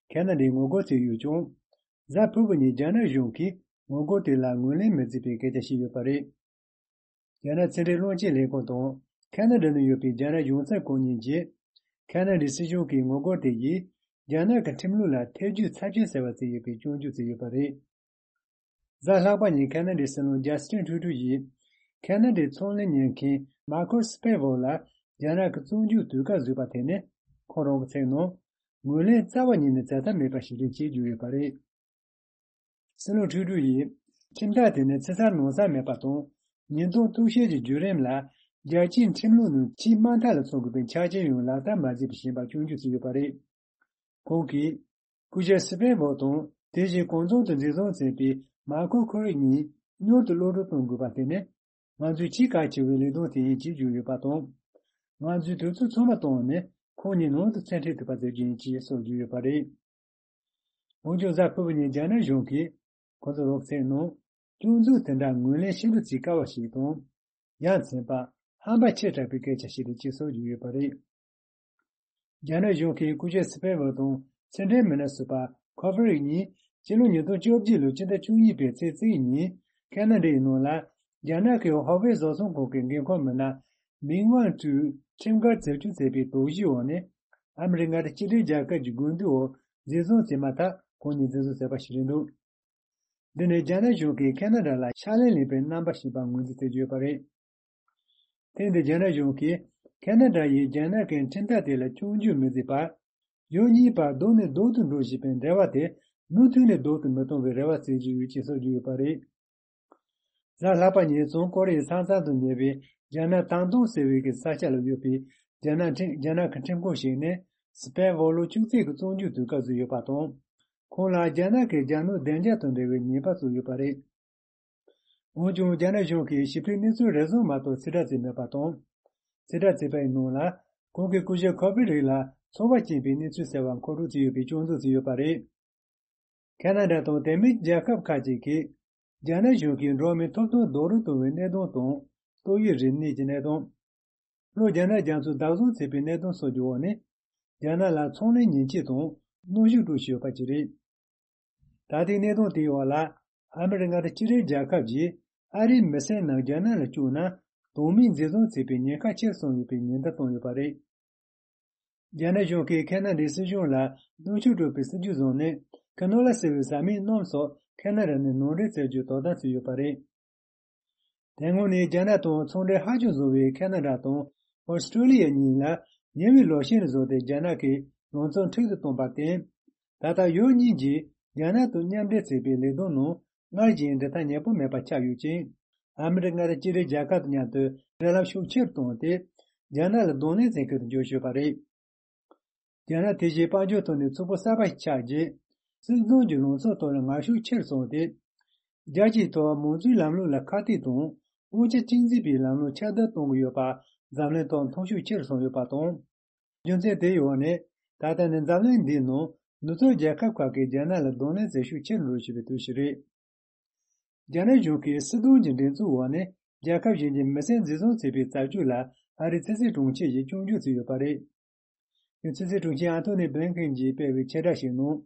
ཁ་ན་ཌའི་ངོ་རྒོལ་བྱས་ཡོད་ཀྱང་། གཟའ་ཕུར་བུ་ཉིན་རྒྱ་ནག་གཞུང་གིས་ངོ་རྒོལ་དེ་ལ་ངོས་ལེན་མི་བྱེད་པའི་སྐད་ཆ་བཤད་ཡོད་པ་རེད། རྒྱ་ནག་ཕྱི་འབྲེལ་བློན་ཆེན་ལས་ཁུངས་དང་། ཁ་ན་ཌ་ནང་ཡོད་པའི་རྒྱ་ནག་གཞུང་ཚབ་ཁང་གཉིས་ཀྱིས། ཁ་ན་ཌའི་སྲིད་གཞུང་གི་ངོ་རྒོལ་དེ་ཡིས། རྒྱ་ནག་གི་ཁྲིམས་ལུགས་ལ་ཐེ་ཇུས་ཚབས་ཆེན་བྱས་པ་བརྩི་ཡོད་པའི་སྐྱོན་བརྗོད་བྱས་ཡོད་པ་རེད། གཟའ་ལྷག་པ་ཉིན་ཁ་ན་ཌའི་སྲིད་བློན་ཇ་སི་ཊིན་ཁྲུ་ཌོ་ཡིས། ཁ་ན་ཌའི་ཚོང་ལས་གཉེར་མཁན་མཱ་ཁོ་སི་པེ་ཝོ་ལ། རྒྱ་ནག་གི་བཙོན་འཇུག་དུས་བཀག་བཟོས་པ་དེ་ནི། ཁོང་རང་གི་ཚིག་ནང་། ངོས་ལེན་རྩ་བ་ཉིད་ནས་བྱ་ཐབས་མེད་པ་ཞིག་རེད་ཅེས་བརྗོད་ཡོད་པ་རེད། སྲིད་བློན་ཁྲུ་ཌོ་ཡིས། ཁྲིམས་ཐག་དེ་ནི་ཕྱི་གསལ་ནང་གསལ་མེད་པ་དང་། ཉེས་རྡུང་གཏུག་བཤེར་གྱི་བརྒྱུད་རིམ་ལ། རྒྱལ་སྤྱིའི་ཁྲིམས་ལུགས་ནང་ཆེས་དམའ་མཐའ་ལ་སོང་དགོས་པའི་ཆ་རྐྱེན་ཡང་ལག་བསྟར་མ་བྱས་པར་ཕྱིན་པར་སྐྱོན་བརྗོད་བྱས་ཡོད་པ་རེད། ཁོང་གིས། སྐུ་ཞབས་སི་པེན་བོ་དང་། དེ་བཞིན་གང་འཚམ་དུ་འཛིན་བཟུང་བྱས་པའི་མཱ་ཁོ་ཁོ་རིག་གཉིས་མྱུར་དུ་གློད་གྲོལ་གཏོང་དགོས་པ་དེ་ནི། ང་ཚོའི་ཆེས་གལ་ཆེ་བའི་ལས་དོན་དེ་ཡིན་ཅེས་བརྗོད་ཡོད་པ་དང་། ང་ཚོས་དུས་ཚོད་ཚང་མ་བཏང་ནས་ཁོང་གཉིས་ནང་དུ་མཚན་འཕྲད་ཐུབ་པ་མཛད་རྒྱུ་ཡིན་ཅེས་སོགས་བརྗོད་ཡོད་པ་རེད། འོན་ཀྱང་། གཟའ་ཕུར་བུ་ཉིན་རྒྱ་ནག་གཞུང་གིས་ཁོ་ཚོའི་རོགས་ཚེས་ནང་། སྐྱོན་འཛུགས་དེ་འདྲ་ངོས་ལེན་ཤིན་ཏུ་བྱེད་དཀའ་བ་ཞིག་དང་། ཡ་མཚན་པ། ཧམ་པ་ཆེ་དྲགས་པའི་སྐད་ཆ་ཞིག་རེད་ཅེས་སོགས་བརྗོད་ཡོད་པ་རེད། རྒྱ་ནག་གཞུང་གིས་སྐུ་ཞབས་སི་པེན་ཝོ་དང་ཕྱི་འབྲེལ་མི་སྣ་ཟུར་པ་ཁོ་ཕེ་རིག་གཉིས་ཕྱི་ལོ་ཉིས་སྟོང་བཅོ་བརྒྱད་ལོའི་ཕྱི་ཟླ་བཅུ་གཉིས་པའི་ཚེས་གཅིག་ཉིན་ཁ་ན་ཌའི་ནང་ལ་རྒྱ་ནག་གི་ཧོ་ཝེ་བཟོ་ཚོང་ཁང་གི་འགན་ཁུར་མི་སྣ་མིང་ཝང་ཀྲུའུ་ཁྲིམས་འགལ་རྩིབ་སྤྱོད་བྱས་པའི་དོགས་གཞིའི་འོག་ནས་ཨ་མི་རི་ཀ་དང་སྤྱི་མཐུན་རྒྱལ་ཁབ་ཀྱི་དགོས་འདུན་འོག་འཛིན་བཟུང་བྱས་མ་ཐག་ཁོང་གཉིས་འཛིན་བཟུང་བྱས་པ་ཞིག་རེད་འདུག་འདི་ནི་རྒྱ་ནག་གཞུང་གིས་ཁ་ན་ཌ་ལ་ཕྱག་ལེན་ལེན་པའི་རྣམ་པ་ཞིག་པར་ངོས་འཛིན་བྱེད་ཀྱི་ཡོད་པ་རེད། ཐེངས་འདིར་རྒྱ་ནག་གཞུང་གིས་ཁ་ན་ཌ་ཡིས་རྒྱ་ནག་གི་ཁྲིམས་ཐག་དེ་ལ་སྐྱོན་བརྗོད་མི་བྱེད་པར། ཡུལ་གཉིས་བར་ལྡོག་ནས་ལྡོག་ཏུ་འགྲོ་བཞིན་པའི་འབྲེལ་བ་དེ་མུ་མཐུད་ནས་ལྡོག་ཏུ་མི་གཏོང་བའི་རེ་བ་བྱེད་ཀྱི་ཡོད་ཅེས་སོགས་བརྗོད་ཡོད་པ་རེད། གཟའ་ལྷག་པ་ཉིན་བྱང་ཀོ་རི་ཡའི་ས་མཚམས་སུ་ཉེ་བའི་རྒྱ་ནག་ཐང་ཏུང་ཟེར་བའི་གི་ས་ཆ་ལ་ཡོད་པའི་རྒྱ་ནག་ཁྲིམས་རྒྱ་ནག་གི་ཁྲིམས་ཁང་ཞིག་ནས་སྤེན་པ་ལོ་བཅུ་གཅིག་གི་བཙོན་འཇུག་དུས་སྐབས་སུ་ཡོད་པ་དང་། ཁོང་ལ་རྒྱ་ནག་གི་རྒྱ་ནག་བདེ་འཇགས་དང་འབྲེལ་བའི་ཉེས་པ་སོགས་ཡོད་པ་རེད། འོན་ཀྱང་རྒྱ་ནག་གཞུང་གིས་ཞིབ་ཕྲའི་གནས་ཚུལ་རེ་ཟུང་མ་གཏོགས་ཕྱིར་བསྒྲགས་བྱས་མེད་པ་དང་། ཕྱིར་བསྒྲགས་བྱས་པའི་ནང་ལ་ཁོང་གི་སྐུ་ཞབས་ཁོ་པི་རིག་ལ་ཚོར་བ་སྐྱེན་པའི་གནས་ཚུལ་གསལ་བ་མཁོ་སྤྲོད་བྱས་ཡོད་པའི་སྐྱོན་འཛུགས་བྱས་ཡོད་པ་རེད། ཁ་ན་ཌ་དང་དེ་མིན་རྒྱལ་ཁབ་ཁག་ཅིག་གིས་རྒྱ་ནག་གཞུང་གིས་འགྲོ་བ་མིའི་ཐོབ་ཐང་རྡོག་རོལ་གཏོང་བའི་གནད་དོན་དང་ཏོག་དབྱིབས་རིམས་ནད་ཀྱི་གནད་དོན། ལྷོ་རྒྱ་ནག་རྒྱ་མཚོ་བདག་བཟུང་བྱས་པའི་གནད་དོན་སོགས་ཀྱི་འོག་ནས་རྒྱ་ནག་ལ་ཚོང་ལས་ཉེས་ཆད་དང་གནོན་ཤུགས་སྤྲོད་བཞིན་ཡོད་པ་ཅིག་རེད། ད་ལྟའི་གནད་དོན་དེའི་འོག་ལ་ཨ་མི་རི་ཀ་མངའ་སྡེ་སྤྱི་མཐུན་རྒྱལ་ཁབ་ཀྱིས་ཨ་རིའི་མི་སེར་རྣམས་རྒྱ་ནག་ལ་བཅུག་ན་དོན་མེད་འཛིན་བཟུང་བྱས་པའི་ཉེན་ཁ་ཆེར་སོང་ཡོད་པའི་ཉེན་བརྡ་བཏང་ཡོད་པ་རེད། རྒྱ་ནག་གཞུང་གིས་ཁ་ན་ཌའི་སྲིད་གཞུང་ལ་གནོན་ཤུགས་སྤྲོད་པའི་སྲིད་ཇུས་བཟུང་ནས་ཁ་ནོ་ལ་ཟེར་བའི་བཟའ་མིའི་སྣུམ་སོགས་ཁ་ན་ཌ་ནས་ནང་འདྲེན་བྱ་རྒྱུའི་དོ་དམ་བྱས་ཡོད་པ་རེད། དེ་སྔོན་ནས་རྒྱ་ནག་དང་ཚོང་འབྲེལ་ཧ་ཅང་བཟང་བའི་ཁ་ན་ཌ་དང་ཨོ་སི་ཀྲོ་ལི་ཡ་གཉིས་ལ་ཉེ་བའི་ལོ་ཤས་ནས་བཟུང་སྟེ་རྒྱ་ནག་གིས་ལང་ཚོ་འཕྲལ་དུ་བཏང་པར་བརྟེན། ད་ལྟ་ཡུལ་གཉིས་ཀྱིས་རྒྱ་ནག་དང་མཉམ་འབྲེལ་བྱས་པའི་ལས་དོན་ནང་སྔར་བཞིན་འབྲེལ་ཐག་ཉེ་པོ་མེད་པ་ཆགས་ཡོད་ཅིང་། ཨ་མི་རི་ཀ་མངའ་སྡེ་སྤྱི་མཐུན་རྒྱལ་ཁབ་དང་མཉམ་དུ་འབྲེལ་ལམ་ཤུགས་ཆེར་བཏང་སྟེ། རྒྱ་ནག་ལ་གདོང་ལེན་བྱེད་མཁན་དུ་འགྱུར་བཞིན་པ་རེད། རྒྱ་ནག་དེ་བཞིན་དཔལ་འབྱོར་ཐོག་ནས་ཕྱུག་པོ་གསར་པ་ཞིག་ཆགས་རྗེས། སྲིད་དོན་གྱི་ལངས་ཕྱོགས་ཐོག་ལ་ངར་ཤུགས་ཆེར་སོང་སྟེ། རྒྱལ་སྤྱིའི་ཐོག་མང་གཙོའི་ལམ་ལུགས་ལ་ཁ་གཏད་དང་དབང་ཆ་གཅིག་འཛིན་པའི་ལམ་ལུགས་ཁྱབ་གདལ་གཏོང་གི་ཡོད་པ་འཛམ་གླིང་ཐོག་མཐོང་ཤུགས་ཆེར་སོང་ཡོད་པ་དང་། རྒྱུ་མཚན་དེའི་འོག་ནས་ད་ལྟ་ནི་འཛམ་གླིང་འདིའི་ནང་ནུབ་ཕྱོགས་རྒྱལ་ཁབ་ཁག་གིས་རྒྱ་ནག་ལ་གདོང་ལེན་བྱེད་ཤུགས་ཆེར་འགྲོ་བཞིན་པའི་དུས་ཤིག་རེད། རྒྱ་ནག་གཞུང་གིས་སྲིད་དོན་གྱི་འགྲན་རྩོད་འོག་ནས་རྒྱལ་ཁབ་གཞན་གྱི་མི་སེར་འཛིན་བཟུང་བྱས་པའི་རྩ་རྒྱུ་ལ་ཨ་རིའི་ཕྱི་སྲིད་དྲུང་ཆེ་ཡིས་སྐྱོན་བརྗོད་བྱས་ཡོད་པ་རེད། ཕྱི་སྲིད་དྲུང་ཆེ་ཨན་ཐོ་ནི་བྷི་ལིན་ཁེན་གྱིས་སྤེལ་བའི་ཆེད་བསྒྲགས་ཤིག་ནང་།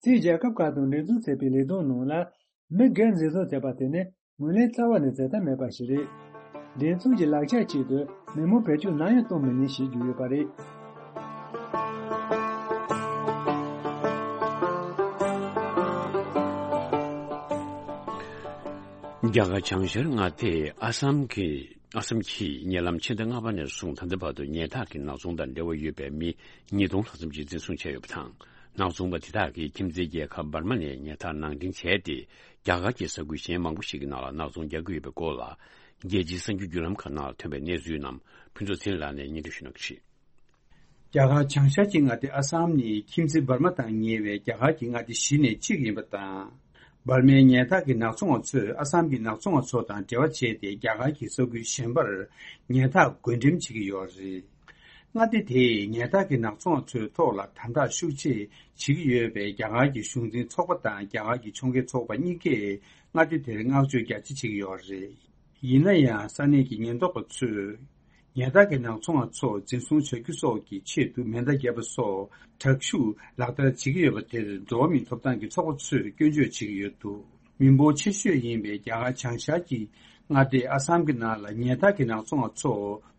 ཕྱིའི་རྒྱལ་ཁབ་ཁག་དང་འགྲན་རྩོད་བྱས་པའི་ལས་དོན་ནང་ལ་མི་སྒེར་འཛིན་བཟུང་བྱས་པ་དེ་ནི་ངོས་ལེན་རྩ་བ་ནས་བྱེད་ཐབས་མེད་པ་ཞིག་རེད། འགྲན་རྩོད་ཀྱི་ལག་ཆ་ཆེད་དུ་མི་མང་བེད་སྤྱོད་ནམ་ཡང་གཏོང་མི་ཉན་ཞེས་བརྗོད་ཡོད་པ་རེད། རྒྱ་གར་བྱང་ཤར་མངའ་སྡེ་ཨ་སམ་གྱི་ཨ་སམ་གྱིས་ཉེ་ལམ་ཕྱི་ཟླ་ལྔ་པ་ནས་བཟུང་ད་ལྟ་བར་དུ་ཉལ་ཐག་གི་ནག་ཚོང་དང་འབྲེལ་བ་ཡོད་པའི་མི་ཉིས་སྟོང་ལྷག་ཙམ་ཞིག་འཛིན་བཟུང་བྱས་ཡོད་པ་དང་། ནག་ཚོང་པ་དེ་དག་གིས་ཁྱིམ་མཚེས་རྒྱལ་ཁབ་འབར་མ་ནས་ཉལ་ཐག་ནང་འདྲེན་བྱས་ཏེ། རྒྱ་གར་གྱི་ས་ཁུལ་གཞན་མང་པོ་ཞིག་གི་ནང་ལ་ནག་ཚོང་རྒྱག་གི་ཡོད་པའི་སྐོར་ལ། རྒྱལ་སྤྱིའི་གསར་འགྱུར་བརྒྱུད་ལམ་ཁག་ནང་ཐོན་པའི་གནས་ཚུལ་རྣམས་ཕུན་ཚོགས་ཚེ་རིང་ལགས་ནས་སྙན་སྒྲོན་ཞུ་གནང་གི་རེད། རྒྱ་གར་བྱང་ཤར་གྱི་མངའ་སྡེ་ཨ་སམ་ནི་ཁྱིམ་མཚེས་འབར་མ་དང་ཉེ་བའི་རྒྱ་གར་གྱི་མངའ་སྡེ་བཞི་ནས་གཅིག་ཡིན་པ་དང་། འབར་མའི་ཉལ་ཐག་གི་ནག་ཚོང་བ་ཚོས་ཨ་སམ་གྱི་ནག་ཚོང་བ་ཚོ་དང་འབྲེལ་བ་བྱས་ཏེ་རྒྱ་གར་གྱི་ས་ཁུལ་གཞན་པར་ཉལ་ཐག་བགོ་འགྲེམས་བྱེད་ཀྱི་ཡོད་རེད། མངའ་སྡེ་དེས་ཉལ་ཐག་གི་ནག་ཚོང་བ་ཚོའི་ཐོག་ལ་དམ་དྲག་ཤུགས་ཆེ་བྱེད་ཀྱི་ཡོད་པས། རྒྱ་གར་གྱི་གཞུང་འཛིན་ཚོགས་པ་དང་རྒྱ་གར་གྱི་ཕྱོགས་འགལ་ཚོགས་པ་གཉིས་ཀས་མངའ་སྡེ་དེར་བསྔགས་བརྗོད་རྒྱ་ཆེ་བྱེད་ཀྱི་ཡོད་རེད། ཡིན་ན་ཡང་ས་གནས་ཀྱི་ཉེན་རྟོག་པ་ཚོས་ཉལ་ཐག་གི་ནག་ཚོང་བ་ཚོ་འཛིན་བཟུང་བྱ་རྒྱུ་སོགས་ཀྱི་ཆེད་དུ་མེ་མདའ་བརྒྱབ་པ་སོགས་དྲག་ཤུགས་ལག་བསྟར་བྱེད་ཀྱི་ཡོད་པ་དེར་འགྲོ་བ་མིའི་ཐོབ་ཐང་གི་ཚོགས་པ་ཚོས་སྐྱོན་བརྗོད་བྱེད་ཀྱི་ཡོད་འདུག་མི་འབོར་ཆེ་ཤོས་ཡིན་པའི་རྒྱ་གར་བྱང་ཤར་གྱི་མངའ་སྡེ་ཨ་སམ་གྱི་ནང་ལ་ཉལ་ཐག་གི་ནག་ཚོང་བ་ཚོ་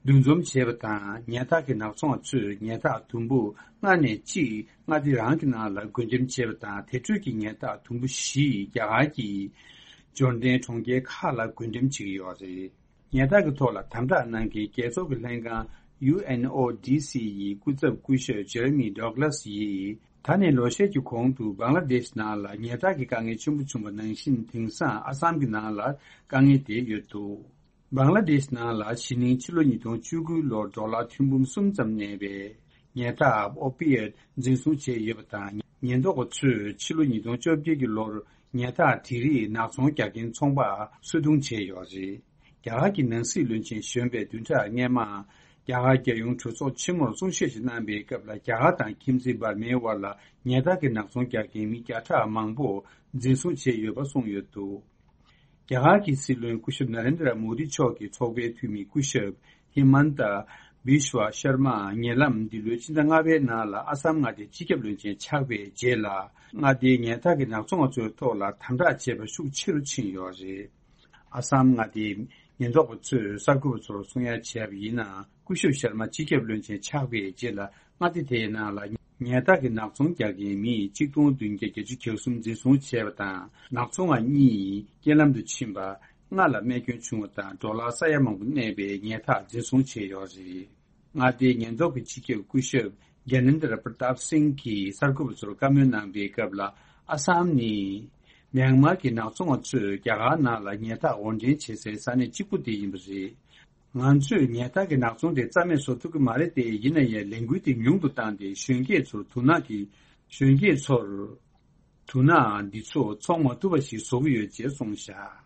འདུ་འཛོམས་བྱས་པ་དང་། ཉལ་ཐག་གི་ནག་ཚོང་བ་ཚོས་ཉལ་ཐག་དུམ་བུ་ལྔ་ནས་གཅིག་མངའ་སྡེ་རང་གི་ནང་ལ་བགོ་འགྲེམས་བྱས་པ་དང་། དེ་འཕྲོས་ཀྱི་ཉལ་ཐག་དུམ་བུ་བཞི་རྒྱ་གར་གྱི་འབྱོར་ལྡན་གྲོང་ཁྱེར་ཁག་ལ་བགོ་འགྲེམས་བྱེད་ཀྱི་ཡོད་རེད། ཉལ་ཐག་གི་ཐོག་ལ་དམ་དྲག་གནང་མཁན་རྒྱལ་ཚོགས་ཀྱི་ལྷན་ཁང་ཡུ་ཨེན་ཨོ་ཌི་སི་ཡི་སྐུ་ཚབ་སྐུ་ཞབས་ཇེ་རེ་མི་ཌོག་ལཱས་ཡིས། ད་ནས་ལོ་ཤས་ཀྱི་གོང་དུ་བང་ལ་དེཤ་ནང་ལ་ཉལ་ཐག་གི་དཀའ་ངལ་ཆེན་པོ་བྱུང་བ་ནང་བཞིན། དེང་སང་ཨ་སམ་གྱི་ནང་ལ་དཀའ་ངལ་དེ་ཡོད་འདུག་བང་ལ་དེཤ་ནང་ལ་གཞེས་ནིང་ཕྱི་ལོ་ཉིས་སྟོང་བཅུ་དགུ་ལོར་ཌོ་ལར་ཐེར་འབུམ་གསུམ་ཙམ་གནས་པའི་ཉལ་ཐག་ཨོ་པི་ཡེ་ཊི་འཛིན་བཟུང་བྱས་ཡོད་པ་དང་། ཉེན་རྟོག་པ་ཚོས་ཕྱི་ལོ་ཉིས་སྟོང་བཅོ་བརྒྱད་ཀྱི་ལོར་ཉལ་ཐག་དེ་རིགས་ནག་ཚོང་རྒྱག་མཁན་ཚོང་པ་སོ་བརྡུང་བྱས་ཡོད་རེད། རྒྱ་གར་གྱི་ནང་སྲིད་བློན་ཆེན་གཞོན་པས་བདུན་ཕྲག་སྔོན་མ། རྒྱ་གར་རྒྱལ་ཡོངས་གྲོས་ཚོགས་ཆེན་མོར་གསུང་བཤད་ཞིག་གནང་པའི་སྐབས་ལ། རྒྱ་གར་དང་ཁྱིམ་མཚེས་འབར་མའི་དབར་ལ་ཉལ་ཐག་གི་ནག་ཚོང་རྒྱག་མཁན་མི་བརྒྱ་ཕྲག་མང་པོ་འཛིན་བཟུང་བྱས་ཡོད་པ་གསུངས་ཡོད་འདུག་རྒྱ་གར་གྱི་སྲིད་བློན་སྐུ་ཞབས་ན་རེན་དྲ་མོ་དི་མཆོག་གི་ཚོགས་པའི་འཐུས་མི་སྐུ་ཞབས་ཧི་མན་ཏ་བི་ཤྭ་ཤར་མ་ཉེ་ལམ་འདི་ལོའི་ཕྱི་ཟླ་ལྔ་པའི་ནང་ལ་ཨ་སམ་མངའ་སྡེའི་སྤྱི་ཁྱབ་བློན་ཆེན་ཆགས་པའི་རྗེས་ལ། མངའ་སྡེའི་ཉལ་ཐག་གི་ནག་ཚོང་བ་ཚོའི་ཐོག་ལ་དམ་དྲག་བྱེད་པ་ཤུགས་ཆེ་རུ་ཕྱིན་ཡོད་རེད། ཨ་སམ་མངའ་སྡེའི་ཉེན་རྟོག་པ་ཚོས་གསར་འགོད་པ་ཚོར་གསུང་ཡ་བྱས་པ་ཡིན་ན། སྐུ་ཞབས་ཤར་མ་སྤྱི་ཁྱབ་བློན་ཆེན་ཆགས་པའི་རྗེས་ལ། མངའ་སྡེ་དེའི་ནང་ལ་ཉལ་ཐག་གི་ནག་ཚོང་རྒྱག་མཁན་མི་གཅིག་སྟོང་བདུན་བརྒྱ་བརྒྱད་ཅུ་གྱ་གསུམ་འཛིན་བཟུང་བྱས་པ་དང་། ནག་ཚོང་བ་གཉིས་རྐྱེན་ལམ་དུ་ཕྱིན་པ། ལྔ་ལ་རྨས་སྐྱོན་བྱུང་བ་དང་། ཌོ་ལར་ས་ཡ་མང་པོ་གནས་པའི་ཉལ་ཐག་འཛིན་བཟུང་བྱས་ཡོད་རེད། མངའ་སྡེའི་ཉེན་རྟོག་གི་སྤྱི་ཁྱབ་སྐུ་ཞབས་ གྷྱ་ནེན་དྲ་པྲ་ཏཱབ་སིང་གིས་གསར་འགོད་པ་ཚོར་བཀའ་མོལ་གནང་པའི་སྐབས་ལ། ཨ་སམ་ནི་མྱན་མར་གྱི་ནག་ཚོང་བ་ཚོས་རྒྱ་གར་ནང་ལ་ཉལ་ཐག་དབོར་འདྲེན་བྱེད་སའི་ས་གནས་གཅིག་པུ་དེ་ཡིན་པ་རེད། ང་ཚོས་ཉལ་ཐག་གི་ནག་ཚོང་དེ་རྩ་མེད་བཟོ་ཐུབ་ཀྱི་མ་རེད་དེ། ཡིན་ན་ཡང་ལས་འགུལ་དེ་ཉུང་དུ་བཏང་སྟེ། གཞོན་སྐྱེས་ཚོར་དུག་ནག་གི་གཞོན་སྐྱེས་ཚོར་དུག་ནག་འདི་ཚོ་འཚོང་མ་ཐུབ་པ་ཞིག་བཟོ་གི་ཡོད་ཅེས་གསུངས་བཞག།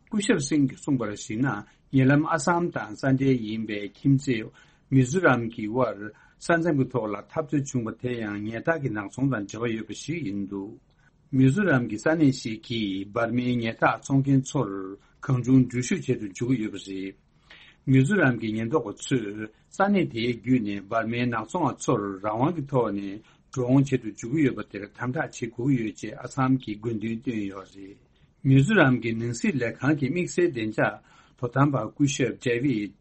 སྐུ་ཞབས་སིང་གིས་གསུངས་པར་གཞིགས་ན། ཉེ་ལམ་ཨ་སམ་དང་ས་འབྲེལ་ཡིན་པའི་ཁྱིམ་མཚེས་མི་ཛོ་རམ་གྱི་དབར་ས་མཚམས་ཀྱི་ཐོག་ལ་འཐབ་རྩོད་བྱུང་བ་དེ་ཡང་ཉལ་ཐག་གི་ནག་ཚོང་དང་འབྲེལ་བ་ཡོད་པ་ཞིག་ཡིན་འདུག། མི་ཛོ་རམ་གྱི་ས་གནས་ཤིག་གིས་འབར་མའི་ཉལ་ཐག་འཚོང་མཁན་ཚོར་གང་བྱུང་འགྲུལ་བཞུད་བྱེད་དུ་འཇུག་གི་ཡོད་པ་རེད། མི་ཛོ་རམ་གྱི་ཉེན་རྟོག་པ་ཚོས་ས་གནས་དེའི་བརྒྱུད་ནས་འབར་མའི་ནག་ཚོང་བ་ཚོར་རང་དབང་གི་ཐོག་ནས་འགྲོ་འོང་བྱེད་དུ་འཇུག་གི་ཡོད་པ་དེར་དམ་དྲག་བྱེད་དགོས་ཀྱི་ཡོད་ཅེས་ཨ་སམ་གྱིས་དགོས་འདུན་བཏོན་ཡོད་རེད། མི་ཛོ་རམ་གྱི་ནང་སྲིད་ལས་ཁང་གི་དམིགས་བསལ་བདེ་འཇགས་དོ་དམ་པ་སྐུ་ཞབས་ཌེ་ཝིད་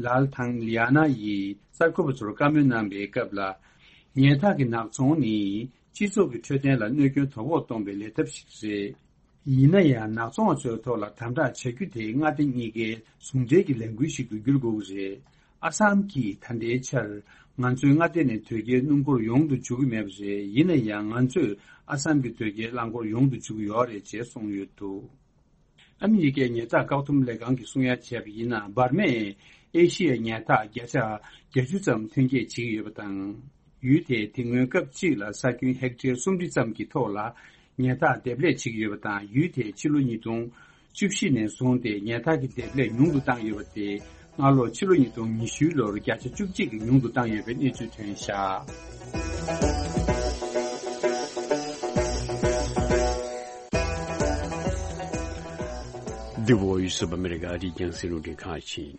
ལཱལ་ཐང་ལི་ཡ་ན་ཡིས་གསར་འགོད་པ་ཚོར་བཀའ་མོལ་གནང་པའི་སྐབས་ལ། ཉལ་ཐག་གི་ནག་ཚོང་ནི་སྤྱི་ཚོགས་ཀྱི་འཕྲོད་བསྟེན་ལ་གནོད་སྐྱོན་དོ་ཕོག་གཏོང་པའི་ལས་ཐབས་ཤིག་རེད། ཡིན་ན་ཡང་ནག་ཚོང་བ་ཚོའི་ཐོག་ལ་དམ་དྲག་བྱ་རྒྱུ་དེ་མངའ་སྡེ་གཉིས་ཀའི་ཟུང་འབྲེལ་གྱི་ལས་འགུལ་ཞིག་ཏུ་འགྱུར་དགོས་ཀྱི་རེད། ཨ་སམ་གྱིས་ད་ལྟའི་ཆར་ང་ཚོའི་མངའ་སྡེ་ནས་དོས་སྐྱེལ་སྣུམ་འཁོར་ཡོང་དུ་འཇུག་གི་མེད་པ་རེད། ཡིན་ན་ཡང་ང་ཚོས་ཨ་སམ་གྱི་དོས་སྐྱེལ་རླངས་འཁོར་ཡོང་དུ་འཇུག་གི་ཡོད་རེད་ཅེས་གསུངས་ཡོད་འདུག། ཨ་མི་རི་ཀའི་ཉལ་ཐག་བཀག་སྡོམ་ལས་ཁང་གིས་གསུང་ཡ་བྱས་པ་ཡིན་ན། འབར་མས་ཨེ་ཤི་ཡའི་ཉལ་ཐག་བརྒྱ་ཆ་བརྒྱད་ཅུ་ཙམ་ཐོན་སྐྱེད་བྱེད་ཀྱི་ཡོད་པ་དང་། ཡུལ་དེས་དེ་སྔོན་སྐབས་གཅིག་ལ་ས་ཁྱོན་ཧེག་ཊར་སུམ་ཁྲི་ཙམ་གྱི་ཐོག་ལ་ཉལ་ཐག་འདེབས་ལས་བྱེད་ཀྱི་ཡོད་པ་དང་། ཡུལ་དེས་ཕྱི་ལོ་ཉིས་སྟོང་བཅུ་བཞི་ནས་བཟུང་སྟེ་ཉལ་ཐག་གི་འདེབས་ལས་ཉུང་དུ་བཏང་ཡོད་པ་སྟེ། སྔ་ལོ་ཕྱི་ལོ་ཉིས་སྟོང་ཉི་ཤུའི་ལོར་བརྒྱ་ཆ་བཅུ་གཅིག་གིས་ཉུང་དུ་བཏང་ཡོད་པའི་གནས་ཚུལ་ཐོན་བཞག། འདི་Voice of America ཨ་རིའི་རྒྱང་སྲིང་རླུང་འཕྲིན་ཁང་ཡིན།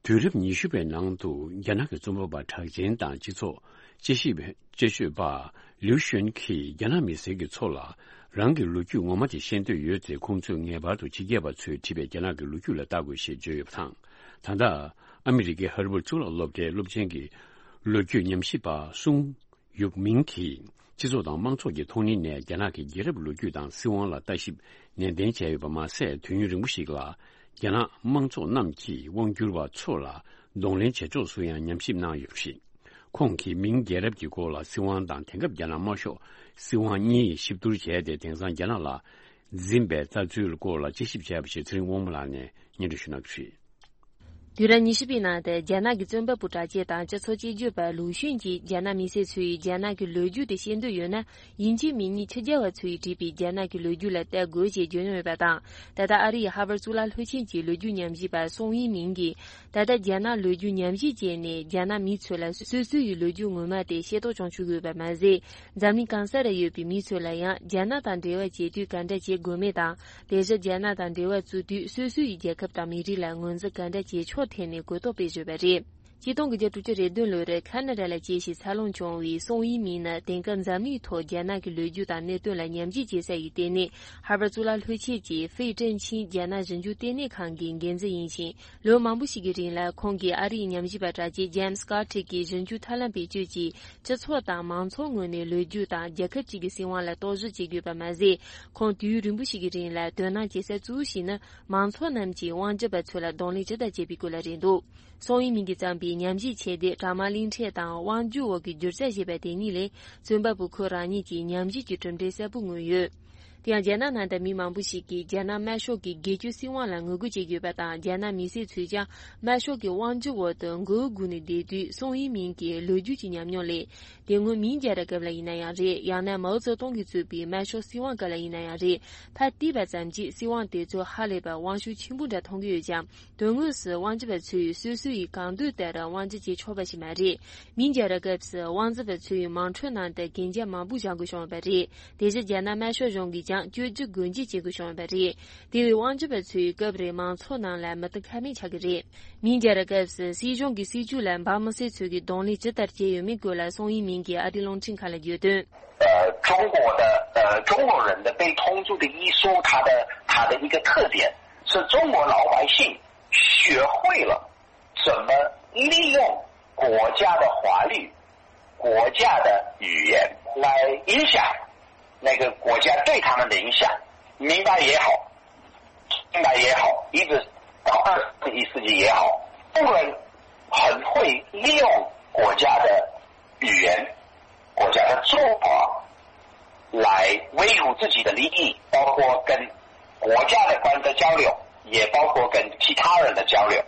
དུས་རབས་ཉི་ཤུ་པའི་ནང་དུ་རྒྱ་ནག་གི་རྩོམ་པ་པ་གྲགས་ཅན་དང་སྤྱི་ཚོགས་དཔྱད་ཞིབ་དཔྱད་བརྗོད་པ་ལིའུ་ཤུན་གྱིས་རྒྱ་ནག་མི་སེར་གྱི་ཚོགས་ལ་རང་གི་ལོ་རྒྱུས་ངོ་མ་དེ་ཤེས་འདོད་ཡོད་ཚེ། ཁོང་ཚོས་ངེས་པར་དུ་ཕྱི་རྒྱལ་བ་ཚོས་བྲིས་པའི་རྒྱ་ནག་གི་ལོ་རྒྱུས་ལ་ལྟ་དགོས་ཞེས་བརྗོད་ཡོད་པ་དང་། ད་ལྟ་ཨ་མི་རི་ཀའི་ཧར་ཝརཌ་གཙུག་ལག་སློབ་གྲྭའི་སློབ་ཆེན་གྱི་ལོ་རྒྱུས་ཉམས་ཞིབ་པ་སུང་ཡུག་མིང་གིས། སྤྱི་ཚོགས་དང་དམངས་ཚོགས་ཀྱི་མཐོང་སྣེ་ནས་རྒྱ་ནག་གི་རྒྱལ་རབས་ལོ་རྒྱུས་དང་སྲིད་དབང་ལ་ལྟ་ཞིབ་ནན་ཏན་བྱས་ཡོད་པ་མ་ཟད། དུས་ཡུན་རིང་པོ་ཞིག་ལ་རྒྱ་ནག་དམངས་ཚོགས་རྣམས་ཀྱིས་དབང་བསྒྱུར་བ་ཚོ་ལ་གདོང་ལེན་བྱེད་ཕྱོགས་སུ་ཡང་ཉམས་ཞིབ་གནང་ཡོད་པ་རེད། ཁོང་གིས་མིང་རྒྱལ་རབས་ཀྱི་སྐོར་ལ་སྲིད་དབང་དང་དེང་སྐབས་རྒྱ་ནག་དམར་ཤོག་སྲིད་དབང་གཉིས་ཞིབ་བསྡུར་བྱས་ཏེ། དེང་སང་རྒྱ་ནག་ལ་འཛིན་པའི་ལྟ་ཚུལ་སྐོར་ལ་དཔྱད་ཞིབ་བྱས་པ་ཞིག་ཚེ་རིང་དབང་མོ་ལགས་ནས་སྙན་སྒྲོན་ཞུ་གནང་གི་རེད། དུས་རབས་ཉི་ཤུ་པའི་ནང་དུ་རྒྱ་ནག་གི་རྩོམ་པ་པོ་གྲགས་ཅན་དང་སྤྱི་ཚོགས་དཔྱད་བརྗོད་པ་ལུའུ་ཤུན་གྱིས། རྒྱ་ནག་མི་སེར་ཚོས་རྒྱ་ནག་གི་ལོ་རྒྱུས་དེ་ཤེས་འདོད་ཡོད་ན། དབྱིན་ཇིའི་མི་ཉིད་ཕྱི་རྒྱལ་བ་ཚོས་བྲིས་པའི་རྒྱ་ནག་གི་ལོ་རྒྱུས་ལ་བལྟ་དགོས་ཞེས་བརྗོད་མྱོང་ཡོད་པ་དང་། ད་ལྟ་ཨ་རིའི་ཧར་ཝརཌ་གཙུག་ལག་སློབ་ཆེན་གྱི་ལོ་རྒྱུས་ཉམས་ཞིབ་པ་སུང་དབྱི་མིང་གིས། ད་ལྟ་རྒྱ་ནག་ལོ་རྒྱུས་ཉམས་ཞིབ་བྱས་ནས། རྒྱ་ནག་མི་ཚོ་ལ་སོ་སོའི་ལོ་རྒྱུས་ངོ་མ་དེ་ཤེས་རྟོགས་བྱུང་ཆོག་གི་ཡོད་པ་མ་ཟད། འཛམ་གླིང་གང་ས་རུ་ཡོད་པའི་མི་ཚོ་ལ་ཡང་རྒྱ་ནག་དང་འབྲེལ་བ་བྱེད་དུས་ག་འདྲ་བྱེད་དགོས་མེད་དང་། དེ་བཞིན་རྒྱ་ནག་དང་འབྲེལ་བ་བཙུགས་དུས་སོ་སོའི་རྒྱལ་ཁབ་དང་མི་རིགས་ལ་ངོས་འཛིན་ག་འདྲ་བྱེད་ཕྱོགས་ཐད་ནས་གོ་རྟོགས་སྤེལ་བཞིན་པ་རེད། ཆིག་སྟོང་དགུ་བརྒྱ་དྲུག་ཅུ་རེ་བདུན་ལོར་ཁ་ན་ཌ་ལ་སྐྱེས་ཤིང་འཚར་ལོངས་བྱུང་བའི་སུང་དབྱི་མིང་ནི། དེང་སྐབས་འཛམ་གླིང་ཐོག་རྒྱ་ནག་གི་ལོ་རྒྱུས་དང་གནད་དོན་ལ་ཉམས་ཞིབ་བྱེད་ས་ཡི་ལྟེ་གནས་ཧར་ཝརཌ་གཙུག་ལག་སློབ་ཆེན་གྱི་ཧྥེ་ཀྲེང་ཆིང་རྒྱ་ནག་ཞིབ་འཇུག་ལྟེ་གནས་ཁང་གི་འགན་འཛིན་ཡིན་ཞིང་། ལོ་མང་པོ་ཞིག་གི་རིང་ལ་ཁོང་གིས་ཨ་རིའི་ཉམས་ཞིབ་པ་གྲགས་ཅན་ཇེམ་སི་ཀར་ཊི་གི་ཞིབ་འཇུག་ཐབས་ལམ་བེད་སྤྱོད་ཀྱིས། སྤྱི་ཚོགས་དང་མང་ཚོགས་ངོས་ནས་ལོ་རྒྱུས་དང་རྒྱལ་ཁབ་ཅིག་གི་སྲིད་དབང་ལ་རྟོག་ཞིབ་བྱེད་དགོས་པ་མ་ཟད། ཁོང་དུས་ཡུན་རིང་པོ་ཞིག་གི་རིང་ལ་དོ་སྣང་བྱེད་ས་གཙོ་བོ་ཞིག་ནི། མང་ཚོགས་རྣམས་ཀྱིས་དབང་སྒྱུར་པ་ཚོ་ལ་གདོང་ལེན་ཇི་ལྟར་བྱེད་པའི་སྐོར་ལ་རེད་འདུག། སུང་དབྱི་མིང་གིས་བརྩམས་པའི་ཉམས་ཞིབ་ཆེད་དེབ་དྲག་དམར་གླིང་ཕྲན་དང་དབང་སྒྱུར་འོག་གི་བསྒྱུར་བཅོས་ཞེས་པ་དེ་གཉིས་ལས། རྩོམ་པ་པོ་ཁོ་རང་ཉིད་ཀྱི་ཉམས་ཞིབ་ཀྱི་གྲུབ་འབྲས་གསལ་པོ་མངོན་ཡོད། དེ་ཡང་རྒྱ་ནག་ནང་དུ་མི་མང་པོ་ཞིག་གིས་རྒྱ་ནག་དམར་ཤོག་གི་སྒེར་གཅོད་སྲིད་དབང་ལ་ངོ་རྒོལ་བྱེད་ཀྱི་ཡོད་པ་དང་། རྒྱ་ནག་མི་སེར་ཚོས་ཀྱང་དམར་ཤོག་གི་དབང་སྒྱུར་འོག་ཏུ་མགོ་བོ་སྒུར་ནས་བསྡད་དུས། སུང་དབྱི་མིང་གི་ལོ་རྒྱུས་ཀྱི་ཉམས་མྱོང་ལས། དེ་སྔོན་མིང་རྒྱལ་རབས་སྐབས་ལ་ཡིན་ན་ཡང་རེད། ཡང་ན་མའོ་ཙེ་ཏུང་གིས་བཙུགས་པའི་དམར་ཤོག་སྲིད་དབང་སྐབས་ལ་ཡིན་ན་ཡང་རེད། ཕར་བལྟས་པ་ཙམ་གྱིས་སྲིད་དབང་དེ་ཚོ་ཧ་ལས་པར་དབང་ཤུགས་ཆེན་པོ་འདྲ་མཐོང་གི་ཡོད་ཀྱང་། དོན་དངོས་སུ་དབང་སྒྱུར་པ་ཚོས་སོ་སོ་ཡི་གང་འདོད་ལྟར་དབང་སྒྱུར་བྱེད་ཆོག་པ་ཞིག་མ་རེད། མིང་རྒྱལ་རབས་སྐབས་སུ་དབང་འཛིན་པ་ཚོས་དམངས་ཁྲོད་ནང་དུ་གན་རྒྱ་མང་པོ་བཞེངས་དགོས་བྱུང་བ་རེད། དེ་བཞིན་རྒྱ་ནག་དམར་ཤོག་གཞུང་གིས་ཀྱང་བཅོས་སྒྱུར་སྒོ་འབྱེད་བྱེད་དགོས་བྱུང་བ་རེད། དེ་བས་དབང་སྒྱུར་པ་ཚོས་སྐབས་རེ་མང་ཚོགས་ནང་ལ་མི་དང་ཁ་མེད་ཆགས་ཀྱི་རེད། མིང་རྒྱལ་རབས་སྐབས་སུ་སྲིད་གཞུང་གི་སྲིད་ཇུས་ལ་འབངས་མི་སེར་ཚོས་ཀྱི་གདོང་ལེན་ཇི་ལྟར་བྱས་ཡོད་མེད་སྐོར་ལ་སུང་དབྱི་མིང་གིས་ཨ་རིའི་རླུང་འཕྲིན་ཁང་ལ་བརྗོད་དོན། 呃，中国的呃中国人的被通租的一书，它的它的一个特点是中国老百姓学会了怎么利用国家的法律、国家的语言来影响那个国家对他们的影响，明白也好，明白也好，一直到二十一世纪也好，中国人很会利用国家的语言、国家的做法来维护自己的利益，包括跟国家的官的交流，也包括跟其他人的交流。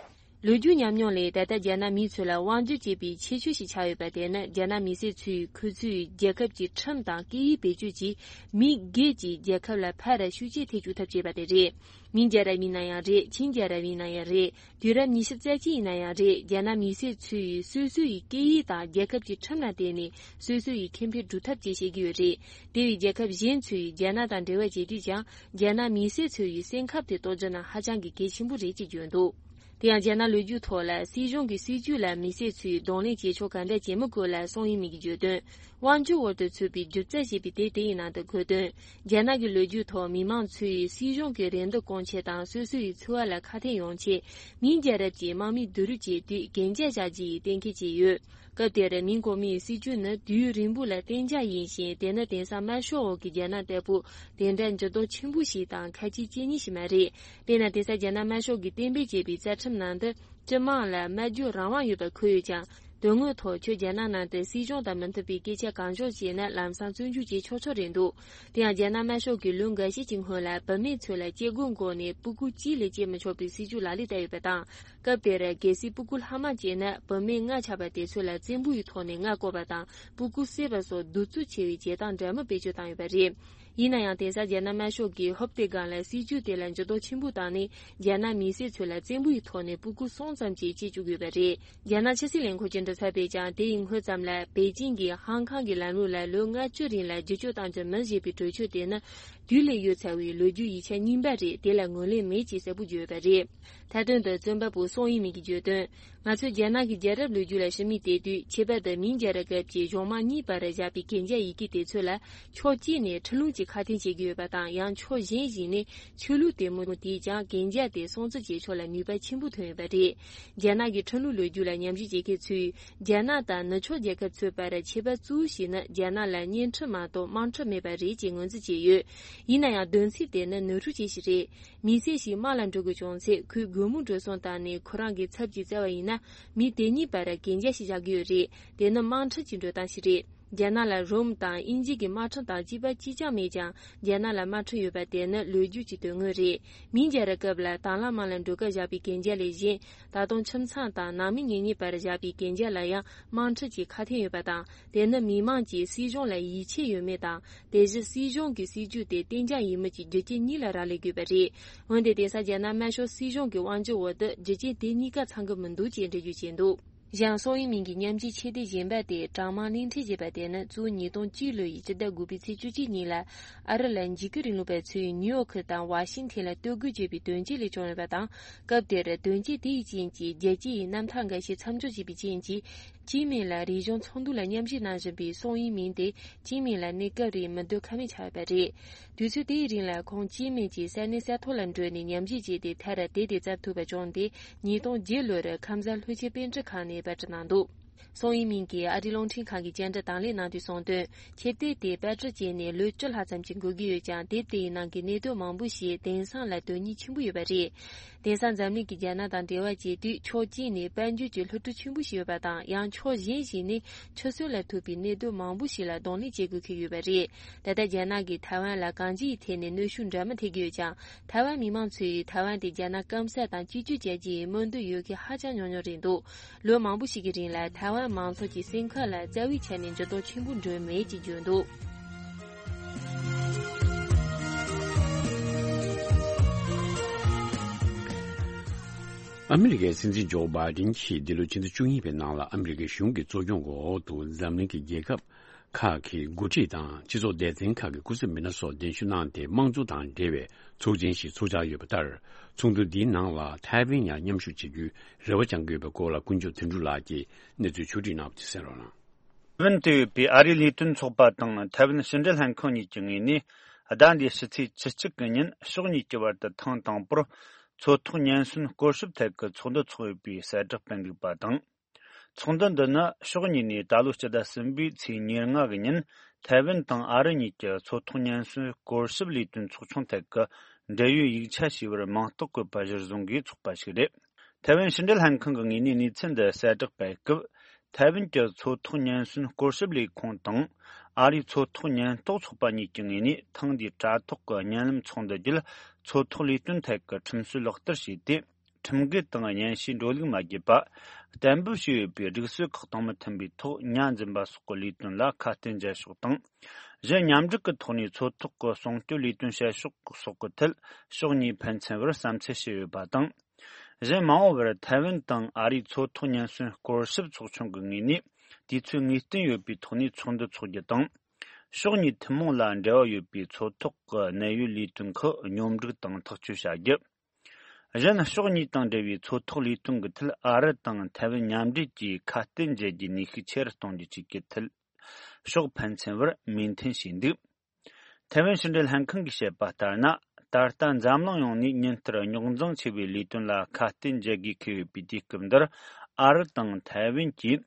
ལོ་རྒྱུས་ཉམས་མྱོང་ལས། ད་ལྟ་རྒྱ་ནག་མིའི་ཚུལ་ལ་དབང་སྒྱུར་བྱེད་པའི་ཁྱད་ཆོས་ཤིག་ཆགས་ཡོད་པ་དེ་ནི། རྒྱ་ནག་མི་སེར་ཚོས་ཁོ་ཚོའི་རྒྱལ་ཁབ་ཀྱི་ཁྲིམས་དང་སྐད་ཡིག་བེད་སྤྱོད་ཀྱིས་མི་སྒེར་གྱི་རྒྱལ་ཁབ་ལ་ཕར་ཤུགས་རྐྱེན་ཐེབས་བཅུག་ཐབས་བྱས་པ་དེ་རེད། མིང་རྒྱལ་རབས་ཡིན་ན་ཡང་རེད། ཆིང་རྒྱལ་རབས་ཡིན་ན་ཡང་རེད། དུས་རབས་ཉི་ཤུ་རྩ་གཅིག་ཡིན་ན་ཡང་རེད། རྒྱ་ནག་མི་སེར་ཚོས་སོ་སོ་ཡི་སྐད་ཡིག་དང་རྒྱལ་ཁབ་ཀྱི་ཁྲིམས་ལ་བརྟེན་ནས་སོ་སོ་ཡི་ཁེ་ཕན་སྒྲུབ་ཐབས་བཅས་བྱེད་ཀྱི་ཡོད་རེད། དེ་བས་རྒྱལ་ཁབ་གཞན་ཚོས་རྒྱ་ནག་དང་འབྲེལ་བ་བྱེད་དུས་ཀྱང་། རྒྱ་ནག་མི་སེར་ཚོ་ཡི་སེམས་ཁམས་དེ་རྟོགས་རྒྱུ་ནི་ཧ་ཅང་གི་གལ་ཆེན་པོ་རེད་ཅེས་བརྗོད་འདུག་དེ་ཡང་རྒྱ་ནག་ལོ་རྒྱུས་ཐོག་ལ་སྲིད་གཞུང་གི་སྲིད་ཇུས་ལ་མི་སེར་ཚོས་གདོང་ལེན་བྱེད་ཕྱོགས་ག་འདྲ་བྱེད་མི་དགོས་ལ། སང་ཡིན་མིན་གྱི་བརྗོད་དོན། དབང་སྒྱུར་འོག་ཏུ་ཚུད་པའི་སྒྱུ་རྩལ་ཞེས་པའི་དེབ་དེ་ཡི་ནང་དུ་འཁོད་དོན། རྒྱ་ནག་གི་ལོ་རྒྱུས་ཐོག་མི་མང་ཚོས་སྲིད་གཞུང་གི་རེ་འདུན་སྐོང་ཆེད་དང་སོ་སོ་ཡི་འཚོ་བ་ལ་ཁ་ཕན་ཡོང་ཆེད་མིང་རྒྱལ་རབས་ཀྱི་དམག་མིའི་བསྡུ་རུབ་བྱེད་དུས་གན་རྒྱ་བཞག་རྒྱུ་ཡི་གཏན་འཁེལ་བྱས་ཡོད། སྐབས་དེར་མིང་གོང་མའི་སྲིད་ཇུས་ནི་དུས་ཡུན་རིང་པོ་ལ་གཏན་འཇགས་ཡིན་ཞིང་། དེ་ནི་དེང་སང་དམར་ཤོག་འོག་གི་རྒྱ་ནག་ལྟ་བུ་དེ་འདྲ་འགྱུར་ལྡོག་ཆེན་པོ་ཞིག་དང་ཁ་ལྕེ་གཅིག་གཉིས་ཤིག་མ་རེད། དཔེར་ན། དེང་སང་རྒྱ་ནག་དམར་ཤོག་གིས་གཏན་འབེབས་བྱས་པའི་རྩ་ཁྲིམས་ནང་དུ་སྤྱི་དམངས་ལ་སྨྲ་བརྗོད་རང་དབང་ཡོད་པ་འཁོད་ཡོད་ཀྱང་། དོན་དངོས་ཐོག་ཁྱོད་རྒྱ་ནག་ནང་དུ་སྲིད་གཞུང་དང་མི་མཐུན་པའི་སྐད་ཆ་གང་བྱུང་བཤད་ན་ལམ་སང་བཙོན་འཇུག་བྱེད་ཆོག་ཆོག་རེད་འདུག་དེ་ཡང་རྒྱ་ནག་དམར་ཤོག་གིས་ལོ་འགའ་ཤས་ཀྱི་སྔོན་ལ་བུད་མེད་ཚོ་ལ་སྐྱེ་སྒོ་འགོག་ནས་སྤུ་གུ་གཅིག་ལས་སྐྱེ་མི་ཆོག་པའི་སྲིད་ཇུས་ལག་ལེན་བསྟར་ཡོད་པ་དང་། སྐབས་དེར་གལ་སྲིད་སྤུ་གུ་ལྷག་མ་སྐྱེས་ན་བུད་མེད་ལྔ་ཆགས་པ་དེ་ཚོ་ལ་བཙན་པོ་ཡི་ཐོག་ནས་མངལ་བཀོད་པ་དང་སྤུ་གུ་བསད་པ་སོགས་གདུག་རྩུབ་ཆེ་བའི་བྱེད་སྟངས་འདྲ་མིན་བེད་སྤྱོད་བཏང་ཡོད་པ་རེད། ཡིན་ན་ཡང་། དེང་སང་རྒྱ་ནག་དམར་ཤོག་གིས་ཧོབ་སྟེ་སྒང་ལ་སྲིད་ཇུས་དེ་ལ་འགྱུར་ལྡོག་ཆེན་པོ་བཏང་ནས། རྒྱ་ནག་མི་སེར་ཚོ་ལ་བཙན་པོ་ཡི་ཐོག་ནས་སྤུ་གུ་གསུམ་ཙམ་ཅིག་སྐྱེ་བཅུག་ཡོད་པ་རེད། རྒྱ་ནག་ཕྱི་སྲིད་ལས་ཁུངས་ཀྱི་མགྲིན་ཚབ་པས་ཀྱང་། དེ་ཡི་སྔོན་ཙམ་ལ་པེ་ཅིང་གིས་ཧང་ཀང་གི་ལམ་ལུགས་ལ་ལོ་ལྔ་བཅུ་རིང་ལ་བསྒྱུར་བཅོས་གཏང་རྒྱུ་མིན་ཞེས་པའི་གྲོས་ཆོད་དེ་ནི་དུས་ལས་ཡོལ་ཚར་བའི་ལོ་རྒྱུས་ཡིག་ཆ་རྙིང་པ་རེད། དེ་ལ་ངོས་ལེན་མེད་ཅེས་གསལ་པོ་བརྗོད་ཡོད་པ་རེད། མཐའ་དོན་དུ། རྩོམ་པ་པོ་སང་ཡིན་མིན་གྱིས་བརྗོད་དོན། ང་ཚོས་རྒྱ་ནག་གི་རྒྱལ་རབས་ལོ་རྒྱུས་ལ་ཞིབ་མོ་བལྟས་དུས། ཁྱད་པར་དུ་མིང་རྒྱལ་རབས་སྐབས་ཀྱི་གཞུང་དམངས་གཉིས་བར་བཞག་པའི་གན་རྒྱ་ཡི་གེ་དེ་ཚོ་ལ་ཕྱོགས་གཅིག་ནས་ཁྲིམས་ལུགས་ཀྱི་ཁ་ཕྱོགས་བྱེད་ཀྱི་ཡོད་པ་དང་། ཡང་ཕྱོགས་གཞན་ཞིག་ནས་ཆོས་ལུགས་དེ་མོ་དེས་ཀྱང་གན་རྒྱ་དེ་སྲུང་བརྩི་བྱེད་ཕྱོགས་ལ་ནུས་པ་ཆེན་པོ་ཐོན་ཡོད་པ་རེད། རྒྱ་ནག་གི་ཁྲིམས་ལུགས་ལོ་རྒྱུས་ལ་ཉམས་ཞིབ་བྱེད་མཁན་ཚོས། རྒྱ་ནག་དང་ནུབ་ཕྱོགས་རྒྱལ་ཁབ་ཚོའི་བར་ཁྱད་པར་གཙོ་བོ་ཞིག་ནི། རྒྱ་ནག་ལ་བརྙན་འཕྲིན་མ་གཏོགས་དམངས་ཁྲོད་མེད་པ་རེད་ཅེས་ངོས་འཛིན་བྱས་ཡོད། ཡིན་ན་ཡང་། བསྡོམས་ཚིག་དེ་ནི་ནོར་འཁྲུལ་ཅན་ཞིག་རེད། མི་སེར་ཞིག་དམག་ལ་འགྲོ་དགོས་བྱུང་ཚེ། ཁོས་སྒོར་མོ་འགྲོ་སོང་བཏང་ནས་ཁོ་རང་གི་ཚབ་ཅིག་བཙལ་བ་ཡིན་ན། མི་དེ་གཉིས་བར་གན་རྒྱ་ཞིག་བཞག་གི་ཡོད་རེད། དེ་ནི་དམངས་ཁྲོད་ཀྱི་འགྲོ་སྟངས་ཤིག་རེད། རྒྱ་ནག་ལ་རོམ་དང་དབྱིན་ཇི་གི་དམག་ཁྲིམས་དང་གཅིག་པ་གཅིག་རྐྱང་མེད་ཀྱང་། རྒྱ་ནག་ལ་དམག་ཁྲིམས་ཡོད་པ་དེ་ནི་ལོ་རྒྱུས་ཀྱི་དོན་དངོས་རེད། མིང་རྒྱལ་རབས་སྐབས་ལ་དྭང་བླངས་དམག་ལ་འགྲོ་སྐབས་བཞག་པའི་གན་རྒྱ་ལས་གཞན། ད་དུང་ཁྱིམ་ཚང་དང་ནང་མི་གཉེན་ཉེ་བར་བཞག་པའི་གན་རྒྱ་ལ་ཡང་དམངས་ཁྲིམས་ཀྱི་ཁ་ཕྱོགས་ཡོད་པ་དང་། དེ་ནི་མི་མང་གིས་སྲིད་གཞུང་ལ་ཡིད་ཆེས་ཡོད་མེད་དང་། དེ་བཞིན་སྲིད་གཞུང་གི་སྲིད་ཇུས་དེ་གཏན་འཇགས་ཡིན་མིན་གྱི་རྒྱུ་རྐྱེན་གཉིས་ལ་རག་ལས་དགོས་པ་རེད། འོན་ཏེ། དེང་སང་རྒྱ་ནག་དམར་ཤོག་སྲིད་གཞུང་གི་དབང་སྒྱུར་འོག་ཏུ་རྒྱུ་རྐྱེན་དེ་གཉིས་ཀ་ཚང་གི་མི་འདུག་ཅེས་འགྲེལ་བརྗོད་བྱས་འདུག་གཞན། སང་ཡིན་མིན་གྱི་མཉམ་འབྲེལ་ཆེད་དེ་གཞན་པ་དེ། གྲངས་མང་གླིང་ཕྲན་ཞེས་པ་དེ་ནི་གཙོ་བོ་ཉིས་སྟོང་གཅིག་ལོ་ཡི་སྤྱི་ཟླ་དགུ་པའི་ཚེས་བཅུ་གཅིག་ཉིན་ལ། ཨ་རི་ལ་འཇིགས་སྐུལ་རིང་ལུགས་པ་ཚོས་ནིའུ་ཡོག་ཁུལ་དང་ཝ་ཤིང་ཐན་ལ་གཏོར་རྒོལ་བྱས་པའི་དོན་རྐྱེན་ལས་བྱུང་ཡོད་པ་དང་། སྐབས་དེར་དོན་རྐྱེན་དེ་ཡི་རྐྱེན་གྱིས་རྒྱལ་སྤྱི་ཡི་རྣམ་ཐར་འགའ་ཤས་མཚམས་འཇོག་བྱས་པའི་རྐྱེན་གྱིས། ཅིན་མིན་ལ་རིག་གཞུང་ཚོགས་འདུ་ལ་མཉམ་ཞུགས་གནང་བཞིན་པའི་སང་ཡིན་མིན་དེ། ཅིན་མིན་ལ་གནས་སྐབས་རིང་མི་སྡོད་ཁ་མེད་ཆགས་ཡོད་པ་རེད། དུས་ཚོད་དེའི་རིང་ལ་ཁོང་ཅིན་མིན་གྱི་ས་གནས་ས་ཐོག་ལ་འགྲོ་ནས་ཉམས་ཞིབ་བྱས་ཏེ། མཐར་དེབ་དེ་བརྩམས་ཐུབ་པ་བྱུང་སྟེ། ཉིས་སྟོང་བརྒྱད་ལོར་ཁམས་བཟའ་ལྷོ་ཁྱེར་པཎ་ཁྲི་ཁང་ནས་པར་སྐྲུན་གནང་འདུག་སང་ཡིན་མིན་གྱིས་ཨ་རིའི་རླུང་འཕྲིན་ཁང་གི་བཅར་འདྲི་དང་ལེན་གནང་དུས་གསུངས་དོན། ཁྱེར་དེབ་དེ་པར་སྐྲུན་བྱས་ནས་ལོ་བཅུ་ལྷག་ཙམ་ཞིག་འགོར་གྱི་ཡོད་ཀྱང་། དེབ་དེའི་ནང་གི་གནད་དོན་མང་པོ་ཞིག་དེང་སང་ལ་དོན་སྙིང་ཆེན་པོ་ཡོད་པ་རེད། དེང་སང་འཛམ་གླིང་གི་རྒྱ་ནག་དང་འབྲེལ་བ་བྱེད་དུས། ཕྱོགས་གཅིག་ནས་དཔལ་འབྱོར་གྱི་སློབ་ཕྲུག་ཆེན་པོ་ཞིག་ཡོད་པ་དང་། ཡང་ཕྱོགས་གཞན་ཞིག་ནས་ཆུད་ཟོས་ལ་ཐུག་པའི་གནད་དོན་མང་པོ་ཞིག་ལ་གདོང་ལེན་བྱེད་དགོས་ཀྱི་ཡོད་པ་རེད། ད་ལྟ་རྒྱ་ནག་གིས་ཐའེ་ཝན་ལ་གང་ཅིའི་ཐད་ནས་གནོན་ཤུགས་འདྲ་མིན་ཐེབས་ཀྱི་ཡོད་ཀྱང་། ཐའེ་ཝན་མི་མང་ཚོས་ཐའེ་ཝན་དེ་རྒྱ་ནག་སྐམ་ས་དང་གཅིག་གྱུར་བྱ་རྒྱུའི་སྨོན་འདུན་ཡོད་མཁན་ཧ་ཅང་ཉུང་ཉུང་རེད་འདུག་ལོ་མང་པོ་ཞིག་གི་རིང་ལ་ཐའེ་ཝན་མང་ཚོགས་ཀྱི་སེམས་ཁམས་ལ་རྩ་བའི་ཆ་ནས་འགྱུར་ལྡོག་ཆེན་པོ་འགྲོ་མེད་ཅེས་བརྗོད་འདུག་ཨ་མི་རི་ཀའི་སྲིད་འཛིན་ཇོ་བྷའི་ཌེན་གྱིས་འདི་ལོའི་ཕྱི་ཟླ་བཅུ་གཉིས་པའི་ནང་ལ་ཨ་མི་རི་ཀའི་གཞུང་གི་གཙོ་སྐྱོང་གི་འོག་ཏུ་འཛམ་གླིང་གི་རྒྱལ་ཁབ་ཁག་གི་འགོ་ཁྲིད་དང་སྤྱི་ཚོགས་སྡེ་ཚན་ཁག་གི་སྐུ་ཚབ་མི་སྣ་སོགས་གདན་ཞུ་གནང་སྟེ། དམངས་གཙོ་དང་འབྲེལ་བའི་ཚོགས་ཆེན་ཞིག་ཚོགས་འཆར་ཡོད་པ་ལྟར། ཚོགས་འདུ་འདིའི་ནང་ལ་ཐའེ་ཝན་ཡང་མཉམ་ཞུགས་བྱེད་རྒྱུའི་རེ་བ་བཅང་གི་ཡོད་པའི་སྐོར་ལ་ཀུན་མཆོག་དོན་གྲུབ་ལགས་ཀྱིས་གནས་ཚུལ་ཕྱོགས་བསྒྲིགས་གནང་བ་དེ་གསན་རོགས་གནང་། ཐའེ་ཝན་དུ་ཡོད་པའི་ཨ་རིའི་ལས་དོན་ཚོགས་པ་དང་ཐའེ་ཝན་ཕྱི་འབྲེལ་ལྷན་ཁང་གཉིས་ཀྱི་ངོས་ནས། ཟླ་འདིའི་ཕྱི་ཚེས་བཅུ་གཅིག་གི་ཉིན་ཕྱོགས་གཉིས་ཀྱི་བར་དུ་ཐེངས་དང་པོར་མཚོ་ཐོག་ཉེན་ཟོན་སྐོར་ཞིབ་ཐད་ཀྱི་ཚོགས་འདུ་ཚོགས་ཡོད་པའི་གསལ་བསྒྲགས་སྤེལ་འདུག་པ་དང་། ཚོགས་འདུ་འདི་ནི་ཕྱོགས་གཉིས་ནས་ད་ལོ་སྤྱི་ཟླ་གསུམ་པའི་ཚེས་ཉེར་ལྔ་གི་ཉིན་ཐའེ་ཝན་དང་ཨ་རི་གཉིས་ཀྱི་མཚོ་ཐོག་ཉེན་ཟོན་སྐོར་ཞིབ་ལས་དོན་ཚོགས་ཆུང་ཐད་ཀྱི་འབྲེལ་ཡོད་ཡིག་ཆ་ཞེས་པར་མིང་རྟགས་བཀོད་པ་གཞིར་བཟུང་གིས་ཚོགས་པ་ཞིག་རེད། ཐའེ་ཝན་ཕྱི་འབྲེལ་ལྷན་ཁང་གི་ངོས་ནས་གནས་ཚུལ་འདི་གསལ་བསྒྲགས་སྤེལ་སྐབས། ཐའེ་ཝན་གྱི་མཚོ་ཐོག་ཉེན་སྲུང་སྐོར་ཞིབ་ལས་ཁུངས་དང་། ཨ་རིའི་མཚོ་ཐོག་ཉེན་རྟོག་ཚོགས་པ་གཉིས་ཀྱི་ངོས་ནས་ཐེངས་འདིའི་དྲ་ཐོག་གི་བརྙན་ལམ་ཚོགས་འདུ་བརྒྱུད། མཚོ་ཐོག་ལས་དོན་ཐད་ཀྱི་ཁྲིམས་སྲོལ་ལག་བསྟར་བྱས་ཏེ། ཁྲིམས་འགལ་དང་གཉེན་བཤེས་འགྲོ་ལུགས་མ་བརྒྱུད་པ། གཏན་འབེབས་བྱས་ཡོད་པའི་སྒྲིག་སྲོལ་ཁག་དང་མི་མཐུན་པའི་ཐོག་ཉ་འཛིན་པ་སོགས་ཀྱི་ལས་དོན་ལ་ཁ་གཏད་འཇལ་ཕྱོགས་དང་། གཞན་མཉམ་འབྲེལ་གྱི་ཐོག་ནས་མཚོ་ཐོག་གི་སྲུང་སྐྱོབ་ལས་དོན་བྱེད་ཕྱོགས་སོགས་ཀྱི་ཐད་ཕྱོགས་གཉིས་ཕན་ཚུན་བར་བསམ་ཚུལ་བྱས་ཡོད་པ་དང་། གཞན་མ་འོངས་པར་ཐའེ་ཝན་དང་ཨ་རིའི་མཚོ་ཐོག་ཉེན་སྲུང་སྐོར་ཞིབ་ཚོགས་ཆུང་གི་ངོས་ནས་དུས་ཚོད་ངེས་གཏན་ཡོད་པའི་ཐོག་ནས་ཚོགས་འདུ་འཚོགས་རྒྱུ་དང་། ཕྱོགས་གཉིས་ཐུན་མོང་ལ་འབྲེལ་བ་ཡོད་པའི་མཚོ་ཐོག་གི་གནད་ཡོད་ལས་དོན་ཁག་སྙོམས་སྒྲིག་དང་ཐག་གཅོད་བྱ་རྒྱུ། གཞན་ཕྱོགས་གཉིས་དང་འབྲེལ་བའི་མཚོ་ཐོག་ལས་དོན་གྱི་ཐད་ཨ་རི་དང་ཐའེ་ཝན་མཉམ་འབྲེལ་གྱིས་ཁ་གཏད་འཇལ་རྒྱུའི་ནུས་ཤུགས་ཆེ་རུ་གཏོང་རྒྱུ་བཅས་ཀྱི་ཐད་ཕྱོགས་ཕན་ཚུན་བར་མོས་མཐུན་བྱས་འདུག་ཐའེ་ཝན་ཕྱི་འབྲེལ་ལྷན་ཁང་གིས་བཤད་པ་ལྟར་ན། ད་ལྟ་འཛམ་གླིང་ཡོངས་ནས་ཉིན་ལྟར་རྙོག་འཛིང་ཆེ་བའི་ལས་དོན་ལ་ཁ་གཏད་འཇལ་དགོས་འཁེལ་ཡོད་པའི་དུས་སྐབས་འདིར། ཨ་རི་དང་ཐའེ་ཝན་གྱིས་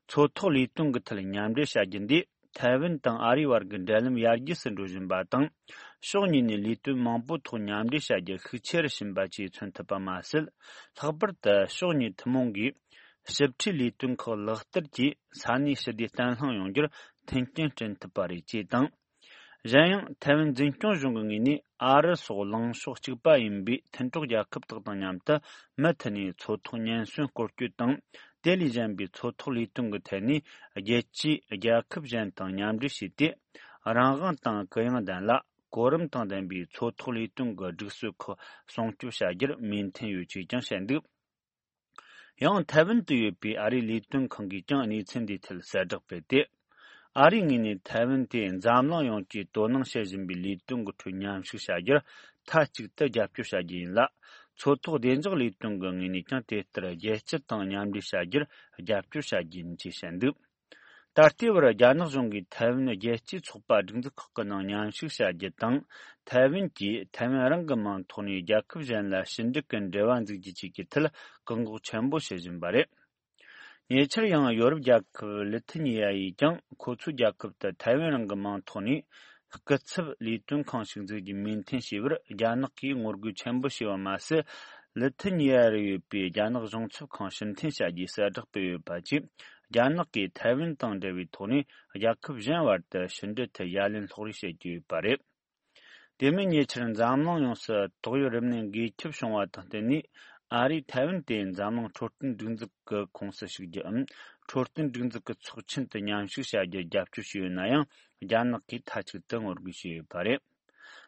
མཚོ་ཐོག་ལས་དོན་གྱི་ཐད་མཉམ་འབྲེལ་བྱ་རྒྱུ་འདིས། ཐའེ་ཝན་དང་ཨ་རིའི་བར་གྱི་འབྲེལ་ལམ་ཡར་རྒྱས་སུ་འགྲོ་བཞིན་པ་དང་། ཕྱོགས་གཉིས་ནས་ལས་དོན་མང་པོའི་ཐོག་མཉམ་འབྲེལ་བྱ་རྒྱུར་ཤུགས་ཆེ་རུ་ཕྱིན་པ་བཅས་མཚོན་ཐུབ་པ་མ་ཟད། ལྷག་པར་དུ་ཕྱོགས་གཉིས་ཐུན་མོང་གིས་ཞིབ་ཕྲའི་ལས་དོན་ཁག་ལག་བསྟར་གྱིས་ས་གནས་ཞི་བདེ་བརྟན་ལྷིང་ཡོང་རྒྱུར་མཐུན་རྐྱེན་བསྐྲུན་ཐུབ་པ་རེད་ཅེས་དང་། གཞན་ཡང་། ཐའེ་ཝན་འཛིན་སྐྱོང་གཞུང་གི་ངོས་ནས་ཨ་རི་སོགས་ལངས་ཕྱོགས་གཅིག་པ་ཡིན་པའི་མཐུན་གྲོགས་རྒྱལ་ཁབ་དག་དང་མཉམ་དུ་མུ་མཐུད་ནས་མཚོ་ཐོག་ཉེན་སྲུང་སྐོར་སྐྱོད་དང་། དེ་ལས་གཞན་པའི་མཚོ་ཐོག་ལས་དོན་གྱི་ཐད་ནས་རྒྱལ་སྤྱིའི་རྒྱལ་ཁབ་གཞན་དང་མཉམ་འབྲེལ་བྱས་ཏེ། རང་དབང་དང་གུ་ཡངས་ལྡན་ལ་གོ་རིམ་དང་ལྡན་པའི་མཚོ་ཐོག་ལས་དོན་གྱི་སྒྲིག་སྲོལ་ཁག་སྲུང་སྐྱོབ་བྱ་རྒྱུར་མོས་མཐུན་ཡོད་ཅེས་ཀྱང་བཤད་འདུག་ཡང་། ཐའེ་ཝན་དུ་ཡོད་པའི་ཨ་རིའི་ལས་དོན་ཁང་གིས་ཀྱང་གནས་ཚུལ་འདིའི་ཐད་གསལ་བསྒྲགས་སྤེལ་ཏེ། ཨ་རིའི་ངོས་ནས་ཐའེ་ཝན་དེ་འཛམ་གླིང་ཡོངས་ཀྱིས་དོ་སྣང་བྱེད་བཞིན་པའི་ལས་དོན་གྱི་ཁྲོད་མཉམ་ཞུགས་བྱ་རྒྱུར་མཐའ་གཅིག་ཏུ་རྒྱབ་སྐྱོར་བྱ་རྒྱུ་ཡིན་ལ། མཚོ་ཐོག་བདེ་འཇགས་ལས་དོན་གྱི་ངོས་ནས་ཀྱང་དེ་ལྟར་རྒྱལ་སྤྱི་དང་མཉམ་འབྲེལ་བྱ་རྒྱུར་རྒྱབ་སྐྱོར་བྱ་རྒྱུ་ཡིན་ཅེས་བཤད་འདུག་ད་ལྟའི་བར་རྒྱ་ནག་གཞུང་གིས་ཐའེ་ཝན་རྒྱལ་སྤྱིའི་ཚོགས་པ་སྒྲིག་འཛུགས་ཁག་གི་ནང་མཉམ་ཞུགས་བྱ་རྒྱུ་དང་། ཐའེ་ཝན་གྱིས་ཐའེ་ཝན་རང་གི་མིང་ཐོག་ནས་རྒྱལ་ཁབ་གཞན་ལ་ཞི་འགྲིག་གི་འབྲེལ་བ་འཛུགས་རྒྱུ་བཅས་ཀྱི་ཐད་བཀག་འགོག་ཆེན་པོ་བྱེད་བཞིན་པ་རེད། ཉེ་ཆར་ཡང་ཡོ་རོབ་རྒྱལ་ཁབ་ལི་ཐི་ཉི་ཡ་ཡིས་ཀྱང་ཁོ་ཚོའི་རྒྱལ་ཁབ་ཏུ་ཐའེ་ཝན་རང་གི་མིང་ཐོག་ནས་སྐུ་ཚབ་ལས་དོན་ཁང་ཞིག་འཛུགས་རྒྱུ་མོས་མཐུན་བྱས་པར་རྒྱ་ནག་གིས་ངོ་རྒོལ་ཆེན་པོ་བྱས་པ་མ་ཟད། ལི་ཐི་ཉི་ཡ་རུ་ཡོད་པའི་རྒྱ་ནག་གཞུང་ཚབ་ཁང་ཕྱིར་འཐེན་བྱ་རྒྱུའི་གསལ་བསྒྲགས་སྤེལ་ཡོད་པ་བཅས། རྒྱ་ནག་གིས་ཐའེ་ཝན་དང་འབྲེལ་བའི་ཐོག་ནས་རྒྱལ་ཁབ་གཞན་བར་དུ་ཕྱི་འབྲེལ་ཐད་ཡ་ལན་སློག་རེས་བྱེད་ཀྱི་ཡོད་པ་རེད། དེ་མིན་ཉེ་ཆར་འཛམ་གླིང་ཡོངས་སུ་ཏོག་དབྱིབས་རིམས་ནད་འགོས་ཁྱབ་བྱུང་བ་དང་བསྟུན་ནས། ཨ་རིས་ཐའེ་ཝན་དེ་འཛམ་གླིང་འཕྲོད་བསྟེན་སྒྲིག་འཛུགས་ཀྱི་ཁོངས་སུ་ཞུགས་རྒྱུའམ། འཕྲོད་བསྟེན་སྒྲིག་འཛུགས་ཀྱི་ཚོགས་ཆེན་དུ་མཉམ་ཞུགས་བྱ་རྒྱུར་རྒྱབ་སྐྱོར་བྱས་ཡོད་ན་ཡང་། རྒྱ་ནག་གིས་མཐའ་གཅིག་ཏུ་ངོ་རྒོལ་བྱས་ཡོད་པ་རེད།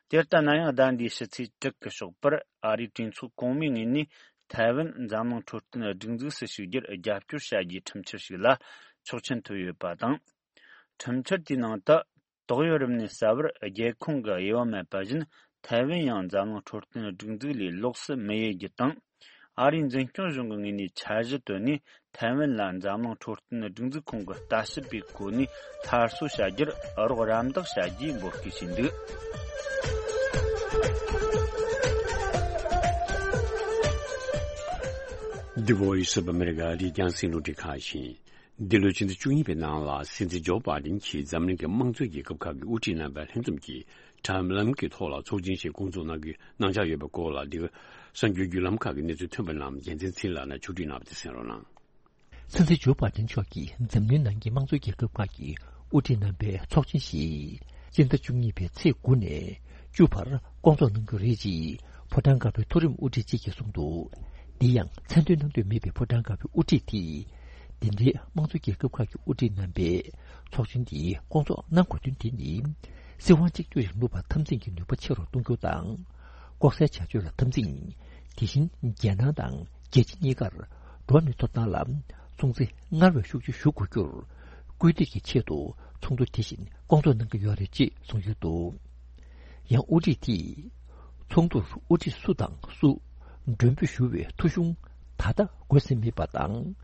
དེ་ལྟ་ན་ཡང་། ཟླ་འདིའི་ཕྱི་ཚེས་དྲུག་གི་ཞོགས་པར་ཨ་རིའི་གྲོས་ཚོགས་གོང་མའི་ངོས་ནས་ཐའེ་ཝན་འཛམ་གླིང་འཕྲོད་བསྟེན་སྒྲིག་འཛུགས་སུ་ཞུགས་རྒྱུར་རྒྱབ་སྐྱོར་བྱ་རྒྱུའི་ཁྲིམས་འཆར་ཞིག་ལ་ཆོག་མཆན་ཐོབ་ཡོད་པ་དང་། ཁྲིམས་འཆར་དེའི་ནང་དུ། ཏོག་དབྱིབས་རིམས་ནད་གསལ་བར་རྒྱལ་ཁོངས་ཀྱི་དབྱེ་བ་མེད་པ་བཞིན། ཐའེ་ཝན་ཡང་འཛམ་གླིང་འཕྲོད་བསྟེན་སྒྲིག་འཛུགས་ལས་ལོགས་སུ་མི་དབྱེ་རྒྱུ་དང་། ཨ་རིའི་འཛིན་སྐྱོང་གཞུང་གི་ངོས་ནས་འཆར་གཞི་བཏོན་ནས། ཐའེ་ཝན་ལ་འཛམ་གླིང་འཕྲོད་བསྟེན་སྒྲིག་འཛུགས་ཁོངས་ཀྱི་ལྟ་ཞིབ་པའི་གོ་གནས་སླར་གསོ་བྱ་རྒྱུར་རོགས་རམ་འདེགས་བྱ་རྒྱུའི་འབོད་སྐུལ་བྱས་འདུག The Voice of America ཨ་རིའི་རྒྱང་སྲིང་རླུང་འཕྲིན་ཁང་ཡིན། འདི་ལོའི་ཕྱི་ཟླ་བཅུ་གཉིས་པའི་ནང་ལ་སྲིད་འཛིན་ཇོ་བྷའི་ཌེན་གྱིས་འཛམ་གླིང་གི་དམངས་གཙོའི་རྒྱལ་ཁབ་ཁག་གི་དབུ་ཁྲིད་རྣམ་པའི་ལྷན་འཛོམས་ཀྱི་དྲ་ལམ་གྱི་ཐོག་ལ་ཚོགས་ཆེན་ཞིག་བསྐོང་ཚོགས་གནང་རྒྱུའི་གནང་འཆར་ཡོད་པའི་སྐོར་ལ། འདི་ག་གསར་འགྱུར་བརྒྱུད་ལམ་ཁག་གི་གནས་ཚུལ་ཐོན་པ་རྣམས་རྒྱལ་མཚན་ཚེ་རིང་ལགས་ནས་ཕྱོགས་སྒྲིག་གནང་བ་དེ་གསན་རོགས་གནང་། སྲིད་འཛིན་ཇོ་བྷའི་ཌེན་མཆོག་གིས་འཛམ་གླིང་ནང་གི་དམངས་གཙོའི་རྒྱལ་ཁབ་ཁག་གི་དབུ་ཁྲིད་རྣམ་པའི་ཚོགས་ཆེན་ཞིག་སྤྱི་ཟླ་བཅུ་གཉིས་པའི་ཚེས་དགུ་ནས་བཅུ་བར་བསྐོང་ཚོགས་གནང་རྒྱུ་རེད་ཅེས་ཕོ་བྲང་དཀར་པོའི་མཐོ་རིམ་དབུ་ཁྲིད་ཅིག་གིས་གསུངས་འདུག་འདི་ཡང་མཚན་འདོན་གནང་འདོད་མེད་པའི་ཕོ་བྲང་དཀར་པོའི་དབུ་ཁྲིད་དེས། འདི་འདྲའི་དམངས་གཙོ་རྒྱལ་ཁབ་ཁག་གི་དབུ་ཁྲིད་རྣམ་པས་ཚོགས་ཆེན་འདི་བསྐོང་ཚོགས་གནང་དགོས་དོན་དེ་ནི། སྲིད་དབང་གཅིག་གྱུར་རིང་ལུགས་པ་འཐབ་འཛིང་གི་ནུས་པ་ཆེ་རུ་གཏོང་རྒྱུ་དང་། ལྐོག་ཟའི་བྱ་སྤྱོད་ལ་འཐབ་འཛིང་། དེ་བཞིན་རྒྱལ་ནང་དང་རྒྱལ་སྤྱི་གཉིས་ཀར་འགྲོ་བ་མིའི་ཐོབ་ཐང་ལ་སྲུང་བརྩི་སྔར་བས་ཤུགས་ཆེ་ཞུ་དགོས་རྒྱུར་སྐུལ་འདེད་ཀྱི་ཆེད་དུ་ཚོགས་འདུ་དེ་བཞིན་བསྐོང་ཚོགས་གནང་གི་ཡོད་རེད་ཅེས་གསུངས་ཡོད་འདུག་ཡང་དབུ་ཁྲིད་དེས་ཚོགས་འདུར་དབུ་ཁྲིད་སུ་དང་སུ་མགྲོན་འབོད་ཞུ་བའི་ཐོ་གཞུང་ད་ལྟ་འགོད་ཟིན་མེད་པ་དང་།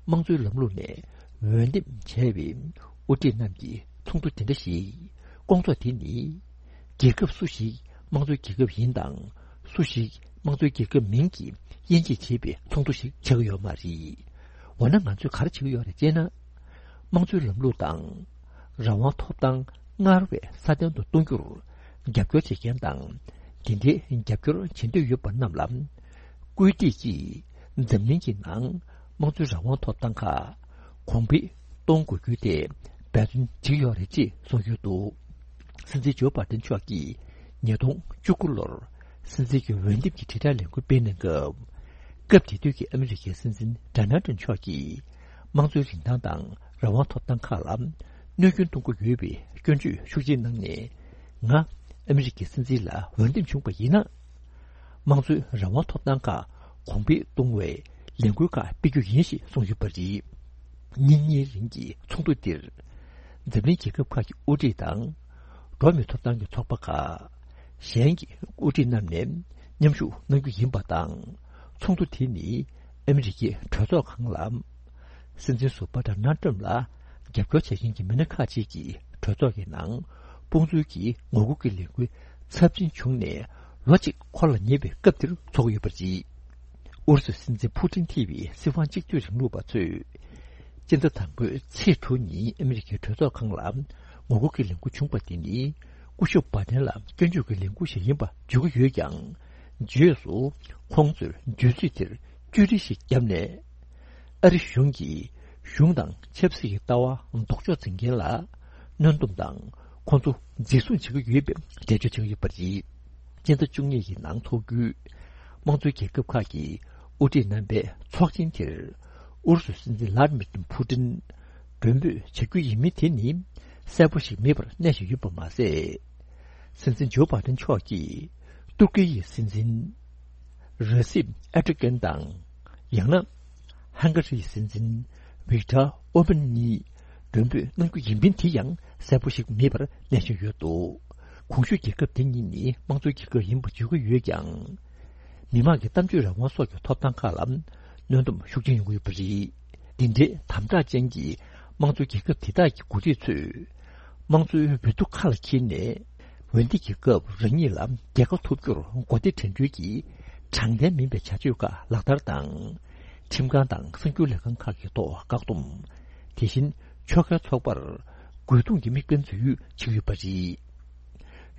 དམངས་གཙོའི་ལམ་ལུགས་ནས་འོས་འདེམས་བྱས་པའི་དབུ་ཁྲིད་རྣམས་ཀྱི་ཚོགས་འདུ་དེ་འདྲ་ཞིག་བསྐོང་ཚོགས་དེ་ནི། རྒྱལ་ཁབ་སུ་ཞིག་དམངས་གཙོའི་རྒྱལ་ཁབ་ཡིན་དང་། སུ་ཞིག་དམངས་གཙོའི་རྒྱལ་ཁབ་མིན་གྱི་དབྱེ་འབྱེད་བྱེད་པའི་ཚོགས་འདུ་ཞིག་ཆགས་ཀྱི་ཡོད་མ་རེད། འོ་ན་ང་ཚོས་ག་རེ་བྱེད་ཀྱི་ཡོད་རེད་ཅེ་ན། དམངས་གཙོའི་ལམ་ལུགས་དང་། རང་དབང་ཐོབ་ཐང་སྔར་བས་སྲ་བརྟན་དུ་གཏོང་རྒྱུར་རྒྱབ་སྐྱོར་བྱེད་མཁན་དང་། དེ་འདྲའི་རྒྱབ་སྐྱོར་བྱེད་འདོད་ཡོད་པ་རྣམས་ལ། སྐུལ་འདེད་ཀྱིས་འཛམ་གླིང་གི་ནང་དམངས་གཙོའི་རང་དབང་ཐོབ་ཐང་ཁག་ གོང་འཕེལ་གཏོང་དགོས་རྒྱུ་དེ་འབད་བརྩོན་བྱེད་ཀྱི་ཡོད་རེད་ཅེས་གསུངས་ཡོད་འདུག། སྲིད་འཛིན་ཇོ་བྷའི་ཏན་མཆོག་གིས་ཉིས་སྟོང་བཅུ་དགུ་ལོར་སྲིད་འཛིན་གྱི་འོས་འདེམས་ཀྱི་དྲིལ་བསྒྲགས་ལས་འགུལ་སྤེལ་གནང་སྐབས། སྐབས་དེ་དུས་ཀྱི་ཨ་མི་རི་ཀའི་སྲིད་འཛིན་ཌོ་ནལ་ཊམ་མཆོག་གིས་དམངས་གཙོའི་རིན་ཐང་དང་རང་དབང་ཐོབ་ཐང་ཁག་ལ་གནོད་སྐྱོན་གཏོང་གི་ཡོད་པའི་སྐྱོན་བརྗོད་ཤུགས་ཆེ་གནང་ནས། ང་ཨ་མི་རི་ཀའི་སྲིད་འཛིན་ལ་འོས་འདེམས་བྱུང་བ་ཡིན་ན། དམངས་གཙོའི་རང་དབང་ཐོབ་ཐང་ཁག་གོང་འཕེལ་གཏོང་བའི་ལས་འགུལ་ཁག་སྤེལ་རྒྱུ་ཡིན་ཞེས་གསུངས་ཡོད་པ་རེད། ཉིན་གཉིས་རིང་གི་ཚོགས་འདུ་འདིར། འཛམ་གླིང་རྒྱལ་ཁབ་ཁག་གི་དབུ་ཁྲིད་དང་། འགྲོ་བ་མིའི་ཐོབ་ཐང་གི་ཚོགས་པ་ཁག་གཞན་གྱི་དབུ་ཁྲིད་རྣམས་ནས་མཉམ་ཞུགས་གནང་རྒྱུ་ཡིན་པ་དང་། ཚོགས་འདུ་དེ་ནི་ཨ་མི་རི་ཀའི་གྲོས་ཚོགས་ཁང་ལ། སྲིད་འཛིན་ཟུར་པ་ཌོ་ནལ་ཊམ་ལ་རྒྱབ་སྐྱོར་བྱེད་མཁན་གྱི་མི་སྣ་ཁག་ཅིག་གིས་གྲོས་ཚོགས་ཀྱི་ནང་དཔུང་འཛུལ་གྱི་ངོ་རྒོལ་གྱི་ལས་འགུལ་ཚབས་ཆེན་བྱུང་ནས་ལོ་གཅིག་འཁོར་ལ་ཉེ་བའི་སྐབས་འདིར་འཚོགས་ཡོད་པ་རེད། ཨུ་རུ་སུའི་སྲིད་འཛིན་ཕུ་ཊིན་ཐེ་བའི་སྲིད་དབང་གཅིག་སྡུད་རིང་ལུགས་པ་ཚོས། སྤྱི་ཟླ་དང་པོའི་ཚེས་དྲུག་ཉིན་ཨ་མི་རི་ཀའི་གྲོས་ཚོགས་ཁང་ལ་ངོ་རྒོལ་གྱི་ལས་འགུལ་བྱུང་བ་དེ་ནི། སྐུ་ཞབས་བྷའི་ཏན་ལ་སྐྱོན་བརྗོད་ཀྱི་ལས་འགུལ་ཞིག་ཡིན་པ་བརྗོད་ཀྱི་ཡོད་ཀྱང་། རྗེས་སུ་ཁོང་ཚོས་བརྗོད་ཚིག་དེར་བཅོས་སྒྲིག་ཞིག་བརྒྱབ་ནས། ཨ་རི་གཞུང་གིས་གཞུང་དང་ཆབ་སྲིད་ཀྱི་ལྟ་བ་ལྡོག་ཕྱོགས་འཛིན་མཁན་ལ་གནོན་སྡོམ་དང་ཁོང་ཚོ་འཛིན་བཟུང་བྱེད་ཀྱི་ཡོད་པའི་འགྲེལ་བརྗོད་བྱེད་ཀྱི་ཡོད་པ་རེད། སྤྱི་ཟླ་བཅུ་གཉིས་ཀྱི་ནང་འཚོགས་རྒྱུའི་དམངས་གཙོའི་རྒྱལ་ཁབ་ཁག་གི་དབུ་ཁྲིད་རྣམ་པའི་ཚོགས་ཆེན་དེར། ཨུ་རུ་སུའི་སྲིད་འཛིན་ལྷ་དྷི་མིར་ཏུན་ཕུ་ཏིན་མགྲོན་འབོད་བྱ་རྒྱུ་ཡིན་མིན་དེ་ནི་གསལ་པོ་ཞིག་མེད་པར་གནས་བཞིན་ཡོད་པ་མ་ཟད། སྲིད་འཛིན་ཇོ་བྷའི་ཏན་མཆོག་གིས་ཏུར་ཀི་ཡི་སྲིད་འཛིན་རེ་སིབ་ཨེར་ཏོ་གྷན་དང་། ཡང་ན་ཧང་ག་རིའི་སྲིད་འཛིན་ཝིག་ཏར་ཨོར་བན་གཉིས་མགྲོན་འབོད་གནང་རྒྱུ་ཡིན་མིན་དེ་ཡང་གསལ་པོ་ཞིག་མེད་པར་གནས་བཞིན་ཡོད་འདུག། གོང་ཞུས་རྒྱལ་ཁབ་དེ་གཉིས་ནི་དམངས་གཙོའི་རྒྱལ་ཁབ་ཡིན་པ་བརྗོད་ཀྱི་ཡོད་ཀྱང་། མི་དམངས་ཀྱི་གཏམ་བརྗོད་རང་དབང་སོགས་ཀྱི་ཐོབ་ཐང་ཁག་ལ་གནོན་སྡོམ་ཤུགས་ཆེན་ཡོང་གི་ཡོད་པ་རེད། འདི་འདྲའི་དམ་དྲག་ཅན་གྱི་དམངས་གཙོའི་རྒྱལ་ཁབ་དེ་དག་གི་འགོ་ཁྲིད་ཚོས་དམངས་གཙོའི་འོས་བསྡུ་ཁ་ལ་འཁྱེར་ནས། འོས་འདེམས་ཀྱི་སྐབས་རང་ཉིད་ལ་རྒྱལ་ཁ་ཐོབ་རྒྱུར་མགོ་བདེ་དྲན་འདུན་གྱི་དྲང་བདེན་མིན་པའི་བྱ་སྤྱོད་ཁག་ལག་བསྟར་དང་། ཁྲིམས་ཁང་དང་གསར་འགྱུར་ལས་ཁང་ཁག་གི་ཐོག་བཀག་སྡོམ། དེ་བཞིན་ཆོལ་ཁའི་ཚོགས་པར་རྒོལ་རྡུང་གི་དམིགས་འབེན་འཛུལ་ཡུལ་བྱེད་ཀྱི་ཡོད་པ་རེད།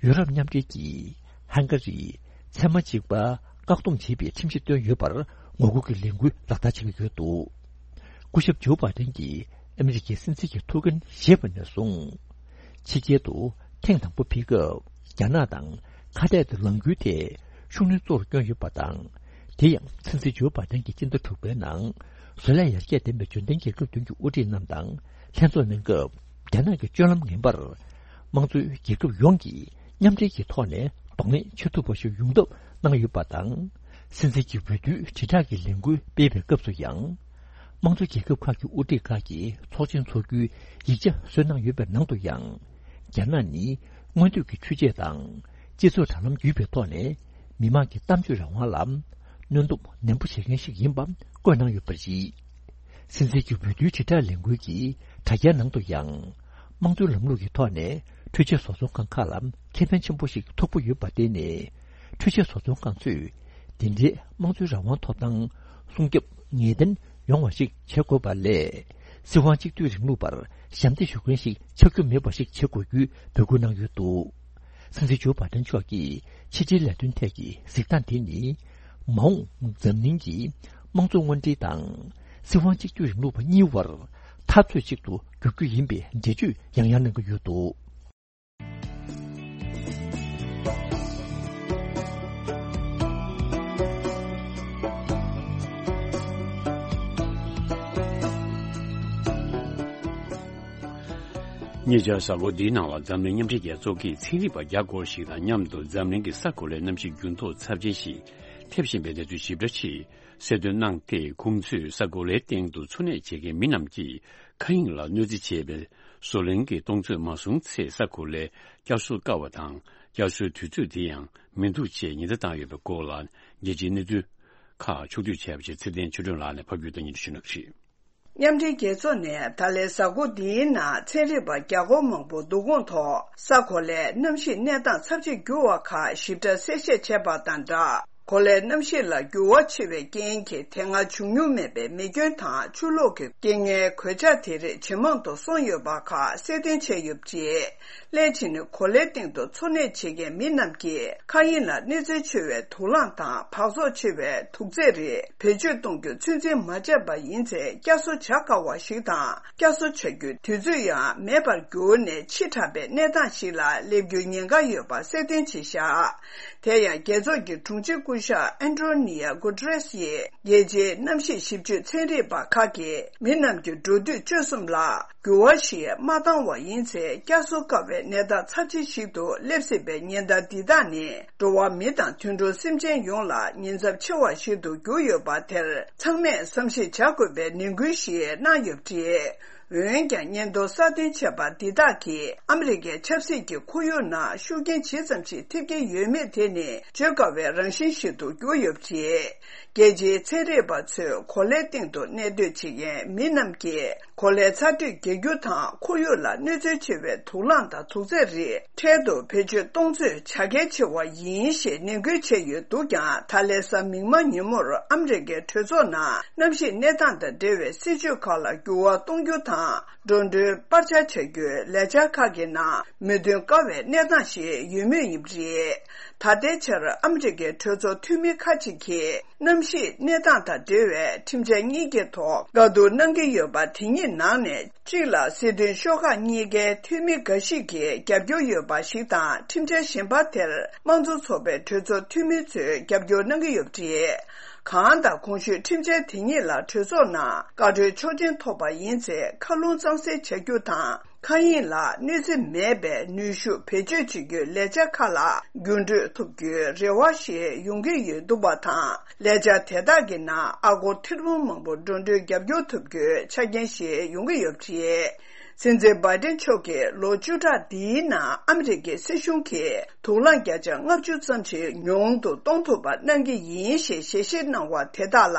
ཡུ་རོབ་མཉམ་འབྲེལ་གྱིས་ཧང་ག་རིའི་ཚད་མ་གཅིག་པ་བཀག་སྡོམ་བྱེད་པའི་ཁྲིམས་གཞི་བཏོན་ཡོད་པར་ངོ་རྒོལ་གྱི་ལས་འགུལ་ལག་བསྟར་བྱེད་ཀྱི་ཡོད་འདུག། སྐུ་ཞབས་ཇོ་བྷའི་ཏན་གྱིས་ཨ་མི་རི་ཀའི་སྲིད་འཛིན་གྱི་ཐུགས་འགན་བཞེས་པ་ནས་བཟུང་། ཕྱི་རྒྱལ་དུ་ཐེངས་དང་པོ་ཕེབས་སྐབས་རྒྱ་ནག་དང་ཁ་གཏད་དུ་ལངས་རྒྱུའི་ཐད་ཤུགས་སྣོན་གཙོ་བོར་བསྐྱོན་ཡོད་པ་དང་། དེ་ཡང་སྲིད་འཛིན་ཇོ་བྷའི་ཏན་གྱིས་སྤྱི་ཟླ་དྲུག་པའི་ནང་བཟོ་ལས་ཡར་རྒྱས་ལྡན་པའི་འབྱོར་ལྡན་རྒྱལ་ཁབ་བདུན་གྱི་དབུ་ཁྲིད་རྣམས་དང་ལྷན་ཚོགས་གནང་སྐབས། རྒྱ་ནག་གི་སྤྱོད་ལམ་ངན་པར་དམངས་གཙོའི་རྒྱལ་ཁབ་ཡོངས་ཀྱིས་མཉམ་འབྲེལ་གྱི་ཐོག་ནས་གདོང་ལེན་བྱེད་ཐུབ་པ་ཞིག་ཡོང་ཐབས་གནང་ཡོད་པ་དང་། སྲིད་འཛིན་གྱི་འོས་བསྡུའི་དྲིལ་བསྒྲགས་ཀྱི་ལས་འགུལ་སྤེལ་བའི་སྐབས་སུ་ཡང་། དམངས་གཙོ་རྒྱལ་ཁབ་ཁག་གི་དབུ་ཁྲིད་ཁག་གིས་ཚོགས་ཆེན་འཚོགས་རྒྱུའི་ཡིག་ཆ་བཟོས་གནང་ཡོད་པའི་ནང་དུ་ཡང་། རྒྱ་ནག་ནི་སྔོན་ཐོན་གྱི་ཆོས་བྱེད་དང་། སྤྱི་ཚོགས་དྲ་ལམ་བརྒྱུད་པའི་ཐོག་ནས་མི་དམངས་ཀྱི་གཏམ་བརྗོད་རང་དབང་ལ་གནོན་སྡོམ་ནན་པོ་བྱེད་མཁན་ཞིག་ཡིན་པ་བཀོད་གནང་ཡོད་པ་རེད། སྲིད་འཛིན་གྱི་འོས་བསྡུའི་དྲིལ་བསྒྲགས་ལས་འགུལ་གྱི་དྲ་རྒྱའི་ནང་དུ་ཡང་། དམངས་གཙོའི་ལམ་ལུགས་ཀྱི་ཐོག་ནས་འཕྲུལ་ཆས་བཟོ་ཚོང་ཁང་ཁག་ལ་ཁེ་ཕན་ཆེན་པོ་ཞིག་ཐོབ་ཀྱི་ཡོད་པར་བརྟེན་ནས། འཕྲུལ་ཆས་བཟོ་ཚོང་ཁང་ཚོས་འདི་འདྲའི་དམངས་གཙོའི་རང་དབང་ཐོབ་ཐང་སྲུང་སྐྱོབ་ངེས་གཏན་ཡོང་བ་ཞིག་བྱེད་དགོས་པ་ལས། སྲིད་དབང་གཅིག་སྡུད་རིང་ལུགས་པར་ཞབས་འདེགས་ཞུ་མཁན་ཞིག་ཆགས་རྒྱུ་མེད་པ་ཞིག་བྱེད་དགོས་རྒྱུའི་འབོད་སྐུལ་གནང་ཡོད་འདུག། སྲིད་འཛིན་ཇོ་བྷའི་ཏན་མཆོག་གིས་ཕྱི་འབྲེལ་ལས་དོན་ཐད་ཀྱི་གཟིགས་སྟངས་དེ་ནི། མ་འོངས་འཛམ་གླིང་གི་དམངས་གཙོ་དངོས་འབྲེལ་དང་། སྲིད་དབང་གཅིག་སྡུད་རིང་ལུགས་པ་གཉིས་བར་འཐབ་རྩོད་ཅིག་ཏུ་འགྱུར་རྒྱུ་ཡིན་པའི་འགྲེལ་བརྗོད་ཡང་ཡང་གནང་གི་ཡོད་འདུག། ཉེ་ཆར་གཟའ་འཁོར་འདིའི་ནང་ལ་འཛམ་གླིང་མཉམ་འབྲེལ་རྒྱལ་ཚོགས་ཀྱིས་ཚན་རིག་པ་བརྒྱ་སྐོར་ཞིག་དང་མཉམ་དུ་འཛམ་གླིང་གི་ས་གོ་ལའི་གནམ་གཤིས་འགྱུར་ལྡོག་ཚབས་ཆེན་ཞིག་ཐེབས་བཞིན་པའི་གནས་ཚུལ་ཞིབ་ཕྲ་ཞིག་གསལ་སྟོན་གནང་སྟེ། ཁོང་ཚོས་ས་གོ་ལའི་སྟེང་དུ་འཚོ་གནས་བྱེད་མཁན་མི་རྣམས་ཀྱིས་མཁའ་དབྱིངས་ལ་གནོད་འཚེ་བྱེད་པའི་བཟོ་ལྷུང་གི་གཏོང་ཚོད་མ་བཟུང་ཚེ། ས་གོ་ལའི་བསྐྱར་གསོ་དཀའ་བ་དང་། བསྐྱར་གསོའི་དུས་ཚོད་དེ་ཡང་མི་འདུག་ཅེས་ཉེན་བརྡ་བཏང་ཡོད་པའི་སྐོར་ལ། རྒྱལ་སྤྱིའི་གནས་ཚུལ་ཁག་ཕྱོགས་བསྡུས་བྱས་པ་ཞིག་ཚེ་བརྟན་ཆོས་སྒྲོན་ལགས་ནས་ཕབ་སྒྱུར་དང་སྙན་སྒྲོན་ཞུ་གནང་གི་རེད། མཉམ་འབྲེལ་རྒྱལ་ཚོགས་ནས་ད་ལན་གཟའ་འཁོར་འདིའི་ནང་ཚན་རིག་པ་བརྒྱ་སྐོར་མང་པོ་བསྡུ་སྐོང་ཐོག་ས་གོ་ལའི་གནམ་གཤིས་གནས་སྟངས་ཚབས་ཆེར་འགྱུར་བ་ཁག་ཞིབ་ཕྲ་གསལ་བཤད་བྱས་པ་དང་སྦྲགས། གོ་ལའི་གནམ་གཤིས་ལ་འགྱུར་བ་ཆེ་བའི་རྐྱེན་གྱིས་དེ་སྔ་བྱུང་མྱོང་མེད་པའི་མེ་སྐྱོན་དང་ཆུ་ལོག་གི་རྐྱེན་ངན་གོད་ཆག་དེ་རིགས་ཇེ་མང་དུ་སོང་ཡོད་པ་ཁག་གསལ་སྟོན་བྱས་ཡོད་པ་རེད། སླད་ཕྱིན་གོ་ལའི་སྟེང་དུ་འཚོ་གནས་བྱེད་མཁན་མི་རྣམས་ཀྱིས་མཁའ་དབྱིངས་ལ་གནོད་འཚེ་ཆེ་བའི་དུག་རླངས་དང་འབག་བཙོག་ཆེ་བའི་དུག་རྫས་རིགས་བེད་སྤྱོད་གཏོང་རྒྱུ་ཚོད་འཛིན་མ་བྱས་པ་ཡིན་ཚེ། བསྐྱར་གསོ་བྱ་དཀའ་བ་ཞིག་དང་། བསྐྱར་གསོ་བྱ་རྒྱུའི་དུས་ཚོད་ཡང་མེད་པར་གྱུར་ནས་ཕྱི་དྲགས་པའི་གནས་སྟངས་ཤིག་ལ་སླེབས་རྒྱུའི་ཉེན་ཁ་ཡོད་པ་གསལ་སྟོན་བྱས་བཞག་དེ་ཡང་རྒྱལ་ཚོགས་ཀྱི་དྲུང་ཆེ་སྐུ་ཞབས་ཨན་ཏྲོ་ནི་ཡ་གུ་ཏྲེས་ཡིས་རྒྱལ་སྤྱིའི་གནམ་གཤིས་ཞིབ་དཔྱོད་ཚན་རིག་པ་ཁག་གིས་མི་རྣམས་ཀྱི་འགྲོ་དུས་སྤྱོད་གསུམ་ལ་འགྱུར་བ་ཞིག་མ་བཏང་བ་ཡིན་ཚེ། བསྐྱར་གསོ་དཀའ་བའི་གནས་སྟངས་ཚབས་ཆེ་ཞིག་ཏུ་སླེབས་སྲིད་པའི་ཉེན་བརྡ་འདི་དག་ནི། འགྲོ་བ་མི་དང་དུད་འགྲོ་སེམས་ཅན་ཡོངས་ལ་ཉེན་ཚབས་ཆེ་བ་ཞིག་ཏུ་གྱུར་ཡོད་པ་དེར་ཚང་མས་བསམ་གཞིག་བྱ་དགོས་པའི་ནན་སྐུལ་ཞིག་གནང་ཡོད་པ་རེད། འོན་ཀྱང་། སྙན་ཐོ་གསར་བཏོན་བྱས་པ་འདི་དག་གིས་ཨ་མི་རི་ཀའི་ཆབ་སྲིད་ཀྱི་ཁོར་ཡུག་ནང་ཤུགས་རྐྱེན་ཇི་ཙམ་ཞིག་ཐེབས་ཀྱི་ཡོད་མེད་དེ་ནི་བརྗོད་དཀའ་བའི་རང་བཞིན་ཞིག་ཏུ་གྱུར་ཡོད་པ་རེད། རྒྱལ་སྤྱིའི་ཚན་རིག་པ་ཚོས་གོ་ལའི་སྟེང་དུ་གནས་སྡོད་བྱེད་མཁན་མི་རྣམས་ཀྱིས། གོ་ལའི་ཚ་དྲོད་རྒྱག་རྒྱུ་དང་ཁོར་ཡུག་ལ་གནོད་འཚེ་ཆེ་བའི་དུག་རླངས་དང་དུག་རྫས་རིགས་འཕྲལ་དུ་བེད་སྤྱོད་གཏོང་ཚོད་བྱ་གལ་ཆེ་བ་ཡིན་ཞེས་ནན་སྐུལ་བྱས་ཡོད་འདུག་ཀྱང་། ད་ལན་གཟའ་མིག་དམར་ཉིན་མོར་ཨ་མི་རི་ཀའི་གྲོས་ཚོགས་ནང་གནམ་གཤིས་གནས་སྟངས་དང་འབྲེལ་བའི་སྲིད་ཇུས་ཁག་ལ་འགྱུར་བ་གཏོང་རྒྱུ་དང་། འགྲོ་གྲོན་སྤར་ཆ་བྱ་རྒྱུའི་ལས་འཆར་ཁག་གི་ནང་མོས་མཐུན་དཀའ་བའི་གནས་སྟངས་ཤིག་ཡོད་མུས་ཡིན་པ་རེད། ད་ལྟའི་ཆར་ཨ་མི་རི་ཀའི་གྲོས་ཚོགས་འཐུས་མི་ཁག་ཅིག་གིས། གནམ་གཤིས་གནས་སྟངས་དང་འབྲེལ་བའི་ཁྲིམས་འཆར་གཉིས་ཀྱི་ཐོག་བཀའ་བསྡུར་གནང་གི་ཡོད་པ་དེ་གཉིས་ནང་ནས་གཅིག་ལ་སྲིད་དོན་ཤོག་ཁག་གཉིས་ཀའི་འཐུས་མི་འགའ་ཞིག་གིས་རྒྱབ་སྐྱོར་ཡོད་པ་ཞིག་དང་། ཁྲིམས་འཆར་གཞན་པ་དེར་དམངས་གཙོ་ཚོགས་པའི་གྲོས་ཚོགས་འཐུས་མི་ཚོས་རྒྱབ་སྐྱོར་གནང་གི་ཡོད་པ་རེད། གང་ལྟར། གོང་ཞུས་ཁྲིམས་འཆར་དེ་གཉིས་ལ་གྲོས་ཚོགས་ནང་བཀའ་འཁྲོལ་ཆོག་མཆན་ཐོབ་པ་ཡིན་ཚེ། མཁའ་རླུང་གཙང་སེལ་བྱ་རྒྱུ་དང་། མཁའ་དབྱིངས་ལ་གནོད་འཚེ་མེད་པའི་ནུས་ཤུགས་བེད་སྤྱོད་བྱེད་རྒྱུའི་ལས་འཆར་ཁག་ལ་འགྱུར་འགྲོས་ཐོབ་རྒྱུའི་རེ་བ་ཞིག་ཡོང་གི་ཡོད་འདུག་པ་དང་། ལས་འཆར་དེ་དག་གི་ནང་ཨ་སྒོར་ཐེར་འབུམ་མང་པོ་འགྲོ་གྲོན་རྒྱབ་སྐྱོར་ཐོབ་རྒྱུའི་ཆ་རྐྱེན་ཞིག་ཡོང་གི་ཡོད་པ་རེད། སྲིད་འཛིན་བྷའི་ཏིན་མཆོག་གིས་ལོ་བཅུ་ཕྲག་འདིའི་ནང་ཨ་མི་རི་ཀའི་སྲིད་གཞུང་གིས་དུག་རླངས་བརྒྱ་ཆ་ལྔ་བཅུ་ཙམ་ཞིག་ཉུང་དུ་གཏོང་ཐུབ་པ་གནང་གི་ཡིན་ཞེས་ཞལ་བཞེས་གནང་བ་དེ་དག་ལ་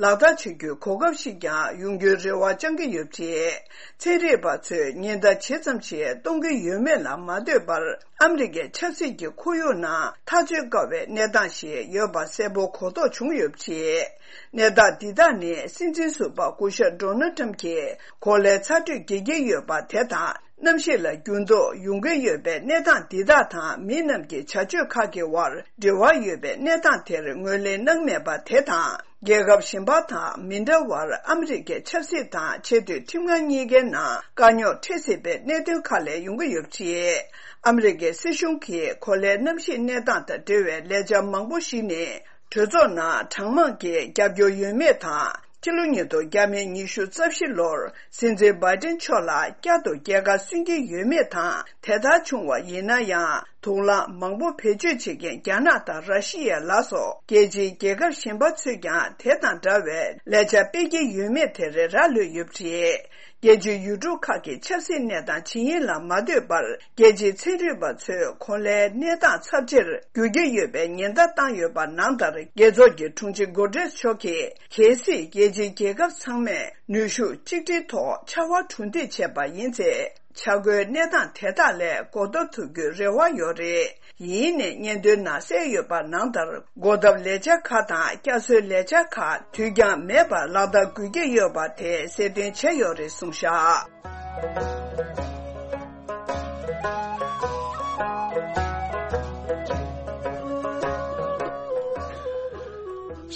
ལག་བསྟར་བྱ་རྒྱུའི་གོ་སྐབས་ཤིག་ཀྱང་ཡོང་རྒྱུའི་རེ་བ་བཅང་གི་ཡོད་པ་རེད། ཚན་རིག་པ་ཚོས་ཉེན་བརྡ་ཇི་ཙམ་ཞིག་གཏོང་གི་ཡོད་མེད་ལ་མ་ལྟོས་པར། ཨ་མི་རི་ཀའི་ཆབ་སྲིད་ཀྱི་ཁོར་ཡུག་ནང་ཐག་གཅོད་དཀའ་བའི་གནས་སྟངས་ཤིག་ཡོད་པ་གསལ་པོ་གོ་རྟོགས་བྱུང་ཡོད་པ་རེད། གནས་སྟངས་འདི་དག་ནི་སྲིད་འཛིན་ཟུར་པ་སྐུ་ཞབས་ཌོ་ནལ་ཊམ་གྱིས་གོ་ལའི་ཚ་དྲོད་རྒྱག་གི་ཡོད་པ་དེ་དང་། གནམ་གཤིས་ལ་འགྱུར་ལྡོག་ཡོང་གི་ཡོད་པའི་གནས་སྟངས་འདི་དག་དང་། མི་རྣམས་ཀྱི་བྱ་སྤྱོད་ཁག་གི་དབར་འབྲེལ་བ་ཡོད་པའི་གནས་སྟངས་དེར་ངོས་ལེན་གནང་མེད་པ་དེ་དང་། རྒྱལ་ཁབ་གཞན་པ་དང་མི་འདྲ་བར་ཨ་མི་རི་ཀའི་ཆབ་སྲིད་དང་ཆེས་མཐོའི་ཁྲིམས་ཁང་གཉིས་ཀའི་ནང་དཀའ་རྙོག་འཕྲད་སྲིད་པའི་གནད་དོན་ཁག་ལས་ཡོང་གི་ཡོད་པ་རེད། ཨ་མི་རི་ཀའི་སྲིད་གཞུང་གིས་གོ་ལའི་གནམ་གཤིས་གནས་སྟངས་དང་འབྲེལ་བའི་ལས་འཆར་མང་པོ་ཞིག་ནི་གྲོས་ཚོགས་ནང་གྲངས་མང་གིས་རྒྱབ་སྐྱོར་ཡོད་མེད་དང་། ཕྱི་ལོ་ཉིས་སྟོང་ཉི་ཤུ་རྩ་བཞི་ལོར་སྲིད་འཛིན་བྷའི་ཏིན་མཆོག་ལ་བསྐྱར་དུ་རྒྱལ་ཁ་སོན་གྱི་ཡོད་མེད་དང་། དེ་ལྟར་བྱུང་བ་ཡིན་ན་ཡང་། དུག་རླངས་མང་པོ་བེད་སྤྱོད་བྱེད་མཁན་རྒྱ་ནག་དང་ར་ཤི་ཡ་ལ་སོགས་རྒྱལ་སྤྱིའི་རྒྱལ་ཁབ་གཞན་པ་ཚོས་ཀྱང་དེ་དང་འདྲ་བའི་ལས་འཆར་སྤེལ་གྱི་ཡོད་མེད་དེར་རག་ལུས་ཡོད་པ་རེད། རྒྱལ་སྤྱིའི་ཡུལ་གྲུ་ཁག་གི་ཆབ་སྲིད་གནས་སྟངས་ཇི་ཡིན་ལ་མ་ལྟོས་པར། རྒྱལ་སྤྱིའི་ཚན་རིག་པ་ཚོས་གོ་ལའི་གནས་སྟངས་ཚབས་ཆེར་འགྱུར་གྱི་ཡོད་པའི་ཉེན་བརྡ་བཏང་ཡོད་པ་ནང་ལྟར། རྒྱལ་ཚོགས་ཀྱི་དྲུང་ཆེ་གུ་ཏྲེས་མཆོག་གིས། གལ་སྲིད་རྒྱལ་སྤྱིའི་རྒྱལ་ཁབ་ཚང་མས་ནུས་ཤུགས་གཅིག་སྒྲིལ་ཐོག་ཕྱར་བ་གྲུ་འདེགས་བྱས་པ་ཡིན་ཚེ། བྱ་སྒོའི་གནས་སྟངས་དེ་དག་ལས་གོ་བརྡ་ཐུབ་རྒྱུའི་རེ་བ་ཡོད་རེད། ཡིན་ནའི་སྙན་ཐོའི་ནང་གསལ་ཡོད་པ་ནང་ལྟར། གོ་ཐབས་ལས་འཆར་ཁག་དང་བསྐྱར་གསོའི་ལས་འཆར་ཁག་དུས་འགྱངས་མེད་པར་ལག་བསྟར་དགོས་ཀྱི་ཡོད་པ་དེ་གསལ་སྟོན་བྱས་ཡོད་རེད་གསུངས་བཞག་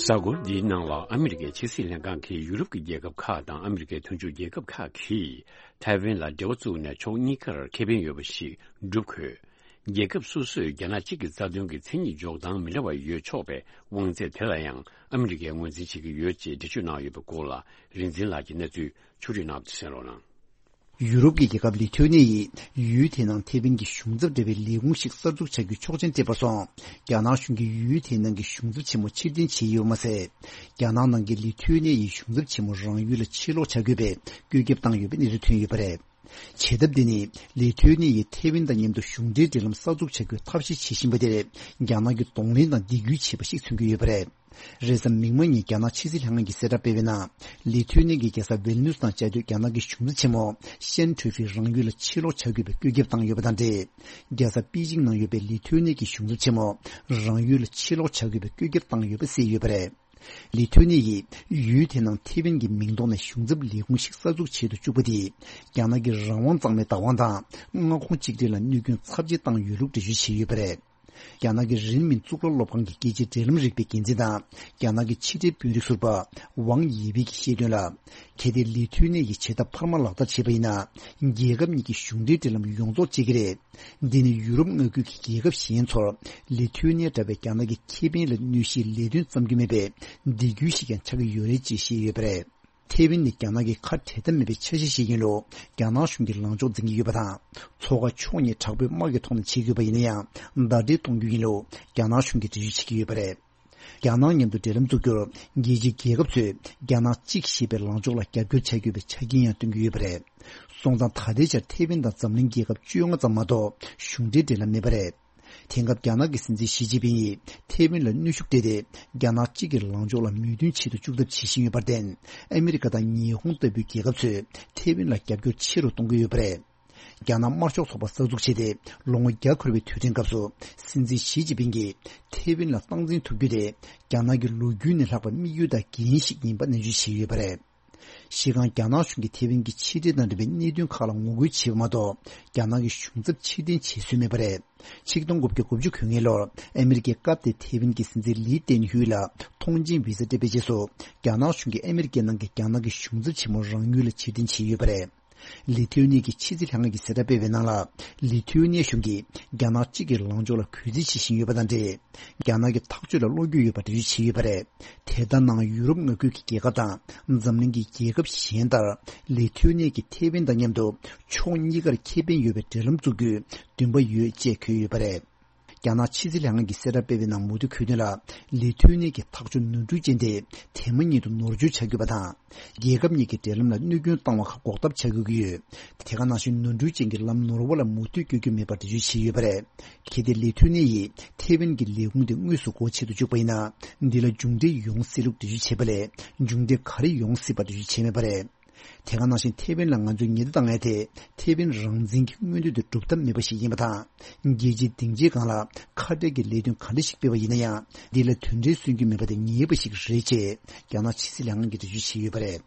གཟའ་འཁོར་འདིའི་ནང་ལ་ཨ་མི་རི་ཀའི་ཕྱི་སྲིད་ལྷན་ཁང་གིས་ཡུ་རོབ་ཀྱི་རྒྱལ་ཁབ་ཁག་དང་ཨ་མི་རི་ཀའི་མཐུན་ཕྱོགས་རྒྱལ་ཁབ་ཁག་གིས་ཐའེ་ཝན་ལ་འབྲེལ་བ་བཙུགས་ནས་ཕྱོགས་གཉིས་ཀར་ཁེ་ཕན་ཡོད་པ་ཞིག་བསྒྲུབ་དགོས། རྒྱལ་ཁབ་སོ་སོས་རྒྱ་ནག་གཅིག་གི་རྩ་དོན་གྱི་མཚན་ཉིད་འཇོག་སྟངས་མི་འདྲ་བ་ཡོད་ཆོག་པའི་དབང་ཚད་དེ་ལ་ཡང་ཨ་མི་རི་ཀས་ངོས་འཛིན་བྱེད་ཀྱི་ཡོད་ཅེས་འགྲེལ་བརྗོད་གནང་ཡོད་པའི་སྐོར་ལ་རིག་འཛིན་ལགས་ཀྱིས་གནས་ཚུལ་ཕྱོགས་སྒྲིག་གནང་བ་དེ་གསན་རོགས་གནང་། ཡུ་རོབ་ཀྱི་རྒྱལ་ཁབ་ལི་ཐུ་ནི་ཡིས་ཡུལ་དེའི་ནང་ཐེ་ཝན་གྱི་གཞུང་ཚབ་འབྲེལ་བའི་ལས་ཁུངས་ཤིག་གསར་འཛུགས་བྱ་རྒྱུའི་ཆོག་མཆན་སྤྲད་པར་སོང་། རྒྱ་ནག་གཞུང་གིས་ཡུལ་དེའི་ནང་གི་གཞུང་ཚབ་ཆེན་མོ་ཕྱིར་འཐེན་བྱས་ཡོད་པ་མ་ཟད། རྒྱ་ནག་ནང་གི་ལི་ཐུ་ནི་ཡི་གཞུང་ཚབ་ཆེན་མོ་རང་ཡུལ་ལ་ཕྱིར་ལོག་བྱ་དགོས་པའི་བཀོད་ཁྱབ་བཏང་ཡོད་པའི་གནས་ཚུལ་ཐོན་ཡོད་པ་རེད། བྱེད་ཐབས་འདི་ནི་ལི་ཐུ་ནི་ཡིས་ཐེ་ཝན་དང་མཉམ་དུ་གཞུང་འབྲེལ་འབྲེལ་ལམ་གསར་འཛུགས་བྱ་རྒྱུའི་ཐབས་ཤེས་བྱེད་བཞིན་པ་དེར་རྒྱ་ནག་གིས་གདོང་ལེན་དང་སྡིགས་སྐུལ་བྱས་པ་ཞིག་མཚོན་གྱི་ཡོད་པ་རེད། རེས་གཟའ་མིག་དམར་ཉིན་རྒྱ་ནག་ཕྱི་སྲིད་ལྷན་ཁང་གིས་གསལ་བསྒྲགས་སྤེལ་བའི་ནང་། ལི་ཐུ་ནི་གི་རྒྱལ་ས་ཝིལ་ནུས་དང་བཅའ་སྡོད་རྒྱ་ནག་གི་གཞུང་ཚབ་ཆེན་མོ་ཤན་ཁྲོས་ཧྥི་རང་ཡུལ་ལ་ཕྱིར་ལོག་བྱ་དགོས་པའི་བཀོད་ཁྱབ་བཏང་ཡོད་པ་དང་འབྲེལ། རྒྱལ་ས་པེ་ཅིང་ནང་ཡོད་པའི་ལི་ཐུ་ནི་གི་གཞུང་ཚབ་ཆེན་མོ་རང་ཡུལ་ལ་ཕྱིར་ལོག་བྱ་དགོས་པའི་བཀོད་ཁྱབ་བཏང་ཡོད་པ་གསལ་ཡོད་པ་རེད། ལི་ཐུ་ནི་ཡིས་ཡུལ་དེའི་ནང་ཐེ་ཝན་གྱི་མིང་ཐོག་ནས་གཞུང་ཚབ་ལས་ཁུངས་ཤིག་གསར་འཛུགས་བྱེད་དུ་བཅུག་པ་དེས། རྒྱ་ནག་གི་རང་དབང་གཙང་མའི་བདག་དབང་དང་མངའ་ཁོངས་གཅིག་སྒྲིལ་ལ་གནོད་སྐྱོན་ཚབས་ཆེ་བཏང་ཡོད་ལུགས་འགྲེལ་བརྗོད་བྱས་ཡོད་པ་རེད། རྒྱ་ནག་གི་རིན་མིན་གཙུག་ལག་སློབ་ཁང་གི་རྒྱལ་སྤྱིའི་འབྲེལ་ལམ་རིག་པའི་འགན་འཛིན་དང་། རྒྱ་ནག་གི་ཕྱི་འབྲེལ་དཔོན་རིགས་ཟུར་པ་ཝང་ཡེ་བི་གིས་བཤད་དོན་ལ། གལ་ཏེ་ལི་ཐུ་ནི་ཡིས་བྱེད་ཐབས་འཕར་མ་ལག་བསྟར་བྱས་པ་ཡིན་ན། རྒྱལ་ཁབ་གཉིས་ཀྱི་གཞུང་འབྲེལ་འབྲེལ་ལམ་ཡོངས་རྫོགས་བཅད་ཀྱི་རེད། འདི་ནི་ཡུ་རོབ་མངའ་ཁུལ་གྱི་རྒྱལ་ཁབ་གཞན་ཚོར་ལི་ཐུ་ནི་ཡ་འདྲ་བའི་རྒྱ་ནག་གི་ཁེ་ཕན་ལ་གནོད་གཞིའི་ལས་དོན་བརྩམ་རྒྱུ་མེད་པའི་སྡིགས་སྐུལ་ཞིག་ཀྱང་ཆགས་ཀྱི་ཡོད་རེད་ཅེས་བཤད་ཡོད་པ་རེད། ཐེ་ཝན་ནི་རྒྱ་ནག་གི་ཁ་བྲལ་ཐབས་མེད་པའི་ཆ་ཤས་ཤིག་ཡིན་ལུགས་རྒྱ་ནག་གཞུང་གིས་ལངས་ཕྱོགས་འཛིན་གྱི་ཡོད་པ་དང་། མཚོ་ཁ་ཕྱོགས་གཉིས་དྲག་པོའི་དམག་གི་ཐོག་ནས་བྱེད་དགོས་པ་ཡིན་ན་ཡང་ཟླ་སྒྲིལ་གཏོང་རྒྱུ་ཡིན་ལུགས་རྒྱ་ནག་གཞུང་གིས་འགྲེལ་བརྗོད་བྱེད་ཀྱི་ཡོད་པ་རེད། རྒྱ་ནག་མཉམ་དུ་འབྲེལ་ལམ་འཛུགས་རྒྱུར་རྒྱལ་སྤྱིའི་རྒྱལ་ཁབ་ཚོས་རྒྱ་ནག་གཅིག་ཞེས་པའི་ལངས་ཕྱོགས་ལ་རྒྱབ་སྐྱོར་བྱ་དགོས་པའི་ཆ་རྐྱེན་ཡང་བཏོན་གྱི་ཡོད་པ་རེད། སོང་ཙང་ད་ལྟའི་ཆར་ཐེ་ཝན་དང་འཛམ་གླིང་རྒྱལ་ཁབ་བཅོ་ལྔ་ཙམ་མ་གཏོགས་གཞུང་འབྲེལ་འབྲེལ་ལམ་མེད་པ་རེད། དེང་སྐབས་རྒྱ་ནག་གི་སྲིད་འཛིན་ཞི་ཅིན་ཕིང་ཡིས་ཐེ་ཝན་ལ་གནོན་ཤུགས་སྤྲད་དེ། རྒྱ་ནག་གཅིག་གི་ལངས་ཕྱོགས་ལ་མོས་མཐུན་བྱེད་དུ་བཅུག་ཐབས་བྱེད་བཞིན་ཡོད་པར་བརྟེན། ཨ་མི་རི་ཀ་དང་ཉི་ཧོང་ལྟ་བུའི་རྒྱལ་ཁབ་ཚོས་ཐེ་ཝན་ལ་རྒྱབ་སྐྱོར་ཆེ་རུ་གཏོང་གི་ཡོད་པ་རེད། རྒྱ་ནག་དམར་ཤོག་ཚོགས་པ་གསར་འཛུགས་བྱས་ཏེ་ལོ་ངོ་བརྒྱ་འཁོར་བའི་དུས་དྲན་སྐབས་སུ། སྲིད་འཛིན་ཞི་ཅིན་ཕིང་གིས་ཐེ་ཝན་ལ་སྟངས་འཛིན་ཐུབ་རྒྱུ་དེ། རྒྱ་ནག་གི་ལོ་རྒྱུས་ནས་ལྷག་པའི་དམིགས་ཡུལ་དང་འགན་ཞིག་ཡིན་པ་ནན་བརྗོད་བྱས་ཡོད་པ་རེད། སྤྱིར་བཏང་རྒྱ་ནག་གཞུང་གིས་ཐེ་ཝན་གྱི་ཕྱི་འབྲེལ་དང་འབྲེལ་བའི་གནད་དོན་ཁག་ལ་ངོ་རྒོལ་བྱས་པ་མ་གཏོགས། རྒྱ་ནག་གི་གཞུང་ཚབ་ཕྱིར་འཐེན་བྱེད་སྲོལ་མེད་པ་རེད། ཆིག་སྟོང་དགུ་བརྒྱ་གོ་གཉིས་ལོར་ཨ་མི་རི་ཀས་སྐབས་དེའི་ཐེ་ཝན་གྱི་སྲིད་འཛིན་ལི་ཏེན་ཧུའེ་ལ་ཐོངས་མཆན་བི་ཟ་སྤྲད་པའི་རྗེས་སུ། རྒྱ་ནག་གཞུང་གིས་ཨ་མི་རི་ཀའི་ནང་གི་རྒྱ་ནག་གི་གཞུང་ཚབ་ཆེན་མོ་རང་ཡུལ་ལ་ཕྱིར་འཐེན་བྱས་ཡོད་པ་རེད། ལི་ཐུའུ་ནེ་གི་ཕྱི་སྲིད་ལྷན་ཁང་གིས་གསལ་བསྒྲགས་སྤེལ་བའི་ནང་ལ། ལི་ཐུའུ་ནེ་གཞུང་གིས་རྒྱ་ནག་གཅིག་གི་ལངས་ཕྱོགས་ལ་གུས་བརྩི་བྱེད་བཞིན་ཡོད་པ་དང་འབྲེལ། རྒྱ་ནག་གི་ཐག་གཅོད་ལ་བློ་འགྱོད་ཡོད་པ་འགྲེལ་བརྗོད་བྱས་ཡོད་པ་རེད། དེ་ལྟར་ན་ཡུ་རོབ་མངའ་ཁུལ་གྱི་རྒྱལ་ཁབ་དང་འཛམ་གླིང་གི་རྒྱལ་ཁབ་གཞན་ལྟར། ལི་ཐུའུ་ནེ་གིས་ཐེ་ཝན་དང་མཉམ་དུ་ཕྱོགས་གཉིས་ཀར་ཁེ་ཕན་ཡོད་པའི་འབྲེལ་ལམ་བཙུགས་རྒྱུའི་འདུན་པ་ཡོད་ཅེས་འཁོད་ཡོད་པ་རེད། རྒྱ་ནག་ཕྱི་སྲིད་ལྷན་ཁང་གིས་གསལ་བསྒྲགས་སྤེལ་བའི་ནང་མུ་མཐུད་འཁོད་དོན་ལ། ལི་ཐུའུ་ནེ་གི་ཐག་གཅོད་ནོར་འཁྲུལ་ཅན་དེ་དེ་མ་ཉིད་དུ་ནོར་བཅོས་བྱ་དགོས་པ་དང་། རྒྱལ་ཁབ་གཉིས་ཀྱི་འབྲེལ་ལམ་ལ་གནོད་སྐྱོན་བཏང་བ་ཁག་འགོག་ཐབས་བྱ་དགོས་ཀྱི་ཡོད། དེ་ག་ནང་བཞིན་ནོར་འཁྲུལ་ཅན་གྱི་ལམ་ནོར་བ་ལ་མུ་མཐུད་བསྐྱོད་རྒྱུ་མེད་པར་འགྲེལ་བརྗོད་བྱས་ཡོད་པ་རེད། གལ་ཏེ་ལི་ཐུའུ་ནེ་ཡིས་ཐེ་ཝན་གྱི་ལས་ཁུངས་དེ་དངོས་སུ་སྒོ་ཕྱེ་དུ་བཅུག་པ་ཡིན་ན། འདི་ལ་མཇུག་འབྲས་ཡོང་སྲིད་ལུགས་འགྲེལ་བརྗོད་བྱས་པ་ལས། མཇུག་འབྲས་ག་རེ་ཡོང་སྲིད་པ་འགྲེལ་བརྗོད་བྱས་མེད་པ་རེད། དེ་ག་ནང་བཞིན་ཐེ་ཝན་ལ་ང་ཚོས་ཉེན་བརྡ་བཏང་ཡ་དེ་ཐེ་ཝན་རང་བཙན་གྱི་མངོན་འདོད་དེ་སྒྲུབ་ཐབས་མེད་པ་ཞིག་ཡིན་པ་དང་། རྒྱལ་སྤྱིའི་སྡིངས་ཆའི་སྒང་ལ་ཁ་བྲལ་གྱི་ལས་དོན་ག་འདྲ་ཞིག་སྤེལ་བ་ཡིན་ན་ཡང་། འདི་ལ་དོན་འབྲས་སོན་རྒྱུ་མེད་པ་དེ་ངེས་པ་ཞིག་རེད་ཅེས་རྒྱ་ནག་ཕྱི་སྲིད་ལྷན་ཁང་གིས་འགྲེལ་བརྗོད་བྱས་ཡོད་པ་རེད།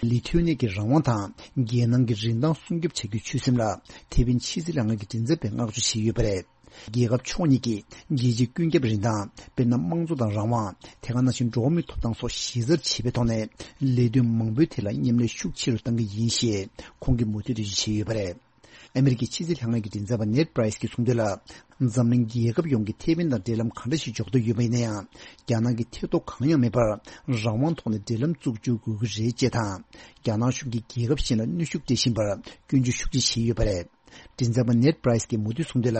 ལི་ཐུའུ་ནེ་གི་རང་དབང་དང་རྒྱལ་ནང་གི་རིན་ཐང་སྲུང་སྐྱོབ་བྱ་རྒྱུའི་ཆོད་སེམས་ལ་ཐེ་ཝན་ཕྱི་སྲིད་ལྷན་ཁང་གི་མགྲིན་ཚབ་པས་བསྔགས་བརྗོད་བྱས་ཡོད་པ་རེད། རྒྱལ་ཁབ་ཕྱོགས་གཉིས་ཀྱིས་རྒྱལ་སྤྱིའི་ཀུན་ཁྱབ་རིན་ཐང་། དཔེར་ན། དམངས་གཙོ་དང་རང་དབང་། དེ་ག་ནང་བཞིན་འགྲོ་བ་མིའི་ཐོབ་ཐང་སོགས་གཞི་རྩར་བྱེད་པའི་ཐོག་ནས་ལས་དོན་མང་པོའི་ཐད་ལ་མཉམ་ལས་ཤུགས་ཆེ་རུ་གཏང་གི་ཡིན་ཞེས་ཁོང་གིས་མུ་མཐུད་འགྲེལ་བརྗོད་བྱས་ཡོད་པ་རེད། ཨ་མི་རི་ཀའི་ཕྱི་སྲིད་ལྷན་ཁང་གི་མགྲིན་ཚབ་པ་ནེད་པ་རའི་སི་གྱིས་གསུངས་དོན་ལ། འཛམ་གླིང་རྒྱལ་ཁབ་ཡོངས་ཀྱིས་ཐེ་ཝན་དང་འབྲེལ་ལམ་ག་འདྲ་ཞིག་འཇོག་འདོད་ཡོད་པ་ཡིན་ན་ཡང་། རྒྱ་ནག་གིས་ཐེ་གཏོགས་གང་ཡང་མེད་པར་རང་དབང་ཐོག་ནས་འབྲེལ་ལམ་བཙུགས་འཇུག་དགོས་ཀྱི་རེད་ཅེས་དང་། རྒྱ་ནག་གཞུང་གིས་རྒྱལ་ཁབ་གཞན་ལ་གནོན་ཤུགས་སྤྲད་བཞིན་པར་སྐྱོན་བརྗོད་ཤུགས་ཆེ་བྱས་ཡོད་པ་རེད། མགྲིན་ཚབ་པ་ནེད་པ་རའི་སི་གྱིས་མུ་མཐུད་གསུངས་དོན་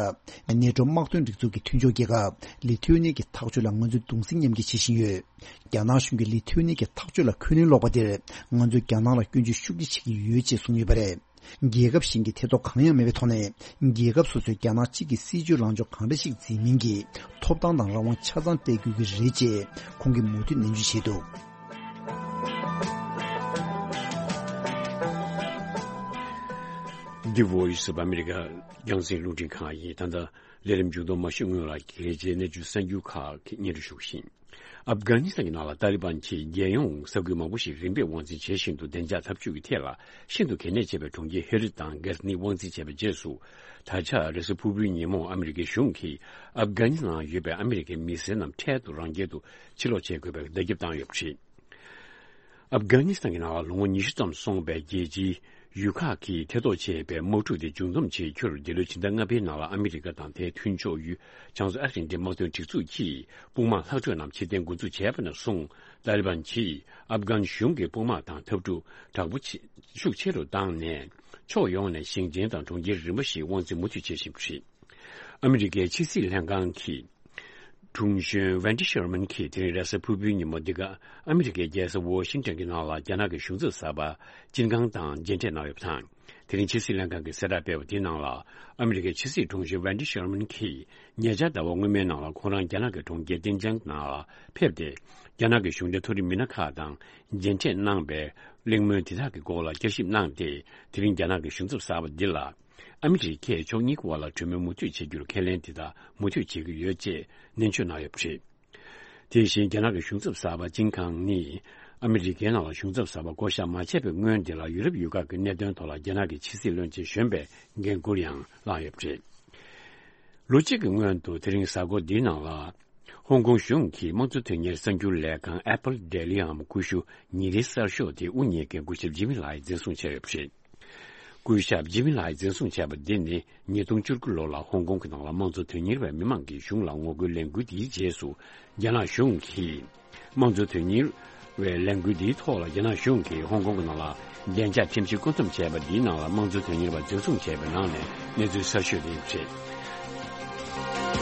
ལ། ནེ་ཊོ་དམག་དོན་སྒྲིག་འཛུགས་ཀྱི་མཐུན་ཕྱོགས་རྒྱལ་ཁབ་ལི་ཐུའུ་ནེ་གི་ཐག་གཅོད་ལ་ང་ཚོས་གདུང་སེམས་མཉམ་སྐྱེད་བྱེད་བཞིན་ཡོད། རྒྱ་ནག་གཞུང་གིས་ལི་ཐུའུ་ནེ་གི་ཐག་གཅོད་ལ་འཁོན་ལན་སློག་པ་དེར། ང་ཚོས་རྒྱ་ནག་ལ་སྐྱོན་བརྗོད་ཤུགས་ཆེ་བྱེད་ཀྱི་ཡོད་ཅེས་གསུངས་ཡོད་པ་རེད། རྒྱལ་ཁབ་གཞན་གྱི་ཐེ་གཏོགས་གང་ཡང་མེད་པའི་ཐོག་ནས། རྒྱལ་ཁབ་སོ་སོས་རྒྱ་ནག་གཅིག་གི་སྲིད་ཇུས་ལངས་ཕྱོགས་གང་འདྲ་ཞིག་འཛིན་མིན་གྱི་ཐོབ་ཐང་དང་རང་དབང་ཆ་ཚང་སྤྲད་དགོས་ཀྱི་རེད་ཅེས་ཁོང་གིས་མུ་མཐུད་ནན་བརྗོད་བྱས་འདུག། The Voice of America། རྒྱང་སྲིང་རླུང་འཕྲིན་ཁང་ཡིན། ད་ལྟ་ལས་རིམ་མཇུག་བསྡོམས་མ་ཞུས་སྔོན་ལ། གལ་ཆེའི་གནས་ཚུལ་གསར་འགྱུར་ཁག་གི་སྙན་སྒྲོན་ཞུ་བཞིན། ཨབ་གྷ་ནི་སི་ཐན་གྱི་ནང་ལ་ཏཱ་ལི་བན་གྱིས་རྒྱལ་ཡོངས་ས་ཁུལ་མང་པོ་ཞིག་རིམ་པས་དབང་འཛིན་བྱེད་བཞིན་དུ། བདེ་འཇགས་འཐབ་ཇུས་ཀྱི་ཐད་ལ་ཤིན་ཏུ་གལ་གནད་ཆེ་བའི་གྲོང་ཁྱེར་ཧེ་རད་དང་གྷ་ནི་དབང་འཛིན་བྱས་པའི་རྗེས་སུ། ད་ཆ་རེས་གཟའ་ཕུར་བུའི་ཉིན་མོ་ཨ་མི་རི་ཀའི་གཞུང་གིས་ཨབ་གྷ་ནི་སི་ཐན་ནང་ཡོད་པའི་ཨ་མི་རི་ཀའི་མི་སེར་རྣམས་འཕྲལ་དུ་རང་རྒྱལ་དུ་ཕྱིར་ལོག་བྱེད་དགོས་པའི་བརྡ་ཁྱབ་བཏང་ཡོད་པ་རེད། ཨབ་གྷ་ནི་སི་ཐན་གྱི་ནང་ལ་ལོ་ངོ་ཉི་ཤུ་ཙམ་སོང་བའི་རྒྱལ་སྤྱིའི་ཡུལ་ཁག་གིས་ཐེ་གཏོགས་བྱས་པའི་དམག་འཁྲུག་དེ་མཇུག་བསྡོམས་བྱེད་རྒྱུར། འདི་ལོའི་ཕྱི་ཟླ་ལྔ་པའི་ནང་ལ་ཨ་མི་རི་ཀ་དང་དེའི་མཐུན་ཕྱོགས་ཡུལ་བྱང་མཚོ་ཨ་ཧྥེ་རི་ཁའི་དམག་དོན་སྒྲིག་འཛུགས་ཀྱིས་དཔུང་དམག་ལྷག་འཕྲོས་རྣམས་ཕྱིར་འཐེན་འགོ་འཛུགས་བྱས་པ་ནས་བཟུང་། ཏཱ་ལི་བན་གྱིས་ཨབ་གྷན་གཞུང་གི་དཔུང་དམག་དང་འཐབ་འཁྲུག་དྲག་པོ་ཆེ་ཤུགས་ཆེ་རུ་བཏང་ནས། ཕྱོགས་ཡོངས་ནས་ཞིང་ཆེན་དང་གྲོང་ཁྱེར་རིམ་པ་ཞིག་དབང་འཛིན་མུ་མཐུད་བྱེད་བཞིན་པ་རེད། ཨ་མི་རི་ཀའི་ཕྱི་སྲིད་ལྷན་ཁང་གི་དྲུང་གཞོན་ཝན་ཏི་ཤར་མན་གྱིས་དེ་རིང་རེས་གཟའ་ཕུར་བུའི་ཉིན་མོ་འདི་ག་ཨ་མི་རི་ཀའི་རྒྱལ་ས་ཝོ་ཤིང་ཊོན་གྱི་ནང་ལ་རྒྱ་ནག་གི་གཞུང་ཚབ་གསར་པ་ཅིན་ཀང་དང་མཇལ་འཕྲད་གནང་ཡོད་པ་དང་། དེ་རིང་ཕྱི་སྲིད་ལྷན་ཁང་གིས་གསལ་བསྒྲགས་སྤེལ་བ་དེའི་ནང་ལ། ཨ་མི་རི་ཀའི་ཕྱི་སྲིད་དྲུང་ཆེ་ཝན་ཌི་ཤར་མན་གྱིས་ཉེ་ཆར་ཟླ་བ་སྔོན་མའི་ནང་ལ་ཁོང་རང་རྒྱ་ནག་གི་གྲོང་ཁྱེར་ཏིན་ཅང་ནང་ལ་ཕེབས་ཏེ། རྒྱ་ནག་གི་གཞུང་འབྲེལ་མཐོ་རིམ་མི་སྣ་ཁག་དང་མཇལ་འཕྲད་གནང་བའི་གླེང་མོལ་དེ་དག་གི་སྐོར་ལ་བསྐྱར་ཞིབ་གནང་སྟེ། དེ་རིང་རྒྱ་ནག་གི་གཞུང་ཚབ་གསར་པ་འདི་ལ། ཨ་མི་རི་ཀས་ཕྱོགས་གཉིས་ཀྱི་དབར་ལ་གྲོས་མོལ་མུ་མཐུད་བྱེད་རྒྱུར་ཁས་ལེན་དེ་དག་མུ་མཐུད་བྱེད་ཀྱི་ཡོད་ཅེས་ནན་བརྗོད་གནང་ཡོད་པ་རེད། དེ་བཞིན་རྒྱ་ནག་གི་གཞུང་ཚབ་གསར་པ་ཅིན་ཁང་ནི། ཨ་མི་རི་ཀའི་ནང་ལ་གཞུང་ཚབ་གསར་པ་བསྐོ་གཞག་མ་བྱས་པའི་སྔོན་དེ་ལ་ཡུ་རོབ་ཡུལ་ཁག་གི་གནད་དོན་ཐོག་ལ་རྒྱ་ནག་གི་ཕྱི་སྲིད་བློན་ཆེན་གཞོན་པའི་འགན་འཁུར་ཡང་བླངས་ཡོད་པ་རེད། ལོ་གཅིག་གི་སྔོན་དུ་དེ་རིང་གཟའ་འཁོར་འདིའི་ནང་ལ། ཧོང་ཀོང་གཞུང་གིས་དམངས་གཙོ་དོན་གཉེར་གསར་འགྱུར་ལས་ཁང་Apple Daily འམ་ཀུ་ཤུ་ཉིན་རེའི་གསར་ཤོག་དེ་དབུ་བརྙེས་མཁན་སྐུ་ཞབས་ཇི་མི་ལའི་འཛིན་བཟུང་བྱས་ཡོད་པ་རེད། སྐུ་ཞབས་ཇི་མི་ལའི་འཛིན་བཟུང་བྱས་པ་འདི་ནི་ཉིས་སྟོང་བཅུ་དགུ་ལོ་ལ་ཧོང་ཀོང་གི་ནང་ལ་དམངས་གཙོ་དོན་གཉེར་བའི་མི་མང་གིས་གཞུང་ལ་ངོ་རྒོལ་ལས་འགུལ་འདིའི་རྗེས་སུ། རྒྱ་ནག་གཞུང་གིས་དམངས་གཙོ་དོན་གཉེར་བའི་ལས་འགུལ་འདིའི་ཐོག་ལ་རྒྱ་ནག་གཞུང་གིས་ཧོང་ཀོང་གི་ནང་ལ་བདེ་འཇགས་ཁྲིམས་གཞི་བཀོད་འདོམས་བྱས་པ་འདིའི་ནང་ལ་དམངས་གཙོ་དོན་གཉེར་བ་འཛིན་བཟུང་བྱས་པའི་ནང་ནས་གནས་ཚུལ་གསར་ཤོས་དེ་ཡིན་པ་རེད།